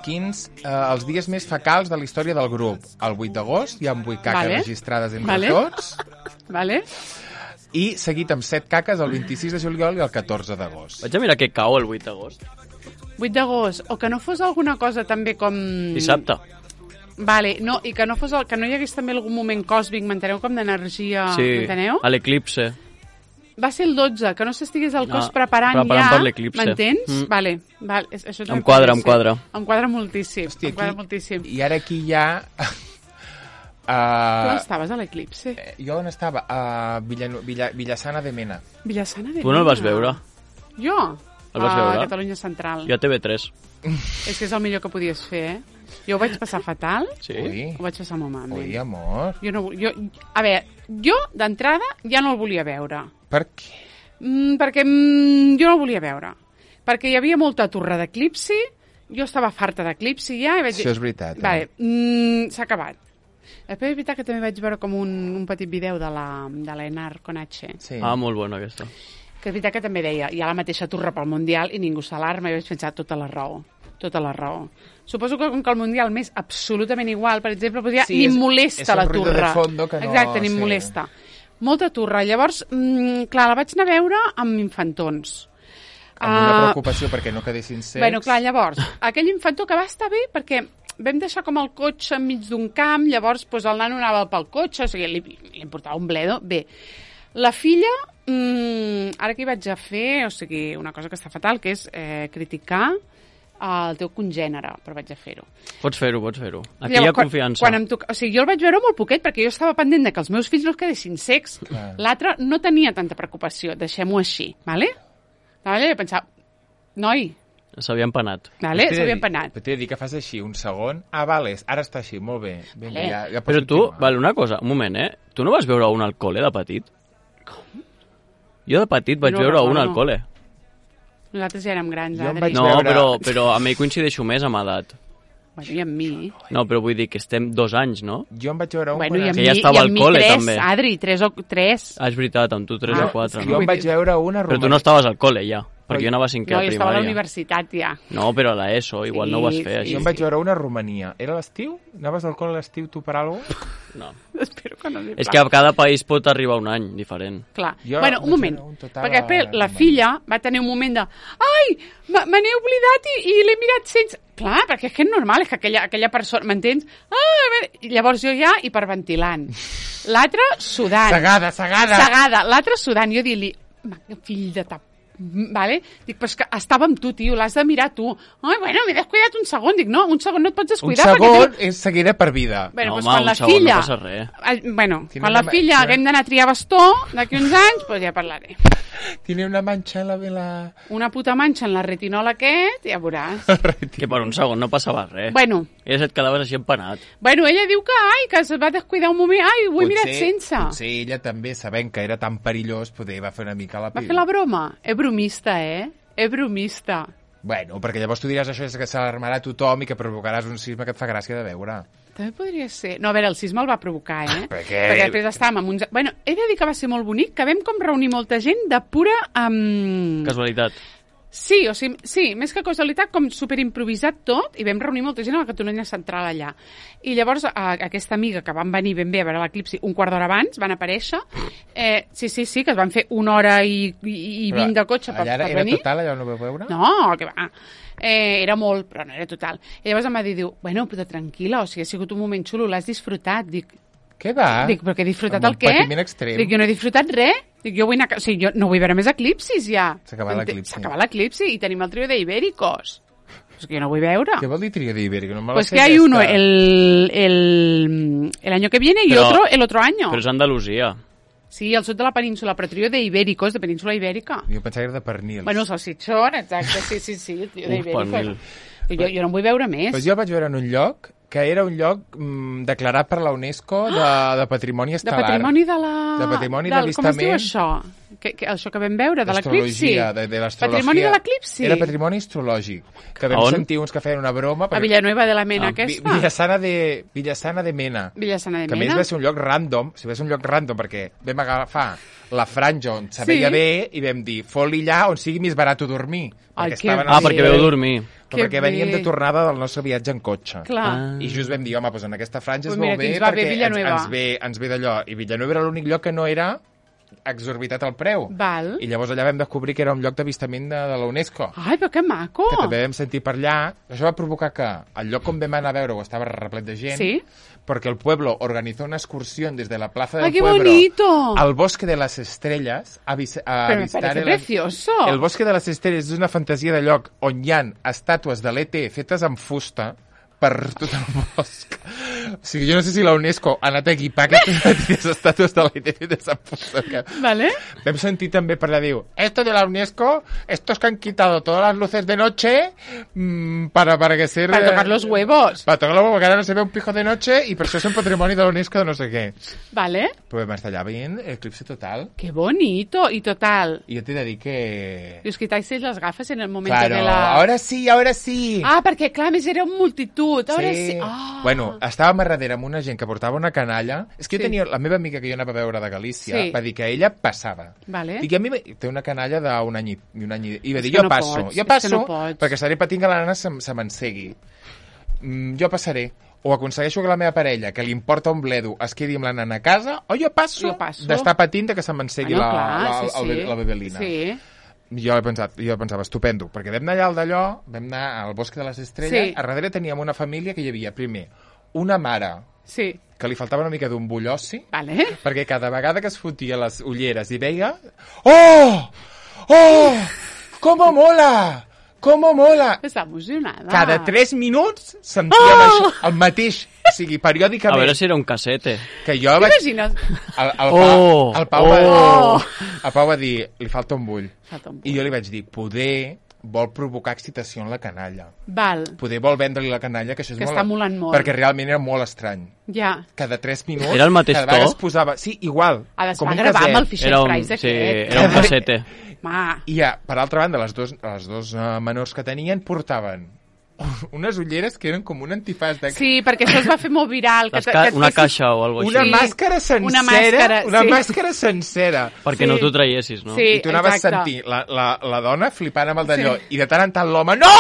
Quins uh, els dies més fecals de la història del grup? El vuit d'agost, hi ha vuit caques Vale. registrades entre Vale. tots. Vale? I seguit amb set caques el vint-i-sis de juliol i el catorze d'agost. Vaig a mirar què cau el vuit d'agost. vuit d'agost. O que no fos alguna cosa també com... Dissabte. Vale, no, i que no, fos el, que no hi hagués també algun moment còsmic, m'enteneu, com d'energia, Sí, m'enteneu? a l'eclipse. Va ser el dotze, que no s'estigués el cos No, preparant, preparant ja, per l'eclipse. m'entens? Mm. Vale, vale, és- això també Em quadra, podria em ser. quadra. Em quadra moltíssim, Hòstia, em quadra aquí- moltíssim. I ara aquí hi ha... Tu Uh, estaves a l'eclipse? jo on estava? A Villa, Villa, Villassana de Mena. Villassana de Tu no el vas Mena. veure? Jo? El vas a veure? Catalunya Central. Jo a T V tres. És que és el millor que podies fer, eh? Jo ho vaig passar fatal, Sí? Ui, ho vaig passar molt malament. ui, amor. Jo no, jo, a veure, jo d'entrada ja no el volia veure. Per què? Mm, perquè mm, jo no el volia veure. Perquè hi havia molta torre d'eclipsi, jo estava farta d'eclipsi ja, i vaig dir... Això és veritat. Eh? Vale, mm, s'ha acabat. Després és veritat que també vaig veure com un, un petit vídeo de la, de l'Enar Conache, Sí. Ah, molt bona aquesta. que és veritat que també deia, hi ha la mateixa torre pel Mundial i ningú s'alarma, i vaig pensar, tota la raó, tota la raó. Suposo que com que el Mundial m'és absolutament igual, per exemple, doncs ja Sí, ni és- em molesta és un la ruido de torre. fondo que no- Exacte, ni em sí. molesta. Molta torre. Llavors, mm, clar, la vaig anar a veure amb infantons. Amb una Ah, preocupació perquè no quedessin secs. Bueno, clar, llavors, aquell infantó que va estar bé perquè vam deixar com el cotxe enmig d'un camp, llavors pues, el nano anava pel cotxe, o sigui, li, li importava un bledo. Bé, la filla, mmm, ara què hi vaig a fer? O sigui, una cosa que està fatal, que és eh, criticar el teu congènere, però vaig a fer-ho. Pots fer-ho, pots fer-ho. Aquí Llavors, hi ha quan- confiança. Quan em toca... O sigui, jo el vaig veure molt poquet perquè jo estava pendent de que els meus fills no es quedessin secs. Clar. L'altre no tenia tanta preocupació, deixem-ho així, vale? Vale? Jo pensava, noi, S'havia empanat. vale? T'he de s'havia dir- empanat. T'he de dir que fas així un segon. Ah, vale, ara està així, molt bé. Vinga, Vale. ja, ja pots Però tu, continuar. vale, una cosa, un moment, eh? Tu no vas veure un al col·le de petit? Com? Jo de petit vaig No veure un recordo. al col·le. Nosaltres ja érem grans, Jo em Adri. vaig No, veure- però, però amb ell coincideixo més amb edat. Bueno, i amb mi. No, però vull dir que estem dos anys, no? Jo em vaig veure un... Bueno, i quan amb Que mi, ja estava i al amb mi col·le, tres, també. Adri, tres o tres. Ah, és veritat, amb tu tres Ah, o quatre. és Jo No? em vaig veure una Però tu romana. no estaves al col·le ja, perquè Però- jo anava a cinquè No, a jo estava a la primària. universitat ja. No, però a l'ESO, igual no ho vas Sí, fer sí, Jo així. em vaig veure una a Romania. Era l'estiu? Anaves al col·le a l'estiu tu per alguna cosa? No. Espero que no li És que a cada país pot arribar un any diferent. Clar. Jo bueno, vaig un moment, veure un total perquè després a la Romania. filla va tenir un moment de ai, me me n'he oblidat i, i l'he mirat sense... Clar, perquè és que és normal, és que aquella, aquella persona, m'entens? Ah, a veure, i llavors jo ja hiperventilant. L'altre sudant. Segada, segada! Segada. L'altre sudant. Jo dir-li, "Ma, fill de tap... Vale? Dic, però és que estava amb tu, tio, l'has de mirar tu. Ai, bueno, m'he descuidat un segon. Dic, no, un segon no et pots Un descuidar. segon perquè és seguida per vida. Bueno, No, doncs home, quan un la segon, no filla... passa res. Eh, bueno, Tiene quan la una filla manxa. haguem d'anar a triar bastó d'aquí uns anys, doncs ja parlaré. Tiene una mancha en la vela... Una puta manxa en la retinol aquest, ja veuràs. Que per un segon no passava res. bueno, I et quedaves així empanat. bueno, ella diu que, ai, que es va descuidar un moment, ai, ho he mirat sense. Potser ella també, sabent que era tan perillós, poder va fer una mica la Va pila. fer la broma? És bromista, eh? És bromista. Bueno, perquè llavors tu diràs això és que s'alarmarà tothom i que provocaràs un sisme que et fa gràcia de veure. També podria ser. No, a veure, el sisme el va provocar, eh? Per què? Perquè després estàvem amb uns... Bueno, he de dir que va ser molt bonic, que vam com reunir molta gent de pura... Um... Casualitat. Sí, o sigui, sí, més que casualitat, com superimprovisat tot, i vam reunir molta gent a la Catalunya Central allà. I llavors, a, aquesta amiga que van venir ben bé a veure l'eclipsi un quart d'hora abans, van aparèixer, eh, sí, sí, sí, que es van fer una hora i, i, i vint de cotxe per, allà era, per era venir. total, allà on ho vau veure? No, que va. Eh, era molt, però no era total. I llavors em va dir, diu, bueno, però tranquil·la, o sigui, ha sigut un moment xulo, l'has disfrutat. Dic, Què va? dic, però que he disfrutat Amb el un què? patiment extrem. Dic, jo no he disfrutat res. Dic, jo vull anar... a ca- O sigui, jo no vull veure més eclipsis, ja. S'ha acabat Ente- l'eclipsi. S'ha acabat l'eclipsi i tenim el trio de Ibéricos. És que jo no vull veure. ¿Qué vol dir trío de Ibérico? No me lo Pues sé que hay ya uno está. el, el, el año que viene y Pero- otro el otro año. Però és Andalusia. Sí, al sud de la península, però trio de Ibéricos, de península ibèrica. Jo pensava que era de pernils. Bueno, el salsitxón, exacte, sí, sí, sí, el trio de Uf, Ibéricos. pernil. Jo, jo no en vull veure més. Pues jo vaig veure en un lloc que era un lloc mm, declarat per la UNESCO de, de patrimoni De estel·lar. patrimoni de la... De patrimoni del, Com es diu d'avistament. això? Que, que, això que vam veure, de l'eclipsi? Astrologia, de, de l'astrologia. Patrimoni de l'eclipsi? Era patrimoni astrològic. Que vam On? sentir uns que feien una broma. A Villanueva de la Mena, Ah, Vi- aquesta? Villasana de, Villasana de Mena. Villassana de Que a més Mena? va ser un lloc random, si va ser un lloc random perquè vam agafar la franja on se veia Sí. bé i vam dir, fot-li allà on sigui més barat dormir. Ai, perquè que estaven bé. Ah, als perquè Sí. veu dormir. Però Que perquè veníem bé. de tornada del nostre viatge en cotxe. Clar. Ah. I just vam dir, home, doncs en aquesta franja Pues es mira, veu que bé ens va bé perquè ens, Villanueva. ens ve, ens ve d'allò. I Villanueva era l'únic lloc que no era exorbitat el preu. Val. I llavors allà vam descobrir que era un lloc d'avistament de, de la UNESCO. Ai, però que maco! Que també vam sentir per allà. Això va provocar que el lloc on vam anar a veure-ho estava replet de gent. Sí? Porque el pueblo organizó una excursión desde la plaza del ¡Ay, qué pueblo bonito! al bosque de las estrellas a, vis a Pero me visitar parece el, precioso. el bosque de les estrelles és una fantasia de lloc on hi ha estàtues de l'E T fetes amb fusta per tot el bosc. O sigui, jo no sé si la UNESCO ha anat a equipar aquestes estàtues de l'E T fetes amb fusta. Que... Vale? Vam sentir també per allà, diu, esto de la UNESCO, estos que han quitado todas las luces de noche mmm, para, para que ser... Para tocar los huevos. Para tocar los huevos, que ara no se ve un pijo de noche i per això és un patrimoni de la UNESCO de no sé què. Vale? Però vam estar allà veient eclipse total. ¡Qué bonito! Y total. I jo t'he de dir que... Y os quitáis las gafas en el momento Claro, de la... ahora sí, ahora sí. Ah, perquè, clar, més era un multitud. Ahora sí. Sí. Ah. Bueno, estàvem a darrere amb una gent que portava una canalla. És que jo Sí. tenia... La meva amiga que jo anava a veure de Galícia Sí. va dir que ella passava. Vale. I que a mi me- té una canalla d'un any i, i un any i... I va És dir, que jo no passo, pots, jo és que passo, no pots. perquè estaré patint que la nana se, se m'ensegui. Mm, jo passaré. O aconsegueixo que la meva parella, que li importa un bledo, es quedi amb la nana a casa, o jo passo, Jo passo. d'estar patint de que se m'ensegui Bueno, la, clar, la, sí, el sí. be- la bebelina. Sí. Jo he pensat, jo pensava, estupendo, perquè vam anar allà al d'allò, vam anar al Bosc de les Estrelles, Sí. a darrere teníem una família que hi havia, primer, una mare Sí. que li faltava una mica d'un bullossi, Vale. perquè cada vegada que es fotia les ulleres i veia... Oh! Oh! Com mola! com mola! Està emocionada. Cada tres minuts sentíem Oh! això, el mateix, o sigui, periòdicament. A veure si era un casete. Que jo vaig... T'imagines? El, el, Oh! Pau, el, Pau va, Oh! el Pau va dir, li falta un bull. Falta un I jo li vaig dir, poder vol provocar excitació en la canalla. Val, Poder vol vendre-li la canalla, que això és que molt... està molant molt. Perquè realment era molt estrany. Ja. Cada tres minuts... Era el mateix cada vegada to? es posava... Sí, igual. Ha de com un gravar amb el caset. Fisher Era un, Price sí, aquest. era un casete. Ma. I ja, per altra banda, les dos, les dos uh, menors que tenien portaven unes ulleres que eren com un antifàs de... Sí, perquè això es va fer molt viral. Que Les te- ca que et una fessis- caixa o alguna Una cosa així. màscara sencera, Una màscara, una sí. màscara sencera. Perquè Sí. no t'ho traiessis, no? Sí. I tu anaves exacte. sentint la, la, la dona flipant amb el d'allò, i de tant en tant l'home, no!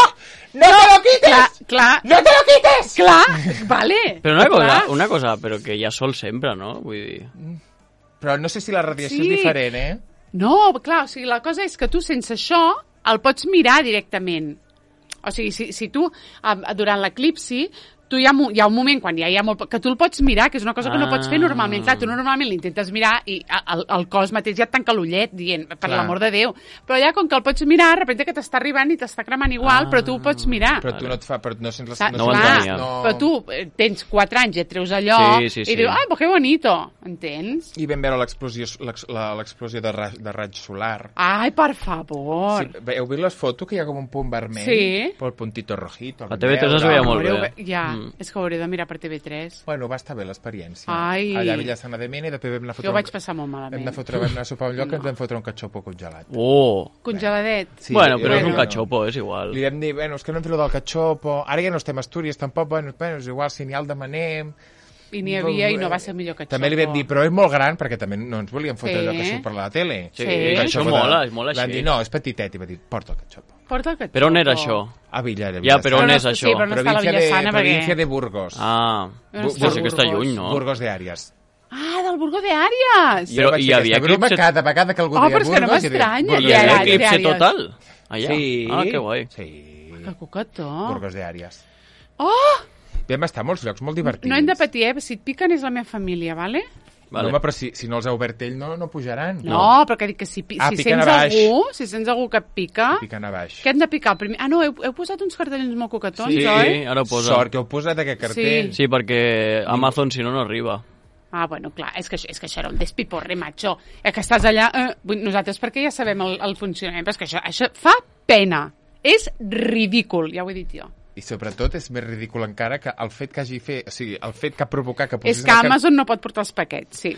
No te lo quites! Clar, clar, No te lo quites! clar, vale. Però una cosa, clar. una cosa, però que ja sol sempre, no? Vull dir... Però no sé si la radiació Sí. és diferent, eh? No, clar, o sigui, la cosa és que tu sense això el pots mirar directament. O sigui, si, si tu, eh, durant l'eclipsi, tu hi ha, mo- hi ha un moment quan ja hi ha molt... que tu el pots mirar, que és una cosa que no pots fer normalment. Clar, tu normalment l'intentes mirar i el, el cos mateix ja et tanca l'ullet dient, per Clar. l'amor de Déu. Però ja com que el pots mirar, de repente que t'està arribant i t'està cremant igual, Ah. però tu ho pots mirar. Però tu no et fa... Però no sents les... Sa- No ho clar, entenia. no... Però tu eh, tens quatre anys i et treus allò Sí, sí, sí. i dius, ah, pues que bonito, entens? I vam veure l'explosió l'ex- la- l'explosió de, ra, de raig solar. Ai, per favor. Sí, heu vist les fotos que hi ha com un punt vermell? Sí. Però el puntito rojito. A T V tres es veia molt Haureu bé. ve- Ja, Mm. és que ho hauré de mirar per T V tres. Bueno, va estar bé l'experiència. Ai. Allà a Villassana de Mena i després vam anar a fotre... Jo ho vaig un- passar molt Vam malament. anar a, fotre, vam anar a sopar a un lloc que ens vam fotre un catxopo congelat. Oh! Congeladet. Sí, bueno, però és bueno. un cachopo, és igual. Li vam dir, bueno, és que no hem fet lo del catxopo, ara ja no estem a Astúries tampoc, bueno, bueno és igual, si n'hi ha el demanem... I n'hi havia i no va ser millor que També li vam dir, però és molt gran, perquè també no ens volíem fotre Sí. allò que surt per la tele. Sí, Sí. que això Catxopo mola, de- és molt Vam així. dir, no, és petitet, i va dir, porta el catxopo. Porta el catxopo. Però on era això? A Villa de Ja, però on no- és això? Sí, però no està a la Província de, Villassana perquè... província de Burgos. Ah, No Bu- està sí que està Burgos. lluny, no? Burgos de Àries. Ah, del Burgo de Àries! Però vaig hi fer havia aquesta broma eclipse- cada vegada que algú Oh, deia però és que no Burgos, i deia, m'estranya, Burgos Hi de ja havia era- Àries. eclipse Àries. total? Allà? Sí. Ah, que guai. Sí. Que cocató. Burgos de Àries. Oh! Vam estar a molts llocs molt divertits. No hem de patir, eh? Si et piquen és la meva família, vale? Vale. Vale. No, home, però si, si no els ha obert ell, no, no pujaran. No, però que dic que si, pi- Ah, si piquen sents a baix. algú, si sents algú que et pica, Piquen a baix. què hem de picar? El primer... Ah, no, heu, heu posat uns cartellins molt cocatons, Sí, oi? ara ho posa. Sort que heu posat aquest cartell. Sí, perquè Amazon, si no, no arriba. Ah, bueno, clar, és que, això- és que això era un despiporre, macho. És que estàs allà... Eh, vull- nosaltres perquè ja sabem el, el funcionament, però és que això, això fa pena. És ridícul, ja ho he dit jo. I sobretot és més ridícul encara que el fet que hagi fet... O sigui, el fet que ha provocat que És posessin que el car- Amazon no pot portar els paquets, sí.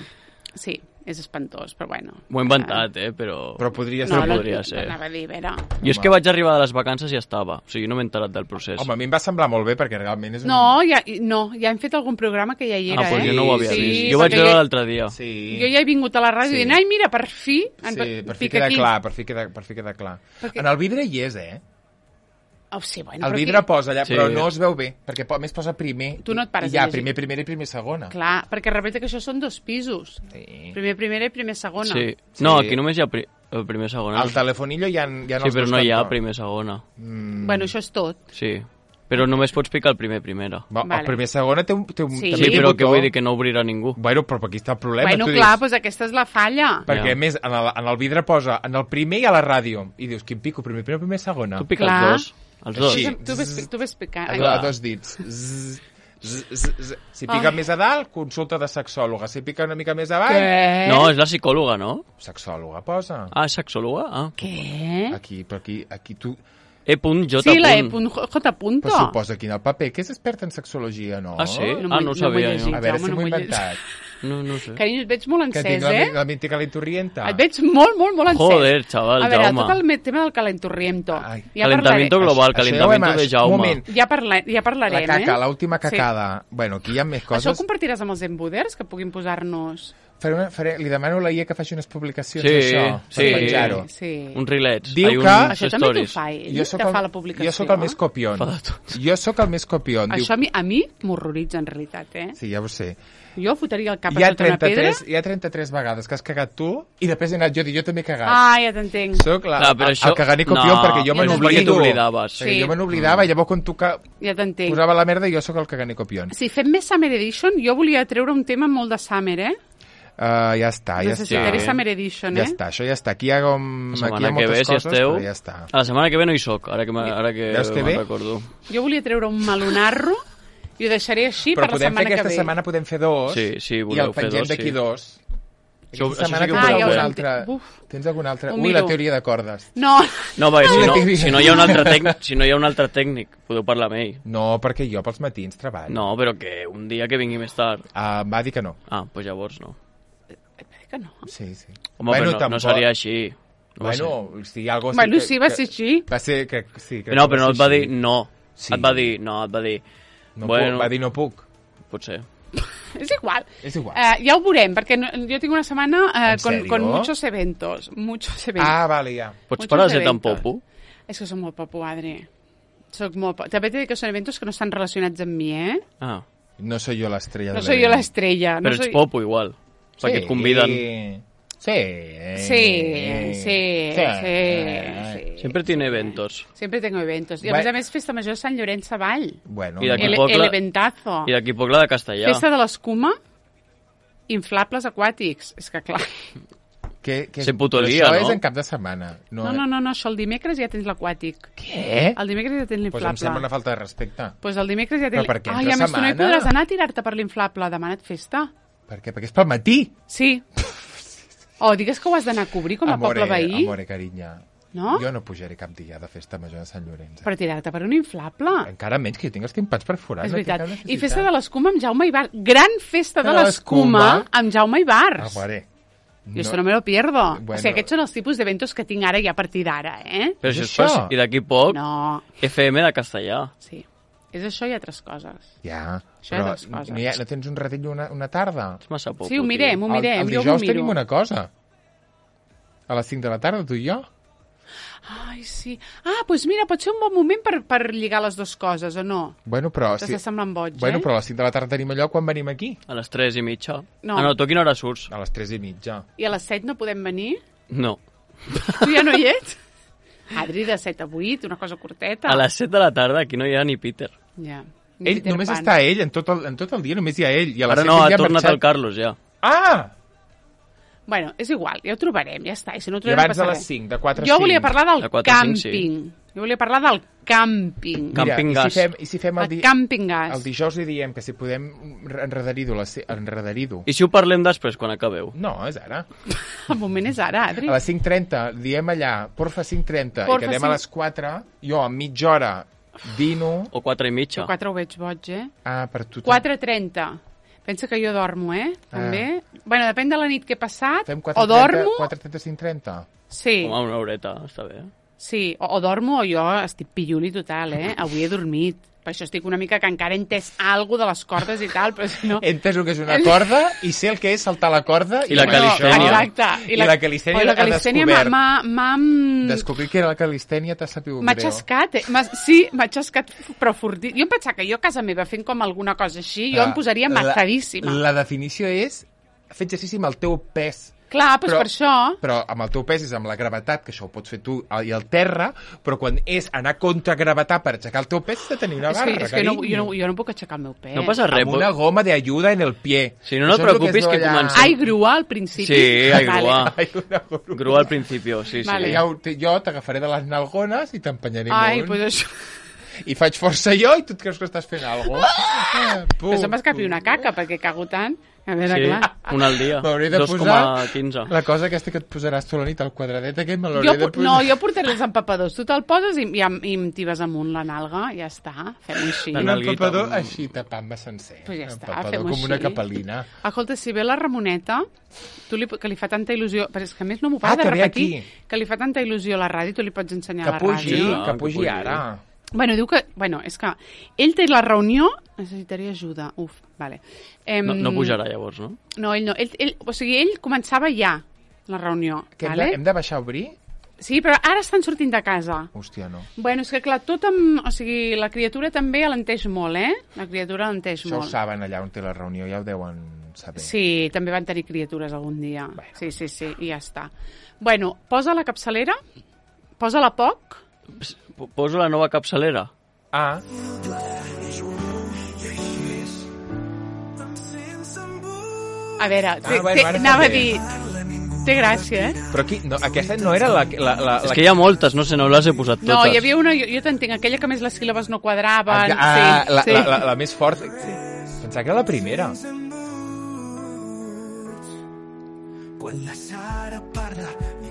Sí, és espantós, però bueno. M'ho he inventat, eh, però... Però podria No, ser... no, podria ser. Anava a dir, a veure... Jo és que vaig arribar de les vacances i ja estava. O sigui, no m'he enterat del procés. Home, a mi em va semblar molt bé perquè realment és un... No, ja, no, ja hem fet algun programa que ja hi era, ah, doncs eh? jo no ho havia Sí, vist. Jo vaig perquè veure jo- l'altre dia. Sí. Jo ja he vingut a la ràdio Sí. dient, ai, mira, per fi... en- Sí, per fi pica queda aquí. clar, per fi queda, per fi queda clar. Perquè- En el vidre hi és, eh? Oh, sí, bueno, El però vidre aquí- posa allà, Sí. però no es veu bé, perquè po- a més posa primer. Tu no et pares i hi ha a llegir. primer, primera i primer segona. Clar, perquè repete que això són dos pisos. Sí. Primer primera i primer segona. Sí. No, Sí. aquí només hi ha pri el primer segona. Al telefonillo hi ha, hi ha Sí, els però dos no hi ha cantons. primer segona. Mm. Bueno, això és tot. Sí. Però només pots picar el primer primera. Va, Vale. El primer segona té un, té un, Sí. també Sí, té però botó. que vull dir que no obrirà ningú. Bueno, però aquí està el problema. Bueno, tu clar, dius, doncs aquesta és la falla. perquè Ja. a més en el, en el vidre posa en el primer i a la ràdio. I dius, quin pico, primer, primer, primer, segona. Tu piques Clar. els dos. Els dos. Així. Tu ves, tu ves picant. A, Ai, do, a dos dits. Zzz, zzz, zzz, zzz. Si pica Ai. més a dalt, consulta de sexòloga. Si pica una mica més avall, Què? No, és la psicòloga, no? sexòloga posa. Ah, és sexòloga? Ah. Què? Aquí, però aquí, aquí tu... E punt J. Sí, la E. punt. J. Punto. Però suposa aquí en el paper que és experta en sexologia, no? Ah, sí? No Ah, m'ho- no ho no m'ho he sabia. llegit. jo. A veure si Home, no m'ho he m'ho he inventat. No, no ho sé. Carinyo, et veig molt Que encès, tinc la, eh? la mítica lenturrienta. Et veig molt, molt, molt encès. Joder, xaval, A veure, Jaume. tot el me- tema del calenturriento. Ai. Ja Calentamiento parlaré. global, Això ja ho calentamiento hem- de un Jaume. moment. Ja, parla, ja La parlarem, caca, eh? l'última cacada. Bueno, aquí hi ha més Això coses. ho compartiràs amb els embuders, que puguin posar-nos... Faré una, faré, li demano a la I A que faci unes publicacions Sí, d'això, sí. per penjar-ho. Sí. Un rilets. Diu Ai, un que- Això també t'ho stories. fa ell, Jo te sóc fa el, la publicació. jo sóc el més copion. Fa de tot. Jo sóc el més copion. Això a mi, a mi m'horroritza, en realitat, eh? Sí, ja ho sé. Jo fotria el cap Hi a ha, sota una pedra... trenta-tres, hi ha trenta-tres vegades que has cagat tu i després he anat jo a dir, jo també he cagat. Ah, ja t'entenc. Soc la, Clar, però el, això- el caganer copion No, perquè jo ja me t'entenc. n'oblido. Perquè t'oblidaves. Perquè Sí. jo me n'oblidava i llavors quan tu ca... Ja t'entenc. posava la merda jo sóc el caganer copion. Si fem més Summer Edition, jo volia treure un tema molt de Summer, eh? Uh, ja està, ja Necessitaré està. Summer Edition, Ja eh? està, això ja està. Aquí hi ha, com... La Aquí hi ha setmana que ve, moltes si coses, esteu... però ja està. A la setmana que ve no hi soc, ara que, me- ara que, Veus que me'n bé? recordo. Jo volia treure un melonarro i ho deixaré així Però per la podem fer setmana que aquesta ve. setmana, podem fer dos, Sí, sí, i voleu el fer pengem dos, d'aquí sí. dos. Això- Aquesta això sí setmana que tens ho podeu algun fer. altre... Uf. Tens algun altre... Ho Ui, la miro. teoria de cordes. No, No, va, si no, No. si no hi ha un altre tècnic, si no hi ha un altre tècnic, podeu parlar amb ell. No, perquè jo pels matins treballo. No, però que un dia que vingui més tard. Uh, va dir que no. Ah, doncs pues llavors no. que no. Sí, sí. Home, bueno, però no, no seria així. No va bueno, si algo sí Bueno, que, sí, va que- ser així. Va ser... Que, sí, crec No, que però no va et ser va dir així. no. Sí. Et va dir, no, et va dir... No bueno, puc, va dir no puc. Potser. És igual. És igual. Uh, ja ho veurem, perquè no, jo tinc una setmana uh, ¿En con, serio? con muchos eventos. Muchos eventos. Ah, vale, ja. Pots Muchos parar de ser tan eventos. popo? És que soc molt popo, Adri. Soc molt popo. També t'he dit que són eventos que no estan relacionats amb mi, eh? Ah, No soy yo la estrella No de soy jo l'estrella. No però ets soy... popo igual. Perquè et conviden. Sí. Sí, sí, sí, sí. Sempre tiene eventos. Siempre tengo eventos. I a Bé. més a més, Festa Major de Sant Llorenç Savall. Bueno, I d'aquí El, poc el la- eventazo. I d'aquí poc la de Castellà. Festa de l'escuma, inflables aquàtics. És que clar... que, que, Se puto però lía, això no? és en cap de setmana. No, No, no, no, no, això el dimecres ja tens l'aquàtic. Què? El dimecres ja tens Pues em sembla una l'inflable. falta de respecte. Doncs pues el dimecres ja tens... Però per què Ai, entre a més, tu no hi setmana? podràs anar a tirar-te per l'inflable. Demana't festa. Per què? Perquè és pel matí. Sí. O oh, digues que ho has d'anar a cobrir com a amore, poble veí. Amore, carinya. No? Jo no pujaré cap dia de festa major de Sant Llorenç. Per tirar-te per un inflable. Encara menys que jo tinc els timpans perforats. És no tinc veritat. cap necessitat. I festa de l'escuma amb Jaume Ibar. Gran festa de De l'escuma l'escuma. amb Jaume Ibars. Amore. Jo això no me lo pierdo. Bueno. O sigui, aquests són els tipus d'eventos que tinc ara ja a partir d'ara, eh? Però És això és això? pas... I d'aquí poc, No, F M de Castellà. sí. És això i altres coses. Ja, Això però és les coses. no, hi ha, no tens un ratell una, una tarda? És massa popo, Sí, ho mirem, ho El, mirem. el Jo ho dijous miro. tenim una cosa. A les cinc de la tarda, tu i jo. Ai, sí. Ah, doncs pues mira, pot ser un bon moment per, per lligar les dues coses, o no? Bueno, però... T'està semblant boig, bueno, eh? però a les cinc de la tarda tenim allò quan venim aquí. A les tres i mitja. No. Ah, no, tu a quina hora surts? A les tres i mitja. I a les set no podem venir? No. Tu ja no hi ets? Adri, de set a vuit, una cosa curteta. A les set de la tarda aquí no hi ha ni Peter. Ja. Ell, Peter només Pan. està ell, en tot, el, en tot el dia només hi ha ell. I a les Ara set no, ha ja tornat marxat. el Carlos, ja. Ah! Bueno, és igual, ja ho trobarem, ja està. I si no ho I trobem, abans no de passa les res. cinc, de quatre a Jo cinc. volia parlar del De quatre a cinc, càmping. Jo volia parlar del càmping. Cam- Camping Mira, i gas. si fem, i si fem el, El di càmping gas. el dijous li diem que si podem enredar-ho, enredar-ho. I si ho parlem després, quan acabeu? No, és ara. El moment és ara, Adri. A les cinc trenta diem allà, porfa cinc trenta, i Porfa, quedem cinc- a les quatre, jo a mitja hora dino... O quatre i mitja? Jo quatre ho veig boig, eh? Ah, per tu... quatre trenta. Pensa que jo dormo, eh? També. Bueno, depèn de la nit que he passat. Fem O dormo... quatre trenta, cinc trenta. Sí, Home, una horeta, està bé. sí. O, o dormo o jo estic pilluli total, eh? Avui he dormit. Per això estic una mica que encara he entès alguna de les cordes i tal, però si no... He entès el que és una corda i sé el que és saltar la corda. I la bueno, calistènia. Exacte. I la calistènia Oi, la ha calistènia descobert. m'ha- m'ha... Descobrir que era la calistènia t'ha sabut M'ha greu. xascat, eh? M'ha- Sí, m'ha xascat, però fortit. Jo em pensava que jo a casa meva fent com alguna cosa així, jo Ah, em posaria matadíssima. La, la definició és fer exercici amb el teu pes. Clar, doncs Però- per això... Però amb el teu pes és amb la gravetat, que això ho pots fer tu i el terra, però quan és anar contra gravetat per aixecar el teu pes, has de tenir una És barra, que, és que no, carinyo. jo, no, jo no puc aixecar el meu pes. No passa res. Amb una goma de ayuda en el pie. Si no, no et Això és el preocupis, es que veu allà. comencem. Ai, grua al principi. Sí, ai, Vale. grua. Ai, una grua. Grua al principio, sí, sí. Vale. Ja ho, te- jo t'agafaré de les nalgones i t'empenyaré Ai, molt. doncs això... I faig força jo i tu et creus que estàs fent alguna cosa. Però se'm escapi una caca, perquè cago tant. A veure, Sí, clar. un al dia. M'hauré de dos posar coma quinze. la cosa aquesta que et posaràs tu a la nit, el quadradet aquest, me Jo, l'hauré de por- posar. no, jo portaré els empapadors. Tu te'l poses i, i, em- i em tibes amunt la nalga. Ja està, fem-ho així. La Un nalguita. empapador així, tapant-me sencer. Pues ja Un està, empapador fem-ho com una així. capel·lina. Escolta, si ve la Ramoneta, tu li, que li fa tanta il·lusió... Però és que a més no m'ho para Ah, de que ve repetir. aquí. Que li fa tanta il·lusió a la ràdio, tu li pots ensenyar Que a la pugi, ràdio. Ah, que que pugi pugi. ara. Bueno, diu que... Bueno, és que ell té la reunió... Necessitaria ajuda. Uf, vale. Em, No, no pujarà llavors, no? No, ell no. Ell, ell, o sigui, ell començava ja la reunió. Que hem, vale? de, hem de baixar a obrir? Sí, però ara estan sortint de casa. Hòstia, no. Bueno, és que clar, tot amb... O sigui, la criatura també alenteix molt, eh? La criatura alenteix Això ho molt. saben allà on té la reunió, ja ho deuen saber. Sí, també van tenir criatures algun dia. Sí, sí, sí, i ja està. Bueno, posa la capçalera, posa-la poc. Ps- Poso la nova capçalera. Ah, A veure, Ah, té, bueno, té, ara anava a també. dir... Té gràcia, eh? Però aquí, no, aquesta no era la... la, la, És la que hi ha moltes, no sé, no les he posat totes. No, hi havia una, jo, jo t'entenc, aquella que més les síl·labes no quadraven. Ah, sí, la, sí. la, la, la més forta. Sí. Pensava que era la primera.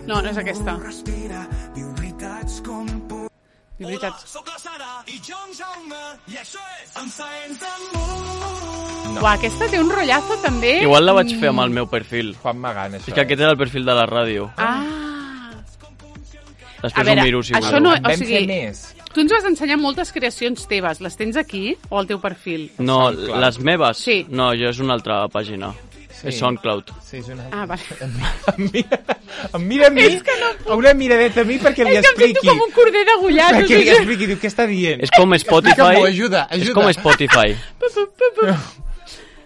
No, no és aquesta. Diu veritats. No. Uah, aquesta té un rotllazo també. Igual la vaig fer amb el meu perfil. Juan Magán, això. És que aquest era el perfil de la ràdio. Ah. Després A veure, ho miro, si això voleu. no- En vam o sigui, fer més. Tu ens vas ensenyar moltes creacions teves. Les tens aquí o al teu perfil? No, SoundCloud. les meves? Sí. No, jo és una altra pàgina. Sí. És SoundCloud. Sí, és una... Ah, vale. Em mira, em mira a mi, És que no una miradeta a mi perquè li És que em expliqui. sento com un corder degullat. o Perquè li sigui. expliqui, diu, què està dient? És com Spotify. Explica-m'ho, ajuda, És ajuda. com Spotify.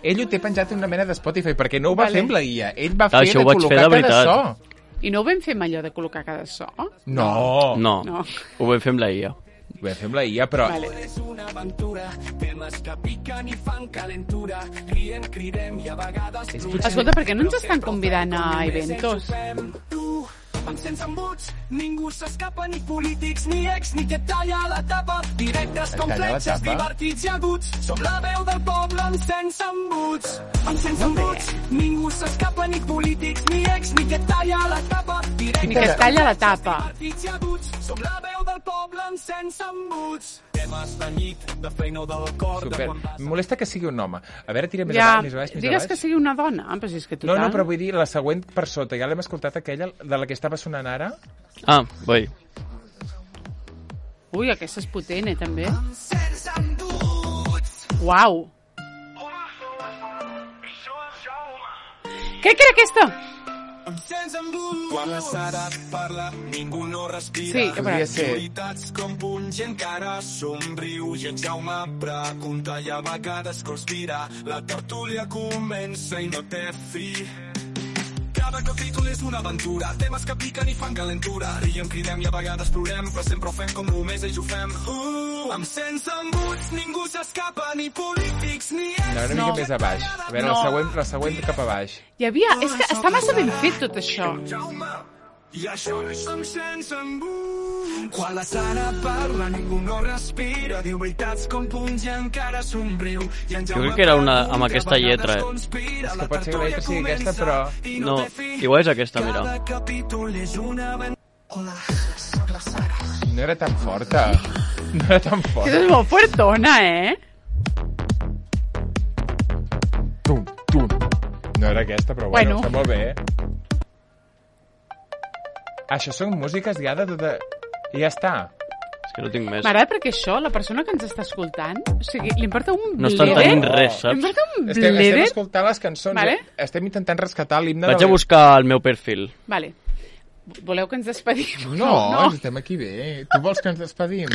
Ell ho té penjat en una mena de Spotify, perquè no ho va Vale. fer amb la guia. Ell va Ah, fer això de ho vaig fer col·locar de cada veritat. so. I no ho vam fer amb allò de col·locar cada so? No. No, No. ho vam fer amb la I A. Ho vam fer amb la I A, però... Vale. Escolta, per què no ens estan convidant a eventos? Sense embuts, ningú s'escapa, ni polítics, ni ex, ni que talla la tapa. Directes com Talla la fletxes, tapa? divertits i aguts. Som la veu del poble amb sense embuts. Amb sense embuts, ningú s'escapa, ni polítics, ni ex, ni que talla la tapa. Ni que es talla la tapa. Divertits i aguts. Som la veu del poble amb sense embuts. Temes de nit, de feina o del cor. Super. Em molesta que sigui un home. A veure, tira més Ja, avall, més baix, més digues baix. que sigui una dona. Ah, però si és que No, total... no, però vull dir la següent per sota. Ja l'hem escoltat aquella, de la que estava sonant ara. Ah, vull. Ui, aquesta és potent, eh, també. Uau! Què que era aquesta? Quan la Sara parla, ningú no respira. Sí, a Podria veure. ser... Veritats com punys i encara somriu i en Jaume pregunta i a vegades conspira. La tertúlia comença i no té fi. Cada capítol és una aventura, temes que piquen i fan calentura. Riem, cridem i a vegades plorem, però sempre ho fem com només ells ho fem. Uh, amb sense embuts, ningú s'escapa, ni polítics, ni ex. No, una No. mica més a baix. A veure, No. la següent, la següent cap a baix. Hi havia... És que està massa ben fet tot això. Jaume, i això és amb sense embuts. Quan la Sara parla, ningú no respira. Diu veritats com punys i encara somriu. I en Jo crec que era una amb pregunta, aquesta a vegades lletra, eh? conspira. És que La pot ser que la lletra sigui tertúlia aquesta, comença però- i No, té fi. igual és aquesta, mira. Cada capítol és una aventura. Hola, soc la Sara. No era tan forta. No era tan Aquesta forta. és molt fuertona, eh? Tum, tum. No era aquesta, però bueno, Bueno. està molt bé, eh? Això són músiques ja de tota... I ja està. És que no tinc més. M'agrada perquè això, la persona que ens està escoltant, o sigui, li importa un No estan bledet. tenint res, Li saps? importa un Estem, estem bledet. escoltant les cançons. Vale. eh? Estem intentant rescatar l'himne Vaig de... a buscar el meu perfil. Vale. Voleu que ens despedim? No, no. estem aquí bé. Tu vols que ens despedim?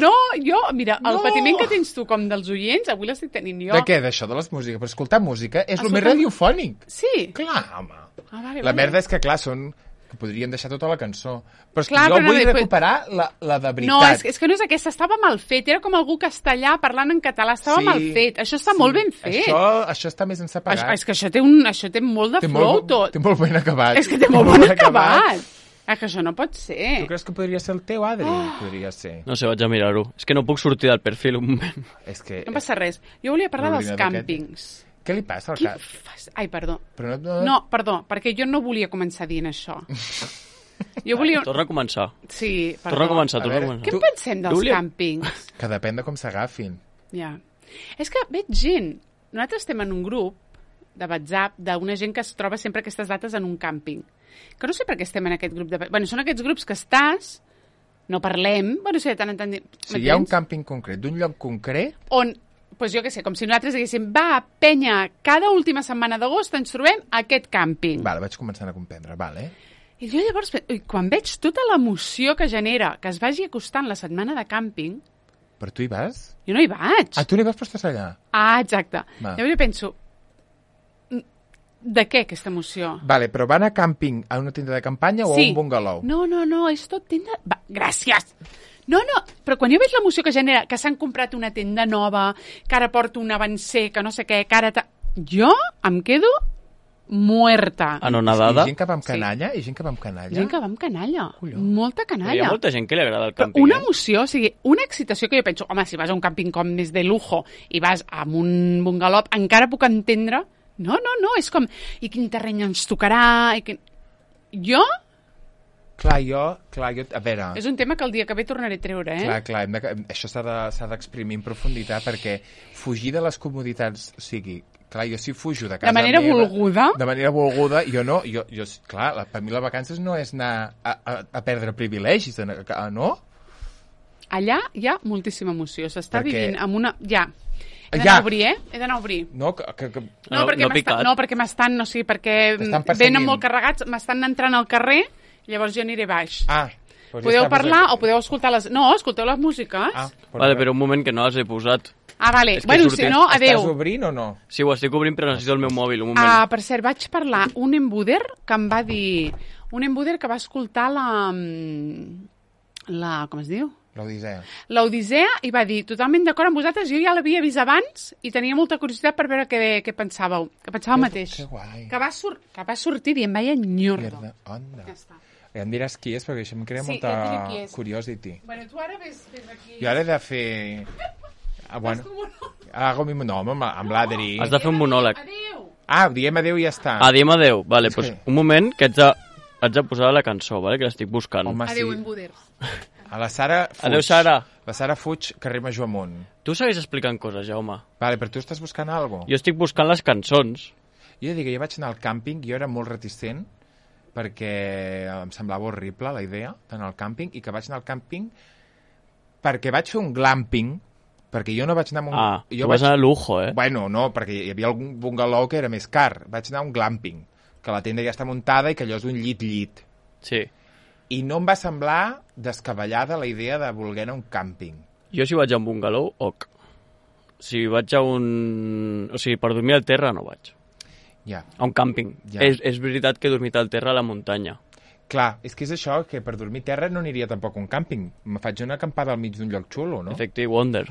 No, jo, mira, el No. patiment que tens tu com dels oients, avui l'estic tenint jo. De què? D'això, de les músiques? Però escoltar música és el Escoltar- més radiofònic. Sí. Clar, home. Ah, vale, La vale. merda és que, clar, són... que podríem deixar tota la cançó. Però és que Clar, jo però no vull li- recuperar la, la de veritat. No, és, és que no és aquesta, estava mal fet. Era com algú castellà parlant en català, estava Sí, mal fet. Això està molt ben fet. Això, això està més ensapagat. Això, és que això té, un, això té molt de té flow, molt, tot. Té molt ben acabat. És que té molt bon acabat. És que això no pot ser. Tu creus que podria ser el teu, Adri? Oh. Podria ser. No sé, vaig a mirar-ho. És que no puc sortir del perfil un moment. És que... No passa res. Jo volia parlar dels L'ordinador aquest. càmpings. Què li passa al Qui cap? fas? Ai, perdó. Però no, no... No, perdó, perquè jo no volia començar dient això. Jo volia... Torna a començar. Sí, perdó. Torna a començar, A torna a veure, començar. Què en Tu- pensem dels Júlia- càmpings? Que depèn de com s'agafin. Ja. És que veig gent... Nosaltres estem en un grup de WhatsApp d'una gent que es troba sempre aquestes dates en un càmping. Que no sé per què estem en aquest grup de... Bueno, són aquests grups que estàs, no parlem, bueno, sí, de tant en tant... Si hi ha un càmping concret, d'un lloc concret, On, doncs jo què sé, com si nosaltres diguéssim, va, penya, cada última setmana d'agost ens trobem a aquest càmping. vale, vaig començant a comprendre, vale. I jo llavors, ui, quan veig tota l'emoció que genera que es vagi acostant la setmana de càmping, Però tu hi vas? jo no hi vaig. Ah, tu n'hi vas, però estàs allà. Ah, exacte. Va. Llavors jo penso, mm, de què aquesta emoció? Vale, però van a càmping a una tenda de campanya o a un bungalow? No, no, no, és tot tenda... Va, gràcies! No, no, però quan jo veig l'emoció que genera, que s'han comprat una tenda nova, que ara porto un avancer, que no sé què, que ara... Ta... Jo em quedo muerta. Anonadada. I gent que va amb Sí. canalla? I gent que va amb canalla? Gent que va amb canalla. Colló. Molta Però hi canalla. ha molta gent que li agrada el Però càmping, una eh? emoció, o sigui, una excitació que jo penso, home, si vas a un càmping com més de lujo i vas a un bungalop, encara puc entendre. No, no, no, és com, i quin terreny ens tocarà? I quin... Jo, Clar, jo... Clar, jo... A veure... és un tema que el dia que ve tornaré a treure, eh? Clar, clar, hem de, això s'ha de- s'ha d'exprimir en profunditat perquè fugir de les comoditats, o sigui, clar, jo si fujo de casa De manera meva, volguda. de manera volguda, jo no, jo, jo clar, la, per mi les vacances no és anar a, a, a perdre privilegis, a, a, no? Allà hi ha moltíssima emoció, s'està Perquè- vivint amb una... Ja, he Ja. d'anar a obrir, eh? He d'anar a obrir. No, que, que, que... No, No, perquè no m'estan, picat. no, perquè m'estan, no sé, perquè T'estan mm, perseguint. venen molt carregats, m'estan entrant al carrer, llavors jo aniré baix. Ah, doncs ja Podeu està, parlar doncs- o podeu escoltar les... No, escolteu les músiques. Ah, doncs Vale, res. però un moment que no les he posat. Ah, vale. És que Bueno, sortim- si no, Estàs adeu. obrint o no? Sí, ho estic obrint, però necessito el meu mòbil, un moment. Ah, per cert, vaig parlar un embuder que em va dir... Un embuder que va escoltar la... mm, la... com es diu? L'Odissea. L'Odissea i va dir, totalment d'acord amb vosaltres, jo ja l'havia vist abans i tenia molta curiositat per veure què, què pensàveu. Que pensava el mateix. Que guai. Que va, sur que va sortir dient, vaya nyordo. Mierda, onda. Ja està. Ja em diràs qui és, perquè això em crea Sí, molta ja et diré qui és. curiosity. Bueno, tu ara ves, ves aquí... Jo ara he de fer... Ah, bueno. Hago mi... No, amb, amb l'Adri. Has de fer un monòleg. Adéu! Ah, diem adéu i ja està. Ah, diem adeu. Vale, Sí. doncs un moment que haig de, haig de posar la cançó, vale? Que l'estic buscant. Home, Adéu, sí. embuders. A la Sara fuig. Adéu, Sara. La Sara fuig, carrer Major amunt. Tu segueix explicant coses, Jaume. Vale, però tu estàs buscant alguna cosa? Jo estic buscant les cançons. Jo he de dir que jo vaig anar al càmping, jo era molt reticent, perquè em semblava horrible la idea d'anar al càmping, i que vaig anar al càmping perquè vaig fer un glamping, perquè jo no vaig anar a un... Ah, jo tu vas anar a lujo, eh? Bueno, no, perquè hi havia algun bungalow que era més car. Vaig anar a un glamping, que la tenda ja està muntada i que allò és un llit-llit. Sí. I no em va semblar descabellada la idea de voler anar a un càmping. Jo si vaig a un bungalow, ok. Si vaig a un... O sigui, per dormir al terra no vaig. Ja. A un càmping. Ja. És, és veritat que he dormit al terra a la muntanya. Clar, és que és això, que per dormir a terra no aniria tampoc a un càmping. Me faig una acampada al mig d'un lloc xulo, no? Efecte i Wonder.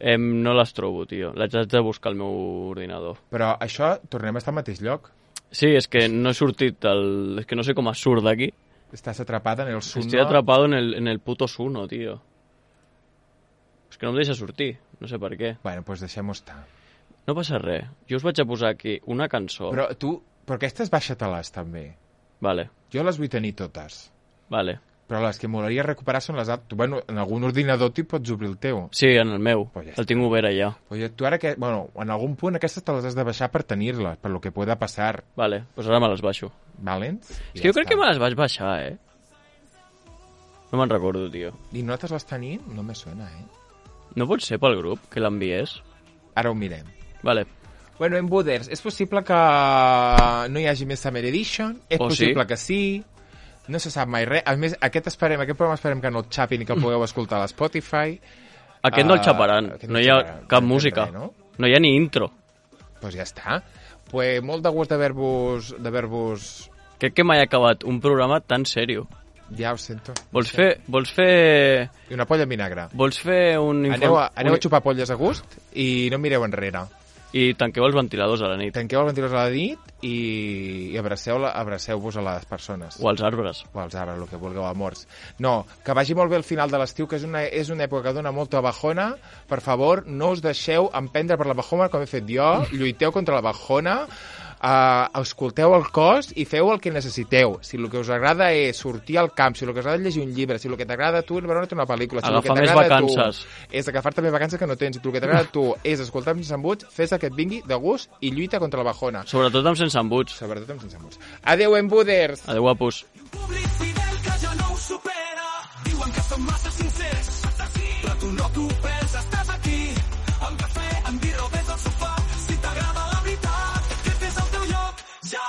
Em, no les trobo, tio. Les haig de buscar al meu ordinador. Però això, tornem a estar al mateix lloc. Sí, és que no he sortit del... És que no sé com es surt d'aquí. Estàs atrapada en el Suno. Estoy atrapado en el, en el puto Suno, tío. És que no em deixa sortir. No sé per què. Bueno, doncs deixem-ho estar. No passa res. Jo us vaig a posar aquí una cançó. Però tu... Però aquestes baixa-te-les, també. Vale, Jo les vull tenir totes. vale. Però les que m'agradaria recuperar són les altres. Bueno, en algun ordinador t'hi pots obrir el teu. Sí, en el meu. Pues ja El tinc obert allà. Oye, tu ara que... Bueno, en algun punt aquestes te les has de baixar per tenir-les, per lo que pueda passar. Vale, doncs ara me les baixo. Valents? És que jo crec que me les vaig baixar, eh? No me'n recordo, tio. I nosaltres les tenim? No me suena, eh? No pot ser pel grup que l'enviés? Ara ho mirem. Vale. Bueno, en Buders, és possible que no hi hagi més Summer Edition, és Oh, possible sí? que sí, no se sap mai res. A més, aquest, esperem, aquest programa esperem que no el xapin i que el pugueu escoltar a l'Spotify. Aquest no el Ah, xaparan. aquest No el hi ha xaparan. cap No hi ha música. res, no? No hi ha ni intro. Doncs pues ja està. Pues molt de gust d'haver-vos... d'haver-vos... Crec que mai he acabat un programa tan sèrio. Ja ho sento. Vols fer... Vols fer... I una polla en vinagre. Vols fer un... inform- Aneu a, aneu un- a xupar polles a gust i no mireu enrere. I tanqueu els ventiladors a la nit. Tanqueu els ventiladors a la nit i, i abraceu la, abraceu-vos a les persones. O als arbres. O als arbres, el que vulgueu, amors. No, que vagi molt bé el final de l'estiu, que és una, és una època que dona molta bajona. Per favor, no us deixeu emprendre per la bajona com he fet jo. Lluiteu contra la bajona. Uh, escolteu el cos i feu el que necessiteu. Si el que us agrada és sortir al camp, si el que us agrada és llegir un llibre, si el que t'agrada a tu és veure una pel·lícula, si el que Agafar més t'agrada a tu vacances. és agafar-te més vacances que no tens, si el que t'agrada a tu és escoltar amb sense embuts, fes el que et vingui de gust i lluita contra la bajona. Sobretot amb sense embuts. Sobretot amb sense embuts. Adeu, embuders! Adéu, guapos. Públic fidel que ja no ho supera. Diuen que som massa sincers, però tu no t'ho prens, estàs aquí. Amb cafè, amb birra o des del sofà. Si t'agrada la veritat, aquest és el teu lloc. Ja,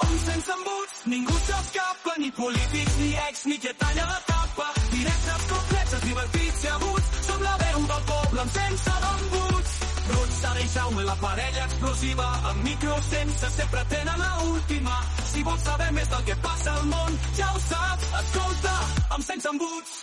on sense embuts, ningú s'escapa, ni polítics, ni ex, ni qui et talla la tapa. Directes, complexes, divertits i aguts. Som la veu del poble amb sense d'embuts. Bruts, Sara i Jaume, la parella explosiva, amb micro sense, sempre tenen la última. Si vols saber més del que passa al món, ja ho saps, escolta, amb sense embuts.